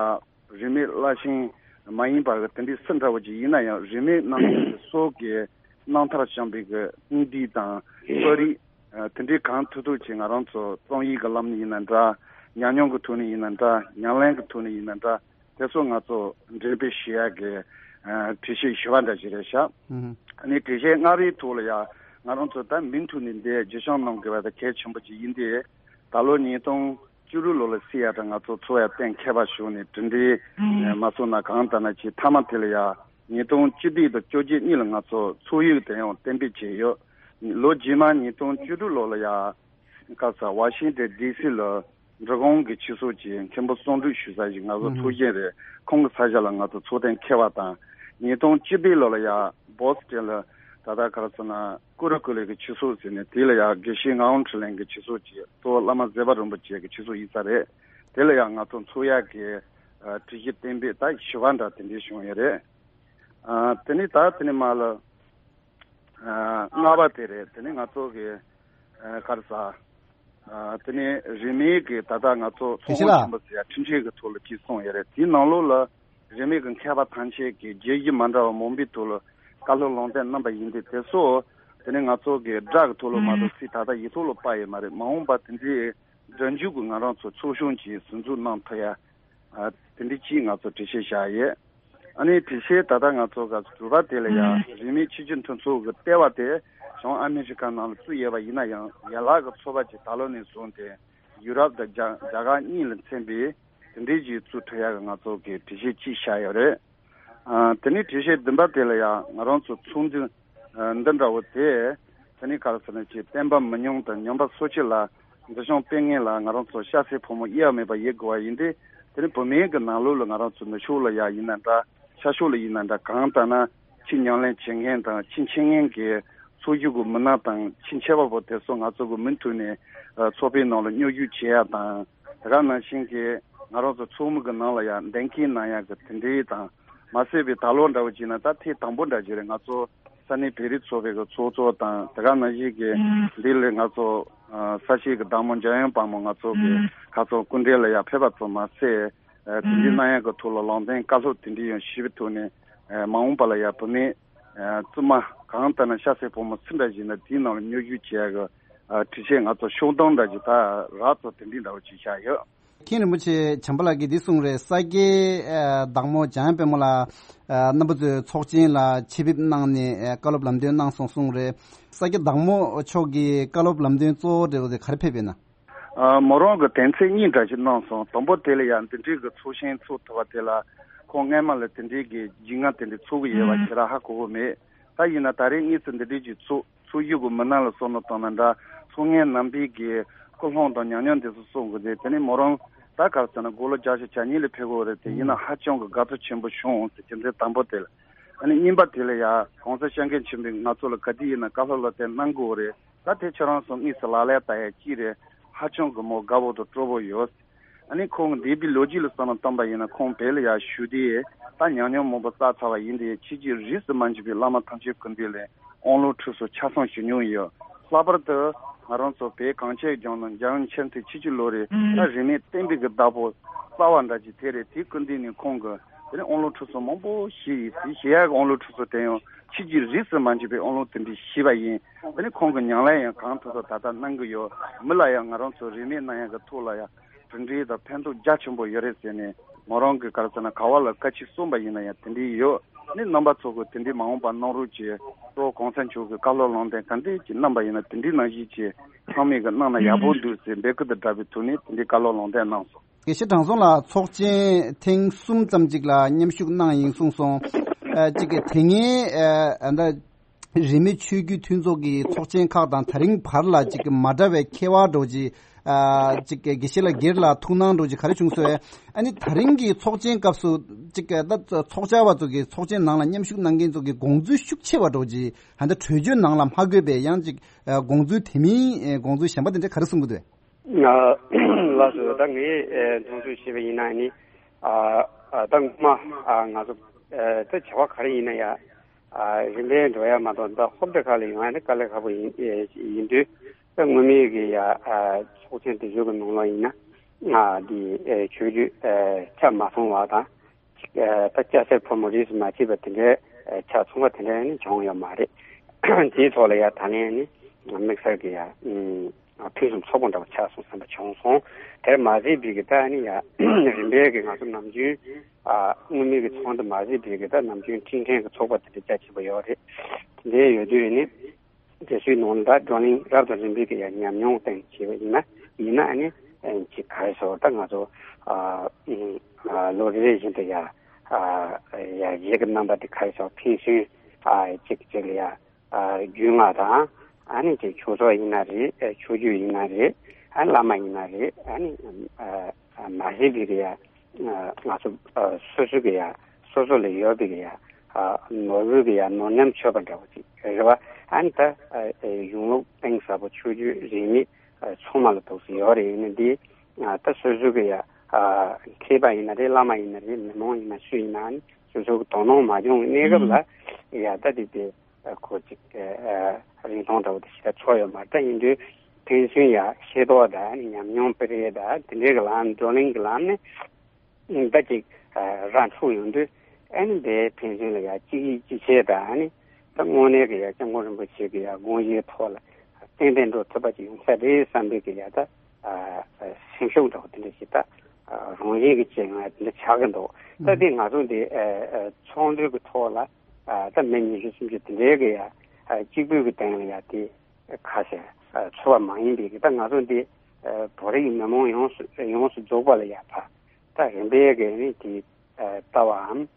རིས་མེད་བླ་ཆེན་མ་ཡིན་པ་གི་དེ་འདྲའི་སུ་འདྲ་བོ་ཅིག་ཡིན་ན་ཡང་རིས་མེད་རྣམ་ཐར་གྱི་སྲོལ་གྱི་རྣམ་ཐར་བྱང་པའི་གི་དཔུང་སྡེ་དང་གསོ་རིག་དེ་འདྲའི་གང་ཐུབ་ཐུབ་ཅིག་ང་རང་ཚོ་རྩོམ་ཡིག་གི་ལམ་ནས་ཡིན་ན་འདྲ། ཉམས་མྱོང་གི་ཐོག་ནས་ཡིན་ན་འདྲ། ཉམས་ལེན་གྱི་ཐོག་ནས་ཡིན་ན་འདྲ། དེ་ཚོ་ང་ཚོ་འགྲེམས་སྤེལ་ཞུ་ཡག་གི་གྲོས་ཆོད་བཞི་པ་འདྲ་ཞིག་རེད་ཤག་ཨ་ནི་གྲོས་ཆོད་ལྔ་པའི་ཐོག་ལ་ཡ་ང་རང་ཚོ་ད་མུ་མཐུད་ནས་འདི་བརྗོད་བྱང་གནང་དགོས་པ་ད་གལ་ཆེན་པོ་ཅིག་ཡིན་ཏེ། ད་ལོ་ཉིས་སྟོང་བཅུ་དྲུག་ལོ་ལ་སྲིད་ཡ་ད་ང་ཚོ་ཚོགས་ཡ་གཏན་འཁེལ་བ་ཞུ་ནས་གྲུབ་འབྲས་མ་སོང་ན་གང་ལྟར་ན་ཅིག་མཐའ་མ་དེ་ལ་ཡ་ཉིས་སྟོང་བཅུ་བདུན་དང་བཅོ་བརྒྱད་གཉིས་ལ་ང་ཚོ་ཚོགས་ཡིག་དེ་ཡང་གཏན་འབེབས་བྱས་ཡོད། ལོ་རྗེས་མ་ཉིས་སྟོང་བཅུ་དྲུག་ལོ་ལ་ཡ་ག་ས་ཝ་ཤིང་ཏན་ཌི་སི་ལ་འབྲི་གུང་གི་ཆོས་ཚོགས་ཀྱི་མཁན་པོ་གསུང་སྒྲོག་ཞུ་ས་ཞིག་ང་ཚོ་ཚོགས་ཆེན་རེད། ཁོང་གི་ས་ཆ་ལ་ང་ཚོ་ཚོགས་གཏན་འཁེལ་བ་དང་། ཉིས་སྟོང་བཅུ་བདུན་ལོ་ལ་ཡ་བོ་སི་ཊོན་ལ་ད་ལྟ་ག་རེ་ཟེར་ན་ཀུ་རུ་ཀུ་ལི་གི་ཆོས་ཚོགས་ཟེར་ནས་དེ་ལ་ཡ་དགེ་བཤེས་ངག་དབང་འཕྲིན་ལས་ཀྱི་ཆོས་ཚོགས་ཀྱི་གཙོ་བོ་བླ་མ་ཟེར་བ་རིན་པོ་ཆེ་གི་ཆོས་ཚོགས་ཡིན་ས་རེད། དེ་ལ་ཡ་ང་ཚོ་ཚོགས་ཡག་གི་གྲོས་གཞི་གཏན་འབེབས་ད་བཞི་པ་འདྲ་དེ་འདྲའི་བྱུང་ཡོད་རེད། དེ་ནས་ད་དེ་ནས་མར་ལ། ལྔ་པ་དེ་རེད། དེ་ནི་ང་ཚོ་གི་ག་རེ་ཟ། དེ་ནི་རིས་མེད་ཀྱི་ད་ལྟ་ང་ཚོ་ཚོགས་དཔོན་ཆེན་པོ་ཟེར་ཡ་ཁྲིམས་ཆད་ཀྱི་ཐོག་ལ་ཅིག་གསུངས་ཡོད་རེད། དེའི་ནང་ལོགས་ལ་རིས་མེད་ཀྱི་མཁས་པ་ཐམས་ཅད་ཀྱིས་བརྗོད་གཞི་མ་འདྲ་བ་མང་པོའི་ཐོག་ལ་བཀའ་སློབ་ལུང་བསྟན་གནང་པ་ཡིན་ཏེ། དེ་ཚོ་དེ་ནི་ང་ཚོ་གི་སྒྲ་གི་ཐོག་ལ་མ་གཏོགས་ཚིག་ད་ལྟ་ཡིག་ཐོག་ལ་དཔར་ཡོད་མ་རེད། མ་འོངས་པ་དེ་འདྲའི་སྒྲ་འཇུག་གི་ང་རང་ཚོ་ཚོགས་ཆུང་ཅིག་ཟུར་འཛུགས་གནང་ཐུབ་ཡ། ཨ། དེ་འདྲ་ཅིག་ང་ཚོ་གྲོས་ཆོད་བཞག་ཡོད། ཨ་ནི་གྲོས་ཆོད་ད་ལྟ་ང་ཚོ་ག་ཚོད་དྲུག་པ་དེ་ལ་ཡང་རིས་མེད་ཆོས་བརྒྱུད་མཐུན་ཚོགས་ཀྱི་ལྟེ་བ་དེ་བྱང་ཨ་མི་རི་ཀ་ནང་ལ་བཙུགས་ཡོད་པ་ཡིན་ན་ཡང་ཡན་ལག་གི་ཚོགས་པ་ཅིག་ད་ལོ་ནས་བཟུང་སྟེ་ཡུ་རོབ་དང་རྒྱ་རྒྱ་གར་གཉིས་ལ་མཚན་པའི་དེ་འདྲའི་ཅིག་བཙུགས་ཐུབ་ཡག་གི་ང་ཚོ་གི་གྲོས་ཆོད་ཅིག་བཞག་ཡོད་རེད། ཨ། དེ་ནས་དྲི་བཤད་བདུན་པ་དེ་ལ་ཡང་ང་རང་ཚོ་ཚོགས་འདུ་ཨ་འདི་འདྲ་བོ་དེ། དེ་ནས་ག་རེ་ཟེར་ན་ཅིག་བསྟན་པ་མི་ཉམས་དང་ཉམས་པ་སོར་ཆུད་ལ་འཛིན་སྐྱོང་སྤེལ་མཁན་ལ་ང་རང་ཚོ་སྐྱ་སེར་ཕོ་མོ་དབྱེ་བ་མེད་པ་ཡོད་དགོས་པ་ཡིན་ཏེ། དེ་ནས་བོད་མིའི་གི་ནང་ལོགས་ལ་ང་རང་ཚོ་ནུབ་ཕྱོགས་ལ་ཡ་ཡིན་ན་འདྲ། ཤར་ཕྱོགས་ལ་ཡིན་ན་འདྲ། གང་ལྟར་ན་ཆེས་ཉམས་ལེན་བྱེད་མཁན་དང་ཆེས་འཆད་མཁན་གྱི་ཚོགས་ཞུགས་ཀྱི་མི་སྣ་དང་ཆེས་མཁས་པ་པོ་དེ་ཚོ་ང་ཚོ་གི་མུ་མཐུད་ནས་ཨ་ཚོགས་པའི་ནང་ལ་མཉམ་ཞུགས་བྱེད་ཡ་དང་། དེ་ག་ནང་བཞིན་གྱི་ང་རང་ཚོ་ཚོགས་མི་གི་ནང་ལ་ཡང་གདན་འཁེལ་གནང་ཡག་གི་དེ་འདྲའི་དང་། མ་ཟད་པའི་ད་ལོ་འདྲ་བོ་བྱས་ན་ད་ཐེངས་དང་པོ་འདྲ་ཅིག་རེད། ང་ཚོ་ས་གནས་བོད་རིགས་ཚོགས་པའི་གི་ཚོགས་གཙོ་དང་། དེ་ག་ནང་བཞིན་གྱི་འདི་ལས་ང་ཚོ་ས་སྐྱའི་གི་བདག་མོ་འཇམ་དབྱངས་དཔལ་མོ་ང་ཚོ་གི་ཁ་ཚོ་སྐུ་མགྲོན་ལ་ཡང་ཕེབས་པ་ཚོ་མ་ཟད། དེ་འདྲའི་གནང་ཡག་གི་ཐོག་ལ་ལུང་བསྟན་བཀའ་སློབ་དེ་འདྲའི་ཡང་ཞུས་པའི་ཐོག་ནས། མ་འོངས་པ་ལ་ཡང་བུད་མེད་བཙུན་མ་གང་ལྟར་ན་ཤ་ཚའི་བུ་མོ་སུ་འདྲ་ཞིག་ན་དེའི་ནང་ལ་མཉམ་ཞུགས་བྱེད་ཡག་གི་དྲི་བཤད་ང་ཚོ་ཤོག་སྟོང་འདྲ་ཞིག་ད་རག་ཚོ་དེ་འདྲའི་འདྲ་བོ་ཅིག་བཞག་ཡོད། མཁན་རིན་པོ་ཆེ་བྱམས་པ་ལགས་ཀྱིས་འདི་གསུངས་རེད། ས་སྐྱའི་བདག་མོ་འཇམ་དཔལ་མོ་ལགས་རྣམ་པ་ཚོའི་ཚོགས་ཆེན་ལ་ཆེད་ཕེབས་གནང་ནས་བཀའ་སློབ་ལམ་སྟོན་གནང་སོང་གསུངས་རེད། ས་སྐྱ་བདག་མོ་མཆོག་གིས་བཀའ་སློབ་ལམ་སྟོན་གཙོ་བོ་འདྲ་བོ་དེ་ག་རེ་ཕེབས་ཡོད་ན། ཨ། མོ་རང་གི་དོན་ཚན་གཉིས་འདྲ་ཞིག་གནང་སོང་། དང་པོ་དེ་ལ་ཡང་འདི་འདྲའི་གི་ཚོགས་ཆེན་ཚོགས་ཐུབ་པ་དེ་ལ་ཁོང་སྔས་མ་ལ་དེ་འདྲའི་གི་རྒྱུས་མངའ་དེ་འདྲ་ཚོར་གི་ཡོད་པ་ཞེ་དྲག་ཧ་གོ་གི་མེད། ད་ཡིན་ན་ད་རེས་དངོས་སུ་འདི་འདྲའི་གི་ཚོགས་ཚོགས་ཞུགས་གི་མི་སྣ་ལ་བསམ་བློ་བཏང་ན་འདྲ། ཚོགས་ངའི་རྣམ་པའི་གི་སྐུལ་སློང་དང་ཉམས་མྱོང་དེ་ཚོ་གསུང་གི་རེད། དེ་ནས་མོ་རང་ད་ག་རེ་ཟེར་ན་དགུང་ལོ་བརྒྱད་ཅུ་གྱ་གཉིས་ལ་ཕེབས་གི་རེད་དེ། ཡིན་ན་ཧ་ཅང་གི་དགའ་ཚོར་ཆེན་པོ་བྱུང་ཟེར་གྱི་འདི་དང་པོ་དེ་ལ། ཨ་ནི་གཉིས་པ་དེ་ལ་ཡ་གོང་ས་སྐྱབས་མགོན་ཆེན་པོས་ང་ཚོ་ལ་ག་དུས་ཡིན་ན་བཀའ་སློབ་ལ་དེ་གནང་དགོས་རེད། ད་དེ་ཁྱེད་རང་ཚོ་དངོས་སུ་ལག་ལེན་བསྟར་ཡ་གཅིག་རེད། ཧ་ཅང་གི་མོ་དགའ་བོ་དང་སྤྲོ་བོ་ཡོད། ཨ་ནི་ཁོང་གི་འདས་པའི་ལོ་རྒྱུས་ལ་བསམ་བློ་བཏང་པ་ཡིན་ན་ཁོང་བོད་ལ་ཡ་བཞུགས་དུས་ད་ཉམས་མྱོང་མང་པོ་བསགས་ཚར་བ་ཡིན་ཏེ། ཕྱི་རྒྱལ་རིས་སུ་མ་ཆད་པའི་བླ་མ་ཐམས་ཅད་སྐུ་མདུན་ལ་དབང་ལུང་ཁྲིད་གསོལ་ཆ་ཚང་ཞུ་མྱོང་ཡོད། ལྷག་པར་དུ་ང་རང་ཚོ་བོད་གངས་ཅན་ལྗོངས་ནང་འཇམ་དབྱངས་མཆོག་ཐུན་ཆིག་སྟོང་ལོ་རེ་ད་རིས་མེད་བསྟན་པའི་གི་བདག་པོ་རྩ་བ་འདྲ་ཅིག་དེ་རེད། དེའི་སྐུ་མདུན་ནས་ཁོང་གི་དེ་ནས་དབང་ལུང་ཁྲིད་གསོལ་མང་པོ་ཞུས་ཡིན། དེ་ཞུ་ཡག་གི་དབང་ལུང་ཁྲིད་གསོལ་དེ་ཡང་ཕྱི་རྒྱལ་རིས་སུ་མ་ཆད་པའི་དབང་ལུང་དེ་འདྲ་ཞུས་པ་ཡིན། དེ་ནས་ཁོང་གི་ཉམས་ལེན་ཡང་གང་ཐུབ་ཐུབ་ད་ལྟ་གནང་གི་ཡོད། མི་ལ་ཡང་ང་རང་ཚོ་རིས་མེད་གནང་ཡག་གི་ཐོག་ལ་ཡང་གྲུབ་འབྲས་དང་ཕན་ཐོགས་རྒྱ་ཆེན་པོ་ཡོད་རེད་ཟེར་ནས། མོ་རང་གི་ག་རེ་ཟེར་ན་ག་བ་ལ་བཀའ་ཆོས་གསུངས་པ་ཡིན་ན་ཡང་དེ་འདྲའི་ཡོད། ནི་རྣམ་པ་ཚོ་གི་དེ་འདྲའི་མ་འོངས་པ་གནང་རོགས་གྱིས། གཙོ་བོ་གོང་ས་མཆོག་གི་བཀའ་སློབ་ལུང་བསྟན་ག་འདྲས་ཀྱི་གནང་པ་ཡིན་ན་དེ་འདྲའི་ནང་བཞིན་གྱི་ཚང་མས་གི་གནང་ན་ཡག་པོ་འདུག་ཟེར་འབོད་སྐུལ་དང་སྦྲགས་པའི་ཐོག་ནས་དེ་འདྲའི་བཀའ་སློབ་ལུང་བསྟན་གནང་སོང་། དགེ་བཤེས་དྲང་སྲོང་ལགས་ཚོགས་ཆེན་ཐེངས་གསུམ་ཙམ་ཅིག་ལ་མཉམ་ཞུགས་གནང་ཡིན་གསུངས་སོང་། ཨ། གཅིག་གི་དེ་སྔའི་ཨ་ད་རིས་མེད་ཆོས་བརྒྱུད་མཐུན་ཚོགས་ཀྱི་ཚོགས་ཆེན་ཁག་དང་དེ་རིང་བར་ལ་གཅིག་གི་མ་འདྲ་བའི་ཁྱད་པར་འདྲ་བོ་ཅིག་ཨ། གཅིག་གི་དགེ་བཤེས་ལགས་སྒེར་ལ་ཐུགས་སྣང་འདྲ་བོ་ཅིག་ག་རེ་བྱུང་སོང་བས། ཨ་ནི་དེ་རིང་གི་ཚོགས་ཆེན་སྐབས་སུ་གཅིག་གི་ད་ཚོགས་བཅར་བ་ཚོ་གི་ཚོགས་ཆེན་ནང་ལ་མཉམ་ཞུགས་གནང་མཁན་ཚོ་གི་དགོངས་ཚུལ་ཤུགས་ཆེ་བ་འདྲ་བོ་ཅིག་ཨ་ད་གྲོས་ཆོད་ནང་ལ་མ་འཁོད་པའི་ཡང་གཅིག་ཨ། དགོངས་ཚུལ་དེ་མིན་ཨ། དགོངས་ཚུལ་གཞན་པ་དེ་འདྲ་ག་རེ་གསུང་གི་འདུག་ཨ། ལགས་སོ། ད་ངས་ཨ། མཐོང་ཚུལ་བཤད་པ་ཡིན་ན་ནི། ཨ། ཨ། ད་སྔོན་མ་ཨ། ང་ཚོ་ཨ། ད་བྱ་བ་ག་རེ་ཡིན་ན་ཡ། ཨ། རིམ་པས་འགྲོ་ཡ་མ་གཏོགས་ད་ཧོབ་ཏེ་ཁ་ལ་ཡོང་ཡ་ནི་དཀའ་ལས་ཁག་པོ་ཡིན་ཨ། ཡིན་དུས། ད་སྔོན་མའི་གི་ཡ། ཨ། ཚོགས་ཆེན་དེ་ཚོ་གི་ནང་ལོགས་ཡིན་ན། ཨ། འདི་ཨ། ཆོས་བརྒྱུད་ཨ། ཆ་མ་ཚང་བ་དང་། ཨ། ད་སྐྱ་སེར་ཕོ་མོ་རིས་སུ་མ་ཆད་པ་དེ་འདྲའི་ཨ། ཆ་ཚང་བ་དེ་འདྲ་ནི་བྱུང་ཡོད་མ་རེད། དེའི་ཐོག་ལ་ཡ་ད་ནས་ནི་དམིགས་བསལ་གྱི་ཡ། ཨ། ཕུན་སུམ་ཚོགས་པོ་འདྲ་བོ་ཆགས་སོང་བསམ་པ་བྱུང་སོང་། དེར་མ་ཟད་པའི་གི་ད་ནི་ཡ། རིམ་པས་གི་ང་ཚོ་ནམ་རྒྱུན་ཨ། སྔོན་མའི་གི་ཚོགས་འདུ་མ་ཟད་པའི་གི་ད་ནམ་རྒྱུན་ཁྲིམས་མཁན་གི་ཚོགས་པ་དེ་འདྲ་རྒྱ་ཆེན་པོ་ཡོད་རེད། དེ་འདྲའི་ཡོད་དུས་ནི། དེ་ཚོའི་ནང་ལ་བགྲོ་གླེང་རབ་དང་རིམ་པས་ཀྱི་ཡང་ཉམས་མྱོང་སྟེང་བྱས་པ་ཡིན་ན། ཡིན་ན་ཨ་ནི་ཅིག་ག་རེ་ཟེར་ད་ང་ཚོ་ཨ་ཨ་ལོ་རེ་རེ་བཞིན་དུ་ཡ་ཨ་ཡ་རྗེས་ཀྱི་རྣམ་པ་དེ་ག་རེ་ཟེར་ཕན་ཚུན་ཨ་ཅིག་ཅིག་ལ་ཡ་ཨ་རྒྱུས་མངའ་དང་ཨ་ནི་ཅིག་ཆོས་ཚོགས་ཡིན་ན་རེད། ཆོས་བརྒྱུད་ཡིན་ན་རེད། ཨ་བླ་མ་ཡིན་ན་རེད། ཨ་ནི་ཨ་མ་ཟད་པའི་གི་ཡ་ང་ཚོ་ཨ་སོ་སོ་གི་ཡ་སོ་སོ་ལ་ཡོད་པའི་གི་ཡ་ཨ་ནོར་བུ་གི་ཡ་ནོར་ཉམས་ཆོད་པ་འདྲ་བོ་ཅིག་རེད་བ། ཨ་ནི་ད་ཨ་གཞུང་ལུགས་གཏིང་ཟབ་པོ་ཆོས་བརྒྱུད་རིས་མེད་ཨ་ཚང་མ་ལ་འདུག་སེ་ཡོད་རེད། ཡིན་ན་འདི་ཨ་ད་སོ་སོ་གི་ཡ་ཨ་མཁས་པ་ཡིན་ན་རེད། བླ་མ་ཡིན་ན་རེད། མི་མང་ཡིན་ན་སུ་ཡིན་ན་ཨ་ནི་སོ་སོ་གི་དོ་སྣང་མ་བྱུང་བའི་གནས་སྐབས་ལ་ཡ་ད་དེ་དེ་ཨ་ཁོ་ཅིག་ཨ་རིན་ཐང་འདྲ་བོ་དེ་ཞེ་དྲག་ཚོར་ཡོད་མ་རེད། ད་ཡིན་དུས་ཕན་ཚུན་ཡ་ཤེས་རྟོགས་དང་ཉམས་མྱོང་སྤེལ་རེས་དང་དེ་འདྲའི་གི་ལམ་བགྲོ་གླེང་གི་ལམ་ནས་ད་ཅིག་ར་འཕྲོད་ཡོང་དུས་ཨ་ནི་དེའི་ཕན་ཚུན་ལ་ཡ་གཅིག་ཡིད་གཅིག་བྱས་དང་། ཨ་ནི་ད་དངོས་གནས་ཀྱི་ཡ་སྐྱབས་མགོན་རིན་པོ་ཆེ་གི་ཡ་དགོངས་གཞིའི་ཐོག་ལ་ཏན་ཏན་འགྲོ་ཐུབ་པ་ཅིག་ཡོང་ས་རེད་བསམ་པའི་གི་ཡ་ད་ཨ་སེམས་ཤུགས་འདྲ་བོ་དེ་འདྲ་ཞིག་ད་རང་བཞིན་གྱི་བྱེད་ངང་དེ་འདྲ་ཆགས་ཀྱི་འདུག་ད་དེ་ང་ཚོ་འདི་ཚོགས་འདུའི་གི་ཐོག་ལ་ད་མི་ཉི་ཤུ་སུམ་ཅུ་དེ་འདྲའི་གི་ཡ་གཅིག་པུའི་གི་སྟེང་ལ་ཡ་དེ་ཁ་ཤས་ཚོར་བ་མ་ཡིན་པའི་གི་ད་ང་ཚོ་འདི་བོད་རིགས་མི་མང་ཡོངས་སུ་ཡོངས་སུ་རྫོགས་པ་ལ་ཡ་ཕ་ད་རིམ་པས་གི་ནི་དེ་ལྟ་བའམ་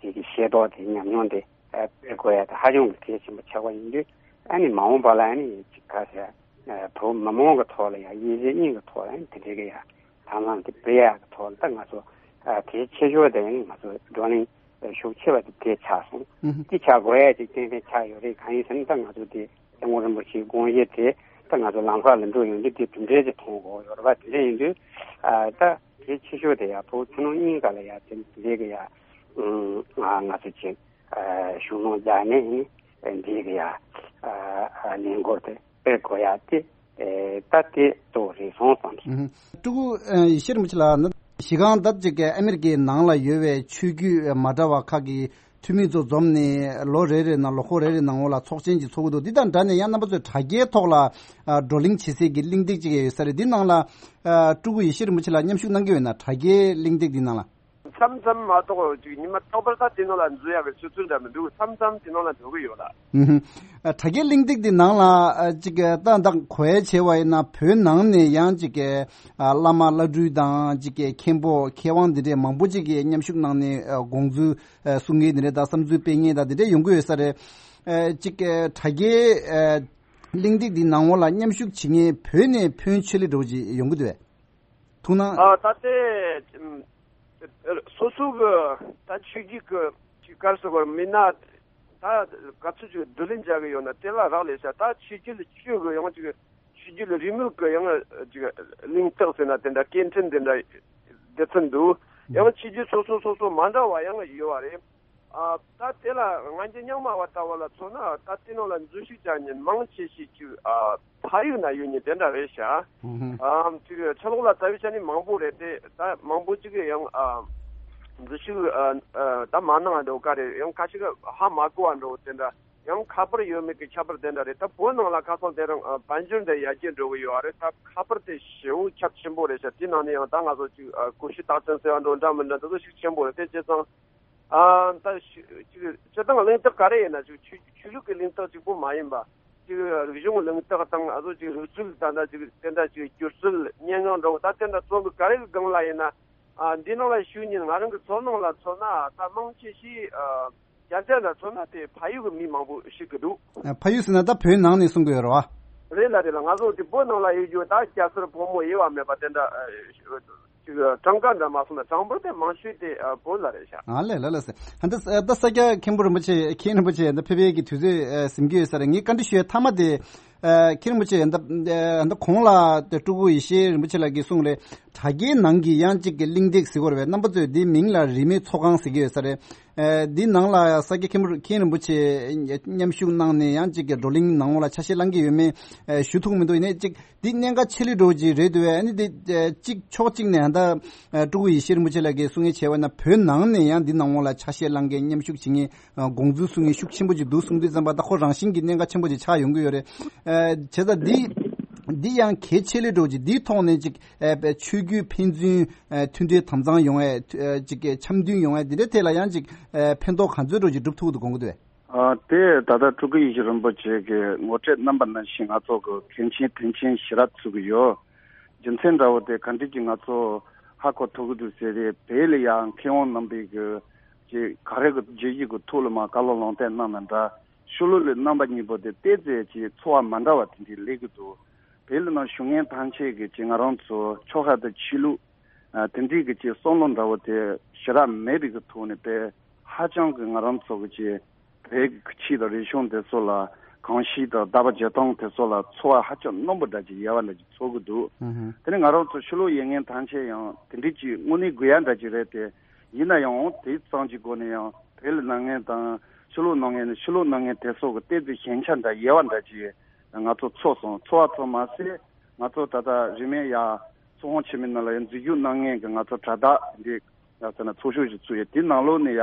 དེ་གི་ཤེས་རྟོགས་དེ་ཉམས་མྱོང་དེ་ཨ་སྤེལ་དགོས་ཡ་དེ་ཧ་ཅང་གི་གལ་ཆེན་པོ་ཆགས་པ་ཡིན་དུས། ཨ་ནི་མ་འོངས་པ་ལ་ཨ་ནི་ཅིག་ག་ཟེར་ཨ་བོད་མི་མང་གི་ཐོག་ལ་ཡ་དབྱེ་འབྱེད་གཉིས་ཀྱི་ཐོག་ལ་ཨ་ནི་དེ་འདྲའི་གི་ཡ་དང་བླངས་དེ་སྤེལ་ཡ་གི་ཐོག་ལ་ད་ང་ཚོ་ཨ་དེའི་ཆེ་ཤོས་དེ་ཨ་ནི་ང་ཚོ་བགྲོ་གླེང་ཤུགས་ཆེ་བ་དེ་དེ་ཆགས་སོང་། ཨུ་ཧུ། དེ་ཆགས་དགོས་ཡ་ཅིག་ཏན་ཏན་ཆགས་ཡོད་རེད། གང་ཡིན་ཟེར་ན་ད་ང་ཚོ་དེ་སྐྱབས་མགོན་རིན་པོ་ཆེའི་དགོངས་གཞི་དེ་ད་ང་ཚོ་ལམ་ཁ་ལ་འགྲོ་ཡོང་དུས་དེ་དེ་འདྲའི་ཅིག་མཐོང་དགོས་ཡོད་རེད་པ། དེ་འདྲ་ཡིན་དུས་ཨ་ད་དེ་ཆེ་ཤོས་དེ་ཡ་བོད་ཕྱི་ནང་གཉིས་ཀ་ལ་ཡ་དེ་འདྲའི་གི་ཡ་ཨུམ་ང་ང་ཚོ་ཅིག་ཨ་ཤུགས་སྣོན་རྒྱག་ནས་ཨ་ནི་འདི་གི་ཡ་ཨ་ཨ་ལས་འགུལ་དེ་སྤེལ་དགོས་ཡ་དེ་ཨེ་ད་དེ་གཙོ་བོ་རེད་སོང་བསམ་སོང་། ཨུ་ཧུ། སྤྲུལ་སྐུ་ཨ་ཡེ་ཤེས་རིན་པོ་ཆེ་ལགས། གཞི་རྐང་ད་ཅིག་ཨ་མེ་རི་ཀའི་ནང་ལ་ཡོད་པའི་ཆོས་བརྒྱུད་མ་འདྲ་བ་ཁག་གི་འཐུས་མི་ཚོ་འཛོམས་ནས་ལོ་རེ་རེ་ནང་ལོ་འཁོར་རེ་རེ་ནང་འོག་ལ་ཚོགས་ཆེན་ཅིག་ཚོགས་ཀྱི་འདུག་འདི་དང་འདྲ་ནས་ཡང་རྣམ་པ་ཚོས་དྲ་རྒྱའི་ཐོག་ལ་ཨ་བགྲོ་གླེང་བྱེད་སའི་གི་གླེང་སྟེགས་ཅིག་ཡོད་ས་རེད། འདི་ནང་ལ་ཨ་སྤྲུལ་སྐུ་ཡེ་ཤེས་རིན་པོ་ཆེ་ལགས་མཉམ་ཞུགས་གནང་གི་ཡོད་ན། དྲ་རྒྱའི་གླེང་སྟེགས་འདི་ནང་ལ། མཚམས་མཚམས་མ་གཏོགས་ཅིག་ཉི་མ་རྟག་པར་ད་དེ་ནང་ལ་འཛུལ་ཡག་གི་ཆུ་ཚོད་འདྲ་མི་འདུག་མཚམས་མཚམས་དེ་ནང་ལ་འགྲོ་གི་ཡོད་ལ། ཨུ་ཧུ། ཨ་དྲ་རྒྱའི་གླེང་སྟེགས་འདི་ནང་ལ་ཨ་ཅིག་ཨ་ད་ད་གོ་ཡ་བྱས་པ་ཡིན་ན་བོད་ནང་ནས་ཡང་ཅིག་ཨ་བླ་མ་བླ་སྤྲུལ་དང་ཅིག་མཁན་པོ་མཁས་དབང་འདི་འདྲས་མང་པོ་ཅིག་གིས་མཉམ་ཞུགས་གནང་ནས་ཨ་དགོངས་ཚུལ་ཨ་གསུང་མཁན་འདི་འདྲས་དང་བསམ་ཚུལ་སྤེལ་མཁན་དང་འདི་འདྲས་ཡོང་གི་ཡོད་ས་རེད། ཨ་ཅིག་ཨ་དྲ་རྒྱའི་ཨ་གླེང་སྟེགས་འདི་ནང་འོག་ལ་མཉམ་ཞུགས་བྱེད་མཁན་བོད་ནས་ཕོན་ཆེ་ལེ་འདྲ་བོ་ཅིག་ཡོང་གི་འདུག་བས། ཐུགས་སྣང་། ཨ་ད་ལྟའི་ཨམ་སོ་སོ་གི་ད་ཆོས་བརྒྱུད་ཀྱི་ཅིག་དཀར་སོ་བར་མིན་ན་ད་ག་ཚོད་ཅིག་བསྡུ་ལེན་བྱ་གི་ཡོད་ན་དེ་ལ་རག་ལས་ཤག་ད་ཆོས་བརྒྱུད་ལ་ཆོས་གི་ཡང་ཅིག་ཆོས་བརྒྱུད་ལ་རིས་མེད་གི་ཡང་ཅིག་གླེང་སྟེགས་ཟེར་ན་དེ་འདྲ་སྐད་འཕྲིན་དེ་འདྲ་སྡེ་ཚན་འདུག་ཡང་ཆོས་བརྒྱུད་སོ་སོ་སོ་སོ་མ་འདྲ་བ་ཡང་ཡོད་བ་རེད། ཨ་ད་དེ་ལ་ང་ཚོ་རྙིང་མ་བ་ལྟ་བུ་ལ་མཚོན་ན་ད་དེ་ནང་ལ་འཛུལ་ཞུགས་བྱ་མཁན་མང་ཆེ་ཤོས་ཅིག་ཨ་ཕ་ཡུལ་ན་ཡོད་མཁན་དེ་འདྲ་རེད་ཤག་ཨུ་ཧུ། ཨ་ཅིག་ཕྱི་ལོགས་ལ་བཙལ་བའི་ཆ་ནས་མང་པོ་རེད་དེ། ད་མང་པོ་ཅིག་གིས་ཡང་ཨ་འཛུལ་ཞུགས་ཨ་ཨ་ད་མ་གནང་བ་འདྲ་བོ་ག་རེ་ཡང་ཁ་ཤས་ཀྱིས་ཧ་མ་གོ་བ་འདྲ་བོ་དེ་འདྲ། ཡང་ཁ་པར་ཡོད་མེད་ཀྱི་ཁྱད་པར་དེ་འདྲ་རེད། ད་བོད་ནང་ལ་ཁ་སང་དེ་རིང་ཨ་དཔལ་འབྱོར་འདི་ཡར་རྒྱས་འགྲོ་གི་ཡོད་རེད། ད་ཁ་པར་དེ་ཞེ་པོ་ཁྱབ་ཆེན་པོ་རེད་ཤག་དེ་ནང་ནས་ཡང་ད་ང་ཚོ་ཅིག་ཨ་གོ་ཤུལ་རྟགས་ཅན་ཟེར་བ་འདྲ་བོ་འདྲ་མི་འདྲ་འདི་ཚོ་ཤུགས་ཆེན་པོ་རེད། དེ་བྱས་ཙང་། ཨ་ད་ཞུ་ཅིག་སྤྱིར་བཏང་གླེང་སྟེགས་ག་རེ་ཡིན་ན་ཅིག་ཆོས་ཆོས་ལུགས་ཀྱི་གླེང་སྟེགས་གཅིག་པོ་མ་ཡིན་པ། ཅིག་རིག་གཞུང་གླེང་སྟེགས་དང་ཨ་ཟོ་ཅིག་རིག་རྩལ་དང་ད་ཅིག་དེ་འདྲ་ཅིག་སྒྱུ་རྩལ་སྙན་ངག་འདྲ་བོ་ད་དེ་འདྲ་ཚོ་གི་ག་རེ་གི་སྒང་ལ་ཡིན་ན། ཨ་འདི་ནང་ལ་ཞུགས་མཁན་ང་རང་གི་ཚོར་སྣང་ལ་མཚོན་ན་ད་མང་ཆེ་ཤོས་ཨ་རྒྱ་ཆེ་ལ་མཚོན་ན་དེ་ཕ་ཡུལ་གི་མི་མང་པོ་ཞིག་གི་འདུག་ཨ་ཕ་ཡུལ་ཟེར་ན་ད་བོད་ནང་ནས་གསུང་གི་ཡོད་རེད་བ། རེད་ལ་རེད་ལ། ང་ཚོ་དེ་བོད་ནང་ལ་ཡོད་རྒྱུ་ད་སྐྱ་སེར་ཕོ་མོ་དབྱེ་བ་མེད་པ་དེ་འདྲ་ཨ་ཅིག་གྲངས་ཀ་འདྲ་མ་སོང་ན་གྲངས་འབོར་དེ་མང་ཤོས་དེ་ཨ་བོད་ལ་རེད་ཤག་ཨ་ལས་ལ་ལ་ཟེར། ཨ་འདི་ཨ་ད་ས་སྐྱ་མཁན་པོ་རིན་པོ་ཆེ་མཁན་རིན་པོ་ཆེ་ཨ་ད་ཕེབས་ཡས་ཀྱི་དུས་ཚོད་ཨ་ཟིན་གྱི་ཡོད་ས་རེད། ངས་བཀའ་འདྲི་ཞུ་ཡས་མཐའ་མ་དེ་ཨ་མཁན་རིན་པོ་ཆེ་ཨ་ད་ཨ་ད་གོང་ལ་དེ་སྤྲུལ་སྐུ་ཡེ་ཤེས་རིན་པོ་ཆེ་ལགས་ཀྱིས་གསུངས་རེད། དྲ་རྒྱའི་ནང་གི་ཡང་གཅིག་གི་གླེང་སྟེགས་ཟེར་གྱི་ཡོད་རེད་པས། རྣམ་པ་ཚོས་འདིའི་མིང་ལ་རིས་མེད་ཚོགས་ཁང་ཟེར་གྱི་ཡོད་ས་རེད། ཨ་འདི་ནང་ལ་ས་སྐྱ་མཁན་པོ་མཁན་རིན་པོ་ཆེ་མཉམ་ཞུགས་གནང་ནས་ཡང་གཅིག་གི་བགྲོ་གླེང་ནང་ལོགས་ལ་ཆ་ཤས་བླང་གི་ཡོད་མེད་ཨ་ཞུ་ཐུབ་མི་འདུག་ཡིན་ནའི་གཅིག་འདི་གནད་འགག་ཆེ་ལོས་འགྲོ་གི་རེད་འདུག་བས། ཨ་ནི་འདི་ཨ་གཅིག་ཕྱོགས་གཅིག་ནས་ད་ཨ་སྤྲུལ་སྐུ་ཡེ་ཤེས་རིན་པོ་ཆེ་ལགས་ཀྱིས་གསུང་ངེས་བྱས་པ་ན་བོད་ནང་ནས་ཡང་འདི་ནང་ལོགས་ལ་ཆ་ཤས་བླང་མཁན་མཉམ་ཞུགས་བྱེད་མཁན་ཨ་དགོངས་ཚུལ་གསུང་མཁན་ཤུགས་ཆེན་པོ་ཅིག་འདུག་གསུང་དུས་ཙམ་པ་ད་ཁོ་རང་བཞིན་གྱི་གནད་འགག་ཆེན་པོ་ཅིག་ཆགས་ཡོང་གི་ཡོད་རེད། ཨ་བྱས་ཙང་འདི་འདི་ཡང་གལ་ཆེ་ལོས་འགྲོ་གི་འདིའི་ཐོག་ནས་ཅིག་ཨ་ཆོས་བརྒྱུད་ཕན་ཚུན་ཨ་མཐུན་སྒྲིལ་དམ་གཙང་ཡོང་ཡས་ཨ་ཅིག་འཆམ་མཐུན་ཡོང་ཡས་འདི་འདྲའི་ཐད་ལ་ཡང་ཅིག་ཨ་ཕན་ཐོགས་ག་ཚོད་འགྲོ་ཅིག་སྒྲུབ་ཐུབ་ཀྱི་འདུག་དགོངས་ཀྱི་འདུག་བས། ཨ་དེ་ད་ལྟ་སྤྲུལ་སྐུ་ཡེ་ཤེས་རིན་པོ་ཆེ་གིས་ངོ་སྤྲོད་གནང་པ་ནང་བཞིན་ང་ཚོ་གི་མཁན་ཆེན་དོན་ཆེན་ཞེ་དྲག་ཚུགས་ཀྱི་ཡོད། རྒྱུ་མཚན་འདྲ་བོ་དེ་ག་འདྲ་ཅིག་ང་ཚོ་ཧ་གོ་ཐུབ་ཀྱི་འདུག་ཟེར་ཏེ། བོད་ལ་ཡང་མཁས་དབང་རྣམ་པས་གི་ཅིག་ག་རེ་གི་བརྗོད་གཞི་གི་ཐོག་ལ་མར་བཀའ་སློབ་ལུང་བསྟན་གནང་ན་འདྲ། ཤོ་ལོ་ལའི་རྣམ་པ་གཉིས་པོ་དེ་ཏོག་ཙམ་ཅིག་ཚོར་བ་མ་འདྲ་བ་དེ་འདྲ་སླེབས་ཀྱི་འདུག་བོད་ལ་ནང་བཞུགས་མཁན་ཐམས་ཅད་ཀྱིས་ཅིག་ང་རང་ཚོ་ཆོལ་ཁ་དང་ཆོས་ལུགས་ཨ་དེ་འདྲའི་གི་ཅིག་བསམ་བློ་འདྲ་བོ་དེ་ཞེ་དྲག་མེད་པའི་གི་ཐོག་ནས་དཔེ་ཧ་ཅང་གི་ང་རང་ཚོ་གི་ཅིག་བོད་ཀྱི་ཆོས་དང་རིག་གཞུང་དེ་ཚོ་ལ་གོམས་གཤིས་དང་བདག་པ་བྱེད་སྟངས་དེ་ཚོ་ལ་ཚོར་བ་ཧ་ཅང་རྣོན་པོ་འདྲ་ཅིག་ཡོད་པ་འདྲ་ཅིག་ཚོར་གི་འདུག་ཨུ་ཧུ། དེ་ནས་ང་རང་ཚོ་ཤོ་ལོ་ཡོད་མཁན་ཐམས་ཅད་ཡང་དེ་འདྲའི་ཅིག་དངོས་གནས་དགོས་ཡ་འདྲ་ཅིག་རེད་དེ། ཡིན་ན་ཡང་དེ་ཙམ་གྱི་སྒོ་ནས་ཡང་བོད་ལ་གནང་མཁན་དང་ཤོ་ལོ་གནང་མཁན་ནི་ཤོ་ལོ་གནང་མཁན་དེ་ཚོ་གི་ཏོག་ཙམ་ཞན་ཆ་འདྲ་ཡོད་པ་འདྲ་ཅིག་ང་ཚོ་ཚོར་སོང་། ཚོར་བ་ཙམ་མ་ཟད་ང་ཚོ་ད་ལྟ་རིས་མེད་ཡ་ཚོགས་ཁང་ཆེན་མོའི་ནང་ལ་ཡང་འཛུལ་ཞུགས་གནང་མཁན་གྱི་ང་ཚོ་དྲ་བདག་འདི་ཡ་ཟེར་ན་ཚོགས་ཞུགས་ཤིག་ཚུགས་ཡོད། དེ་ནང་ལོགས་ནས་ཡ་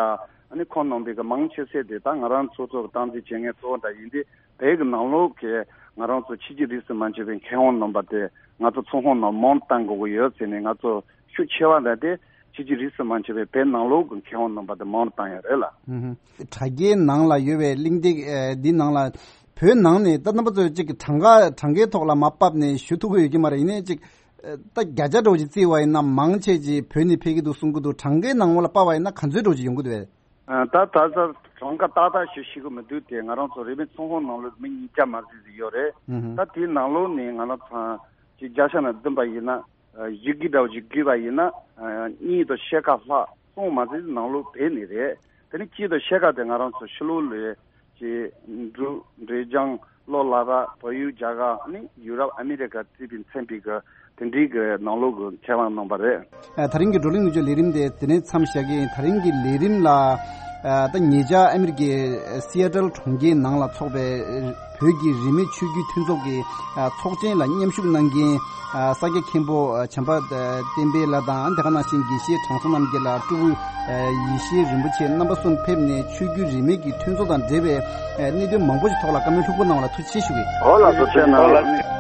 ཨ་ནི་ཁོང་རྣམ་པས་གི་མང་ཆེ་ཤོས་དེ་ད་ང་རང་ཚོ་ཚོ་གི་སྟངས་འཛིན་བྱེད་མཁན་གཙོ་བོ་འདྲ་ཡིན་དུས། བོད་ཀྱི་ནང་ལོགས་ཀྱི་ང་རང་ཚོ་ཆོས་བརྒྱུད་རིས་སུ་མ་ཆད་པའི་མཁས་དབང་རྣམ་པ་དེ་ང་ཚོ་ཚོགས་ཁང་ནང་མང་བཏང་དགོས་ཀྱི་ཡོད་ཟེར་ནས། ང་ཚོ་ཤུགས་ཆེ་བ་འདྲ་དེ་ཆོས་བརྒྱུད་རིས་སུ་མ་ཆད་པའི་བོད་ནང་ལོགས་ཀྱི་མཁས་དབང་རྣམ་པ་དེ་མང་བཏང་ཡ་རེད་ལ། ཨུ་ཧུ། དྲ་རྒྱའི་ནང་ལ་ཡོད་པའི་གླེང་སྟེགས་ཨ་འདི་ནང་ལ་བོད་ནང་ནས་ད་རྣམ་པ་ཚོས་ཅིག་གྲངས་ཀ་གྲངས་ཀའི་ཐོག་ལ་མར་ཕབ་ནས་ཞུ་ཐུབ་ཀྱི་ཡོད་ཀྱི་མ་རེད། ཡིན་ནའི་ཅིག་ཨ་ད་བརྒྱ་ཆ་འདྲ་བོ་ཅིག་བརྩིས་པ་ཡིན་ན་མང་ཆེ་ཅིག་བོད་ནས་ཕེབས་ཀྱི་འདུག་གསུང་གི་འདུག་གྲངས་ཀའི་ནང་ལོགས་ལ་ཕབ་པ་ཡིན་ན་ག་ཚོད་འདྲ་བོ་ཅིག་ཡོང་གི་འདུག་བས། ཨ། ད་ད་ལྟ་གྲངས་ཀ་ཏག་ཏག་ཞིག་ཤེས་ཀྱི་མི་འདུག་སྟེ། ང་རང་ཚོ་རིན་མེད་ཚོང་ཁང་ནང་ལོགས་མི་ཉིས་བརྒྱ་མ་ཟིན་ཟིན་ཡོད་རེད། ཨུ་ཧུ། ད་དེའི་ནང་ལོགས་ནས་ང་རང་ཚོ་ཅིག་བརྒྱ་ཆ་ནང་བདུན་པ་ཡིན་ན། ཨ། བཞི་བརྒྱ་འདྲ་བོ་ཅིག་བརྒྱབ་པ་ཡིན་ན། ཨ། གཉིས་དང་ཕྱེད་ཀ་ལྷག་གསུམ་མ་ཟིན་ནང་ལོགས་བསྡད་ནི་རེད། དེ་ནས་གཅིག་དང་ཕྱེད་ཀ་དེ་ང་རང་ཚོ་ཕྱི་ལོགས་ལ་ཅིག་འབྲུག་འབྲས་ལྗོངས་ལྷོ་ལ་དྭགས་བལ་ཡུལ་རྒྱ་གར་ནི་ཡུ་རོབ་ཨ་མི་རི་ཀ་བརྩིས་པའི་མཚན་པའི་གི་དེ་འདྲའི་གི་ནང་ལོགས་གི་ཁས་བླངས་གནང་པ་རེད། ཨ། ད་རིང་གི་བགྲོ་གླེང་ནུབ་ཕྱོགས་ལས་རིམ་དེ་དེ་ནས་མཚམས་བཞག་གི་ཡིན། ད་རིང་གི་ལས་རིམ་ལ། ཨ། ད་ཉེ་ཆར་ཨ་མི་རི་ཀའི་སི་ཨེ་ཊལ་གྲོང་ཁྱེར་ནང་ལ་འཚོགས་པའི་བོད་ཀྱི་རིས་མེད་ཆོས་བརྒྱུད་མཐུན་ཚོགས་ཀྱི། ཨ། ཚོགས་ཆེན་ལ་མཉམ་ཞུགས་གནང་མཁན། ཨ། ས་སྐྱ་མཁན་པོ། ཨ། བྱམས་པ། ཨ། བསྟན་འཕེལ་ལགས་དང་། དེ་ག་ནང་བཞིན་དགེ་བཤེས་དྲང་སྲོང་རྣམ་རྒྱལ་ལགས། སྤྲུལ་སྐུ། ཨ། ཡེ་ཤེས་རིན་པོ་ཆེ། རྣམ་པ་གསུམ་ཕེབས་ནས་ཆོས་བརྒྱུད་རིས་མེད་ཀྱི་མཐུན་ཚོགས་དང་འབྲེལ་བའི། ཨ། གནད་དོན་མང་པོ་ཞིག་ཐོག་ལ་བཀའ་མོལ་ལྷུག་པོ་གནང་བ་ལ་ཐུགས་རྗེ་ཆེ་ཞུ་གི་ཡིན། ཨོ་ལགས་སོ། ཐུགས་རྗེ་ཆེ་གནང་། ཨོ་ལགས།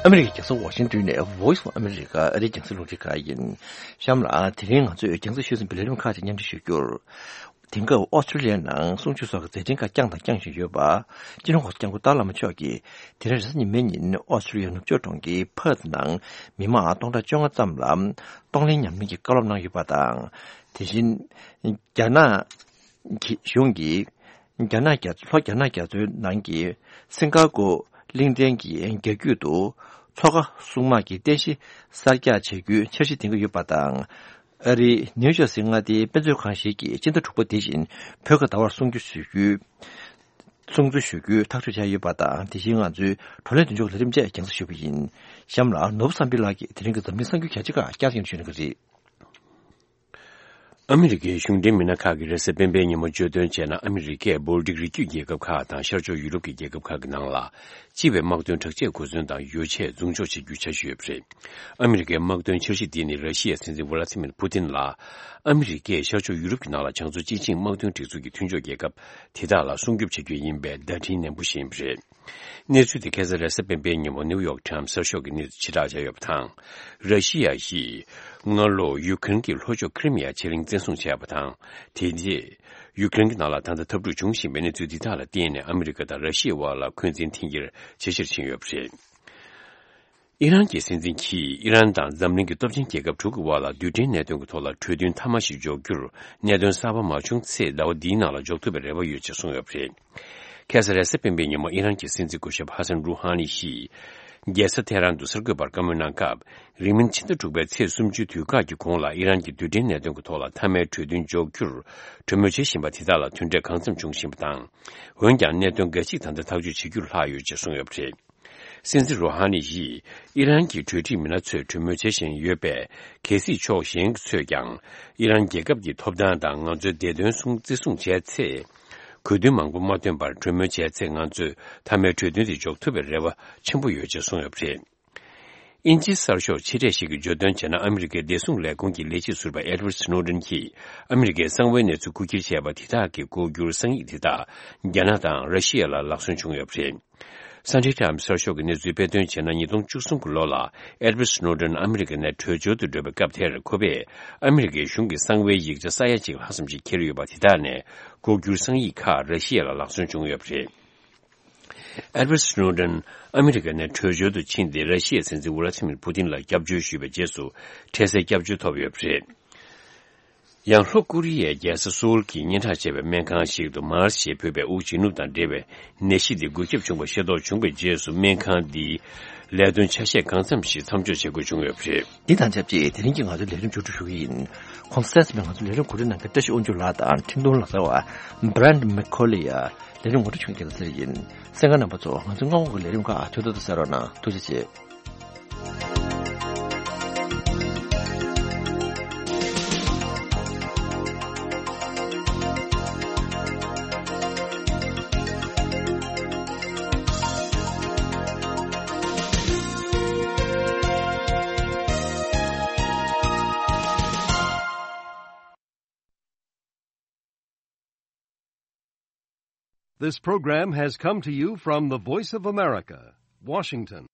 ཨ་མི་རི་ཀའི་རྒྱལ་ས་ཝ་ཤིང་ཏོན་ནས་Voice of America ཨ་རིའི་རྒྱང་སྲིང་རླུང་འཕྲིན་ཁང་ཡིན། གཤམ་ལ་དེ་རིང་ང་ཚོས་རྒྱང་སྲིང་ཤོད་ཟིན་པའི་ལས་རིམ་ཁག་ཅིག་མཉམ་འབྲེལ་ཞུ་རྒྱུར། དེང་སྐབས་ཨོ་སི་ཀྲི་ལི་ཡའི་ནང་གསུང་ཆོས་སོགས་ཀྱི་མཛད་འཕྲིན་ཁག་བསྐྱངས་དང་བསྐྱང་བཞིན་ཡོད་པ། སྤྱི་ནོར་༸གོང་ས་༸སྐྱབས་མགོན་ཏཱ་བླ་མ་མཆོག་གིས་དེ་རིང་རེས་གཟའ་ཉི་མའི་ཉིན་ཨོ་སི་ཀྲི་ལི་ཡའི་ནུབ་ཕྱོགས་གྲོང་ཁྱེར་ཕར་ཐི་ནང་མི་མང་སྟོང་ཕྲག་བཅོ་ལྔ་ཙམ་ལ་གཏོང་ལེན་ཉམས་ལེན་གྱི་བཀའ་སློབ་གནང་ཡོད་པ་དང་། དེ་བཞིན་རྒྱ་ནག་གི་གཞུང་གིས་རྒྱ་ནག་རྒྱ། ལྷོ་རྒྱ་ནག་རྒྱ་མཚོའི་ནང་གི་སིང་ག་པོ་གླིང་ཕྲན་གྱི་རྒྱ་རྒྱུད་དུ་མཚོ་ཁ་སྲུང་དམག་གི་རྟེན་གཞི་གསར་རྒྱག་བྱ་རྒྱུའི་འཆར་གཞི་འདིང་གི་ཡོད་པ་དང་། ཨ་རིའི་ནིའུ་ཇར་སི་མངའ་སྡེའི་དཔེ་མཛོད་ཁང་ཞིག་གིས་སྤྱི་ཟླ་དྲུག་པ་འདི་བཞིན་བོད་ཁ་བརྡ་བར་སྲུང་སྐྱོབ་ཞུ་རྒྱུའི། སྲུང་བརྩི་ཞུ་རྒྱུའི་ཐག་གཅོད་བྱས་ཡོད་པ་དང་། དེ་བཞིན་ང་ཚོའི་བགྲོ་གླེང་མདུན་ལྕོག་ལས་རིམ་བཅས་རྒྱང་སྲིང་ཞུ་གི་ཡིན། གཤམ་ལ་ནོར་བུ་བསམ་འཕེལ་ལགས་ཀྱིས་དེ་རིང་གི་འཛམ་གླིང་གསར་འགྱུར་གལ་ཆེ་ཁག་བསྐྱར་ཟློས་ཞུ་གནང་གི་རེད། ཨ་མི་རི་ཀའི་གཞུང་འབྲེལ་མི་སྣ་ཁག་གིས་རེས་གཟའ་སྤེན་པའི་ཉིན་མོ་བརྗོད་དོན་བྱས་ན། ཨ་མི་རི་ཀས་བོལ་ཊིག་རི་རྒྱུད་རྒྱལ་ཁབ་ཁག་དང་ཤར་ཕྱོགས་ཡུ་རོབ་ཀྱི་རྒྱལ་ཁབ་ཁག་གི་ནང་ལ་སྤྱི་པའི་དམག་དོན་དྲག་ཆས་གོ་མཚོན་དང་ཡོ་ཆས་རྫོང་འཇོག་བྱེད་རྒྱུའི་འཆར་གཞི་ཡོད་པ་རེད། ཨ་མི་རི་ཀའི་དམག་དོན་འཆར་གཞི་འདི་ནི་ར་ཤི་ཡའི་སྲིད་འཛིན་ཝ་ལ་ཏི་མིར་ཕུ་ཏིན་ལ་ཨ་མི་རི་ཀས་ཤར་ཕྱོགས་ཡུ་རོབ་ཀྱི་ནང་ལ་བྱང་མཚོ་སྤྱི་ཆིངས་དམག་དོན་སྒྲིག་འཛུགས་ཀྱི་མཐུན་ཕྱོགས་རྒྱལ་ཁབ་དེ་དག་ལ་སྲུང་སྐྱོབ་བྱ་རྒྱུ་ཡིན་པའི་བརྡ་འཕྲིན་ནན་པོ་ཞིག་ཡིན་པ་རེད། གནས་ཚུལ་དེ་ཁ་སང་རེས་གཟའ་སྤེན་པའི་ཉིན་མོ་ནིའུ་ཡོག་ཊའིམ་གསར་ཤོག་གི་གནས་ཚུལ་ཕྱིར་བསྒྲགས་བྱས་ཡོད་པ་དང་། ར་ཤི་ཡ་ཡིས་སྔ་ལོ་ཡུ་ཀེ་རེན་གྱི་ལྷོ་ཕྱོགས་ཁི་རི་མི་ཡ་ཕྱེད་གླིང་བཙན་བཟུང་བྱས་པ་དང་། དེ་རྗེས་ཡུ་ཀེ་རེན་གྱི་ནང་ལ་ད་ལྟ་འཐབ་འཁྲུག་འབྱུང་བཞིན་པའི་གནས་ཚུལ་འདི་དག་ལ་བརྟེན་ནས་ཨ་མི་རི་ཀ་དང་ར་ཤི་ཡའི་དབར་ལ་འཁོན་འཛིན་འཐེན་འཁྱེར་ཇེ་ཆེར་ཕྱིན་ཡོད་པ་རེད། ཨི་རན་གྱི་སྲིད་འཛིན་གྱིས་ཨི་རན་དང་འཛམ་གླིང་གི་སྟོབས་ཆེན་རྒྱལ་ཁབ་དྲུག་གི་དབར་ལ་རྡུལ་ཕྲན་གནད་དོན་གྱི་ཐོག་ལ་གྲོས་མཐུན་མཐའ་མ་ཞིག་འཇོག་རྒྱུར་གནད་དོན་གསར་པ་མ་བྱུང་ཚེ་ཟླ་བ་འདིའི་ནང་ལ་འཇོག་ཐུབ་པའི་རེ་བ་ཡོད་ཅེས་གསུངས་ཡོད་པ་རེད། ཁ་སང་རེས་གཟའ་སྤེན་པའི་ཉིན་མོ་ཨི་རན་གྱི་སྲིད་འཛིན་སྐུ་ཞབས་ཧ་སན་རུ་ཧ་ནི་ཞིས་རྒྱལ་ས་ཐེ་རན་དུ་གསར་འགོད་པར་བཀའ་མོལ་གནང་སྐབས། རིང་མིན་ཕྱི་ཟླ་དྲུག་པའི་ཚེས་སུམ་ཅུའི་དུས་བཀག་གི་གོང་ལ་ཨི་རན་གྱི་རྡུལ་ཕྲན་གནད་དོན་གྱི་ཐོག་ལ་མཐའ་མའི་གྲོས་མཐུན་འཇོག་རྒྱུར་གྲོས་མོལ་བྱེད་བཞིན་པ་དེ་དག་ལ་དོན་འབྲས་གང་འཚམ་འབྱུང་བཞིན་པ་དང་། འོན་ཀྱང་གནད་དོན་འགའ་ཞིག་ད་ལྟ་ཐག་གཅོད་བྱེད་རྒྱུར་ལྷག་ཡོད་ཅེས་གསུངས་ཡོད་པ་རེད། སྲིད་འཛིན་རུ་ཧ་ནི་ཡིས་ཨི་རན་གྱི་གྲོས་ཁྲིད་མི་སྣ་ཚོས་གྲོས་མོལ་བྱེད་བཞིན་ཡོད་པས། གལ་སྲིད་ཕྱོགས་གཞན་ཚོས་ཀྱང་ཨི་རན་རྒྱལ་ཁབ་ཀྱི་ཐོབ་ཐང་དང་ང་ཚོའི་བདེ་དོན་སྲུང་བརྩི་སྲུང་བྱས་ཚེ། གོ་དོན་མང་པོ་མ་ཐོན་པར་གྲོས་མོལ་བྱས་ཚེ། ང་ཚོས་མཐའ་མའི་གྲོས་མཐུན་དེ་འཇོག་ཐུབ་པའི་རེ་བ་ཆེན་པོ་ཡོད་ཅེས་གསུངས་ཡོད་པ་རེད། དབྱིན་ཇིའི་གསར་ཤོག་ཆེ་གྲས་ཤིག་གིས་བརྗོད་དོན་བྱས་ན། ཨ་མི་རི་ཀའི་བདེ་སྲུང་ལས་ཁུངས་ཀྱི་ལས་བྱེད་ཟུར་པ་ཨེ་ཌི་ཝར་ཌི་སི་ནོ་ཌེན་གྱིས་ཨ་མི་རི་ཀའི་གསང་བའི་གནས་ཚུལ་རྐུ་འཁྱེར་བྱས་པ་དེ་དག་གི་ལྐོག་གྱུར་གསང་ཡིག་དེ་དག་རྒྱ་ནག་དང་ར་ཤི་ཡ་ལ་ལག་སོན་བྱུང་ཡོད་པ་རེད། སན་ཌེ་ཊའིམ་གསར་ཤོག་གི་གནས་ཚུལ་དཔེ་སྟོན་བྱས་ན། ཉིས་སྟོང་བཅུ་གསུམ་གྱི་ལོ་ལ་ཨེ་ཌི་ཝར་ཌི་སི་ནོ་ཌེན་ཨ་མི་རི་ཀ་ནས་བྲོས་བྱོལ་དུ་འགྲོ་བའི་སྐབས་དེར། ཁོ་པས་ཨ་མི་རི་ཀའི་གཞུང་གི་གསང་བའི་ཡིག་ཆ་ས་ཡ་གཅིག་ལྷག་ཙམ་ཞིག་འཁྱེར་ཡོད་པ་དེ་དག་ནས་ལྐོག་གྱུར་གསང་ཡིག་ཁག་ར་ཤི་ཡ་ལ་ལག་སོན་བྱུང་ཡོད་པ་རེད། ཨེ་ཌི་ཝར་ཌི་སི་ནོ་ཌེན་ཨ་མི་རི་ཀ་ནས་བྲོས་བྱོལ་དུ་ཕྱིན་ཏེ། ར་ཤི་ཡའི་སྲིད་འཛིན་ཝ་ལ་ཏི་མིར་ཕུ་ཏིན་ལ་སྐྱབས་བཅོལ་ཞུས་པའི་རྗེས་སུ་འཕྲལ་སེལ་སྐྱབས་བཅོལ་ཐོབ་ཡོད་པ་རེད། ཡང་ལྷོ་ཀོ་རི་ཡའི་རྒྱལ་ས་སོའུལ་གྱི་སྙན་གྲགས་ཆེ་བའི་སྨན་ཁང་ཞིག་ཏུ་མཱར་སི་ཞེས་འབོད་པའི་དབུགས་འབྱིན་རྔུབ་དང་འབྲེལ་བའི་ནད་གཞི་འདི་འགོས་ཁྱབ་བྱུང་བ་ཤེས་རྟོགས་བྱུང་བའི་རྗེས་སུ། སྨན་ཁང་འདིའི་ལས་དོན་ཆ་ཤས་གང་འཚམ་ཞིག་མཚམས་འཇོག་བྱེད་དགོས་བྱུང་ཡོད་པ་རེད། འདི་དང་ཆབས་ཅིག་དེ་རིང་གི་ང་ཚོའི་ལས་རིམ་མཇུག་སྒྲིལ་ཞུ་གི་ཡིན། གོང་གསལ་ཙམ་ང་ཚོའི་ལས་རིམ་གོ་སྒྲིག་གནང་མཁན་བཀྲ་ཤིས་དབང་ཕྱུག་ལགས་དང་འཕྲིན་གཏོང་ལག་རྩལ་བ་Brand McCauley་ལ་ལས་རིམ་ངོ་སྤྲོད་བྱུང་རྒྱལ་ལ་ཟེར་ཡིན། གསན་མཁན་རྣམ་པ་ཚོ། ང་ཚོའི་སྔ་དགོང་གི་ལས་རིམ་ཁག་ཐུགས་ཚོད་དུ་གསན་རོགས་གནང་། ཐུགས་རྗེ་ཆེ། This program has come to you from the Voice of America, Washington.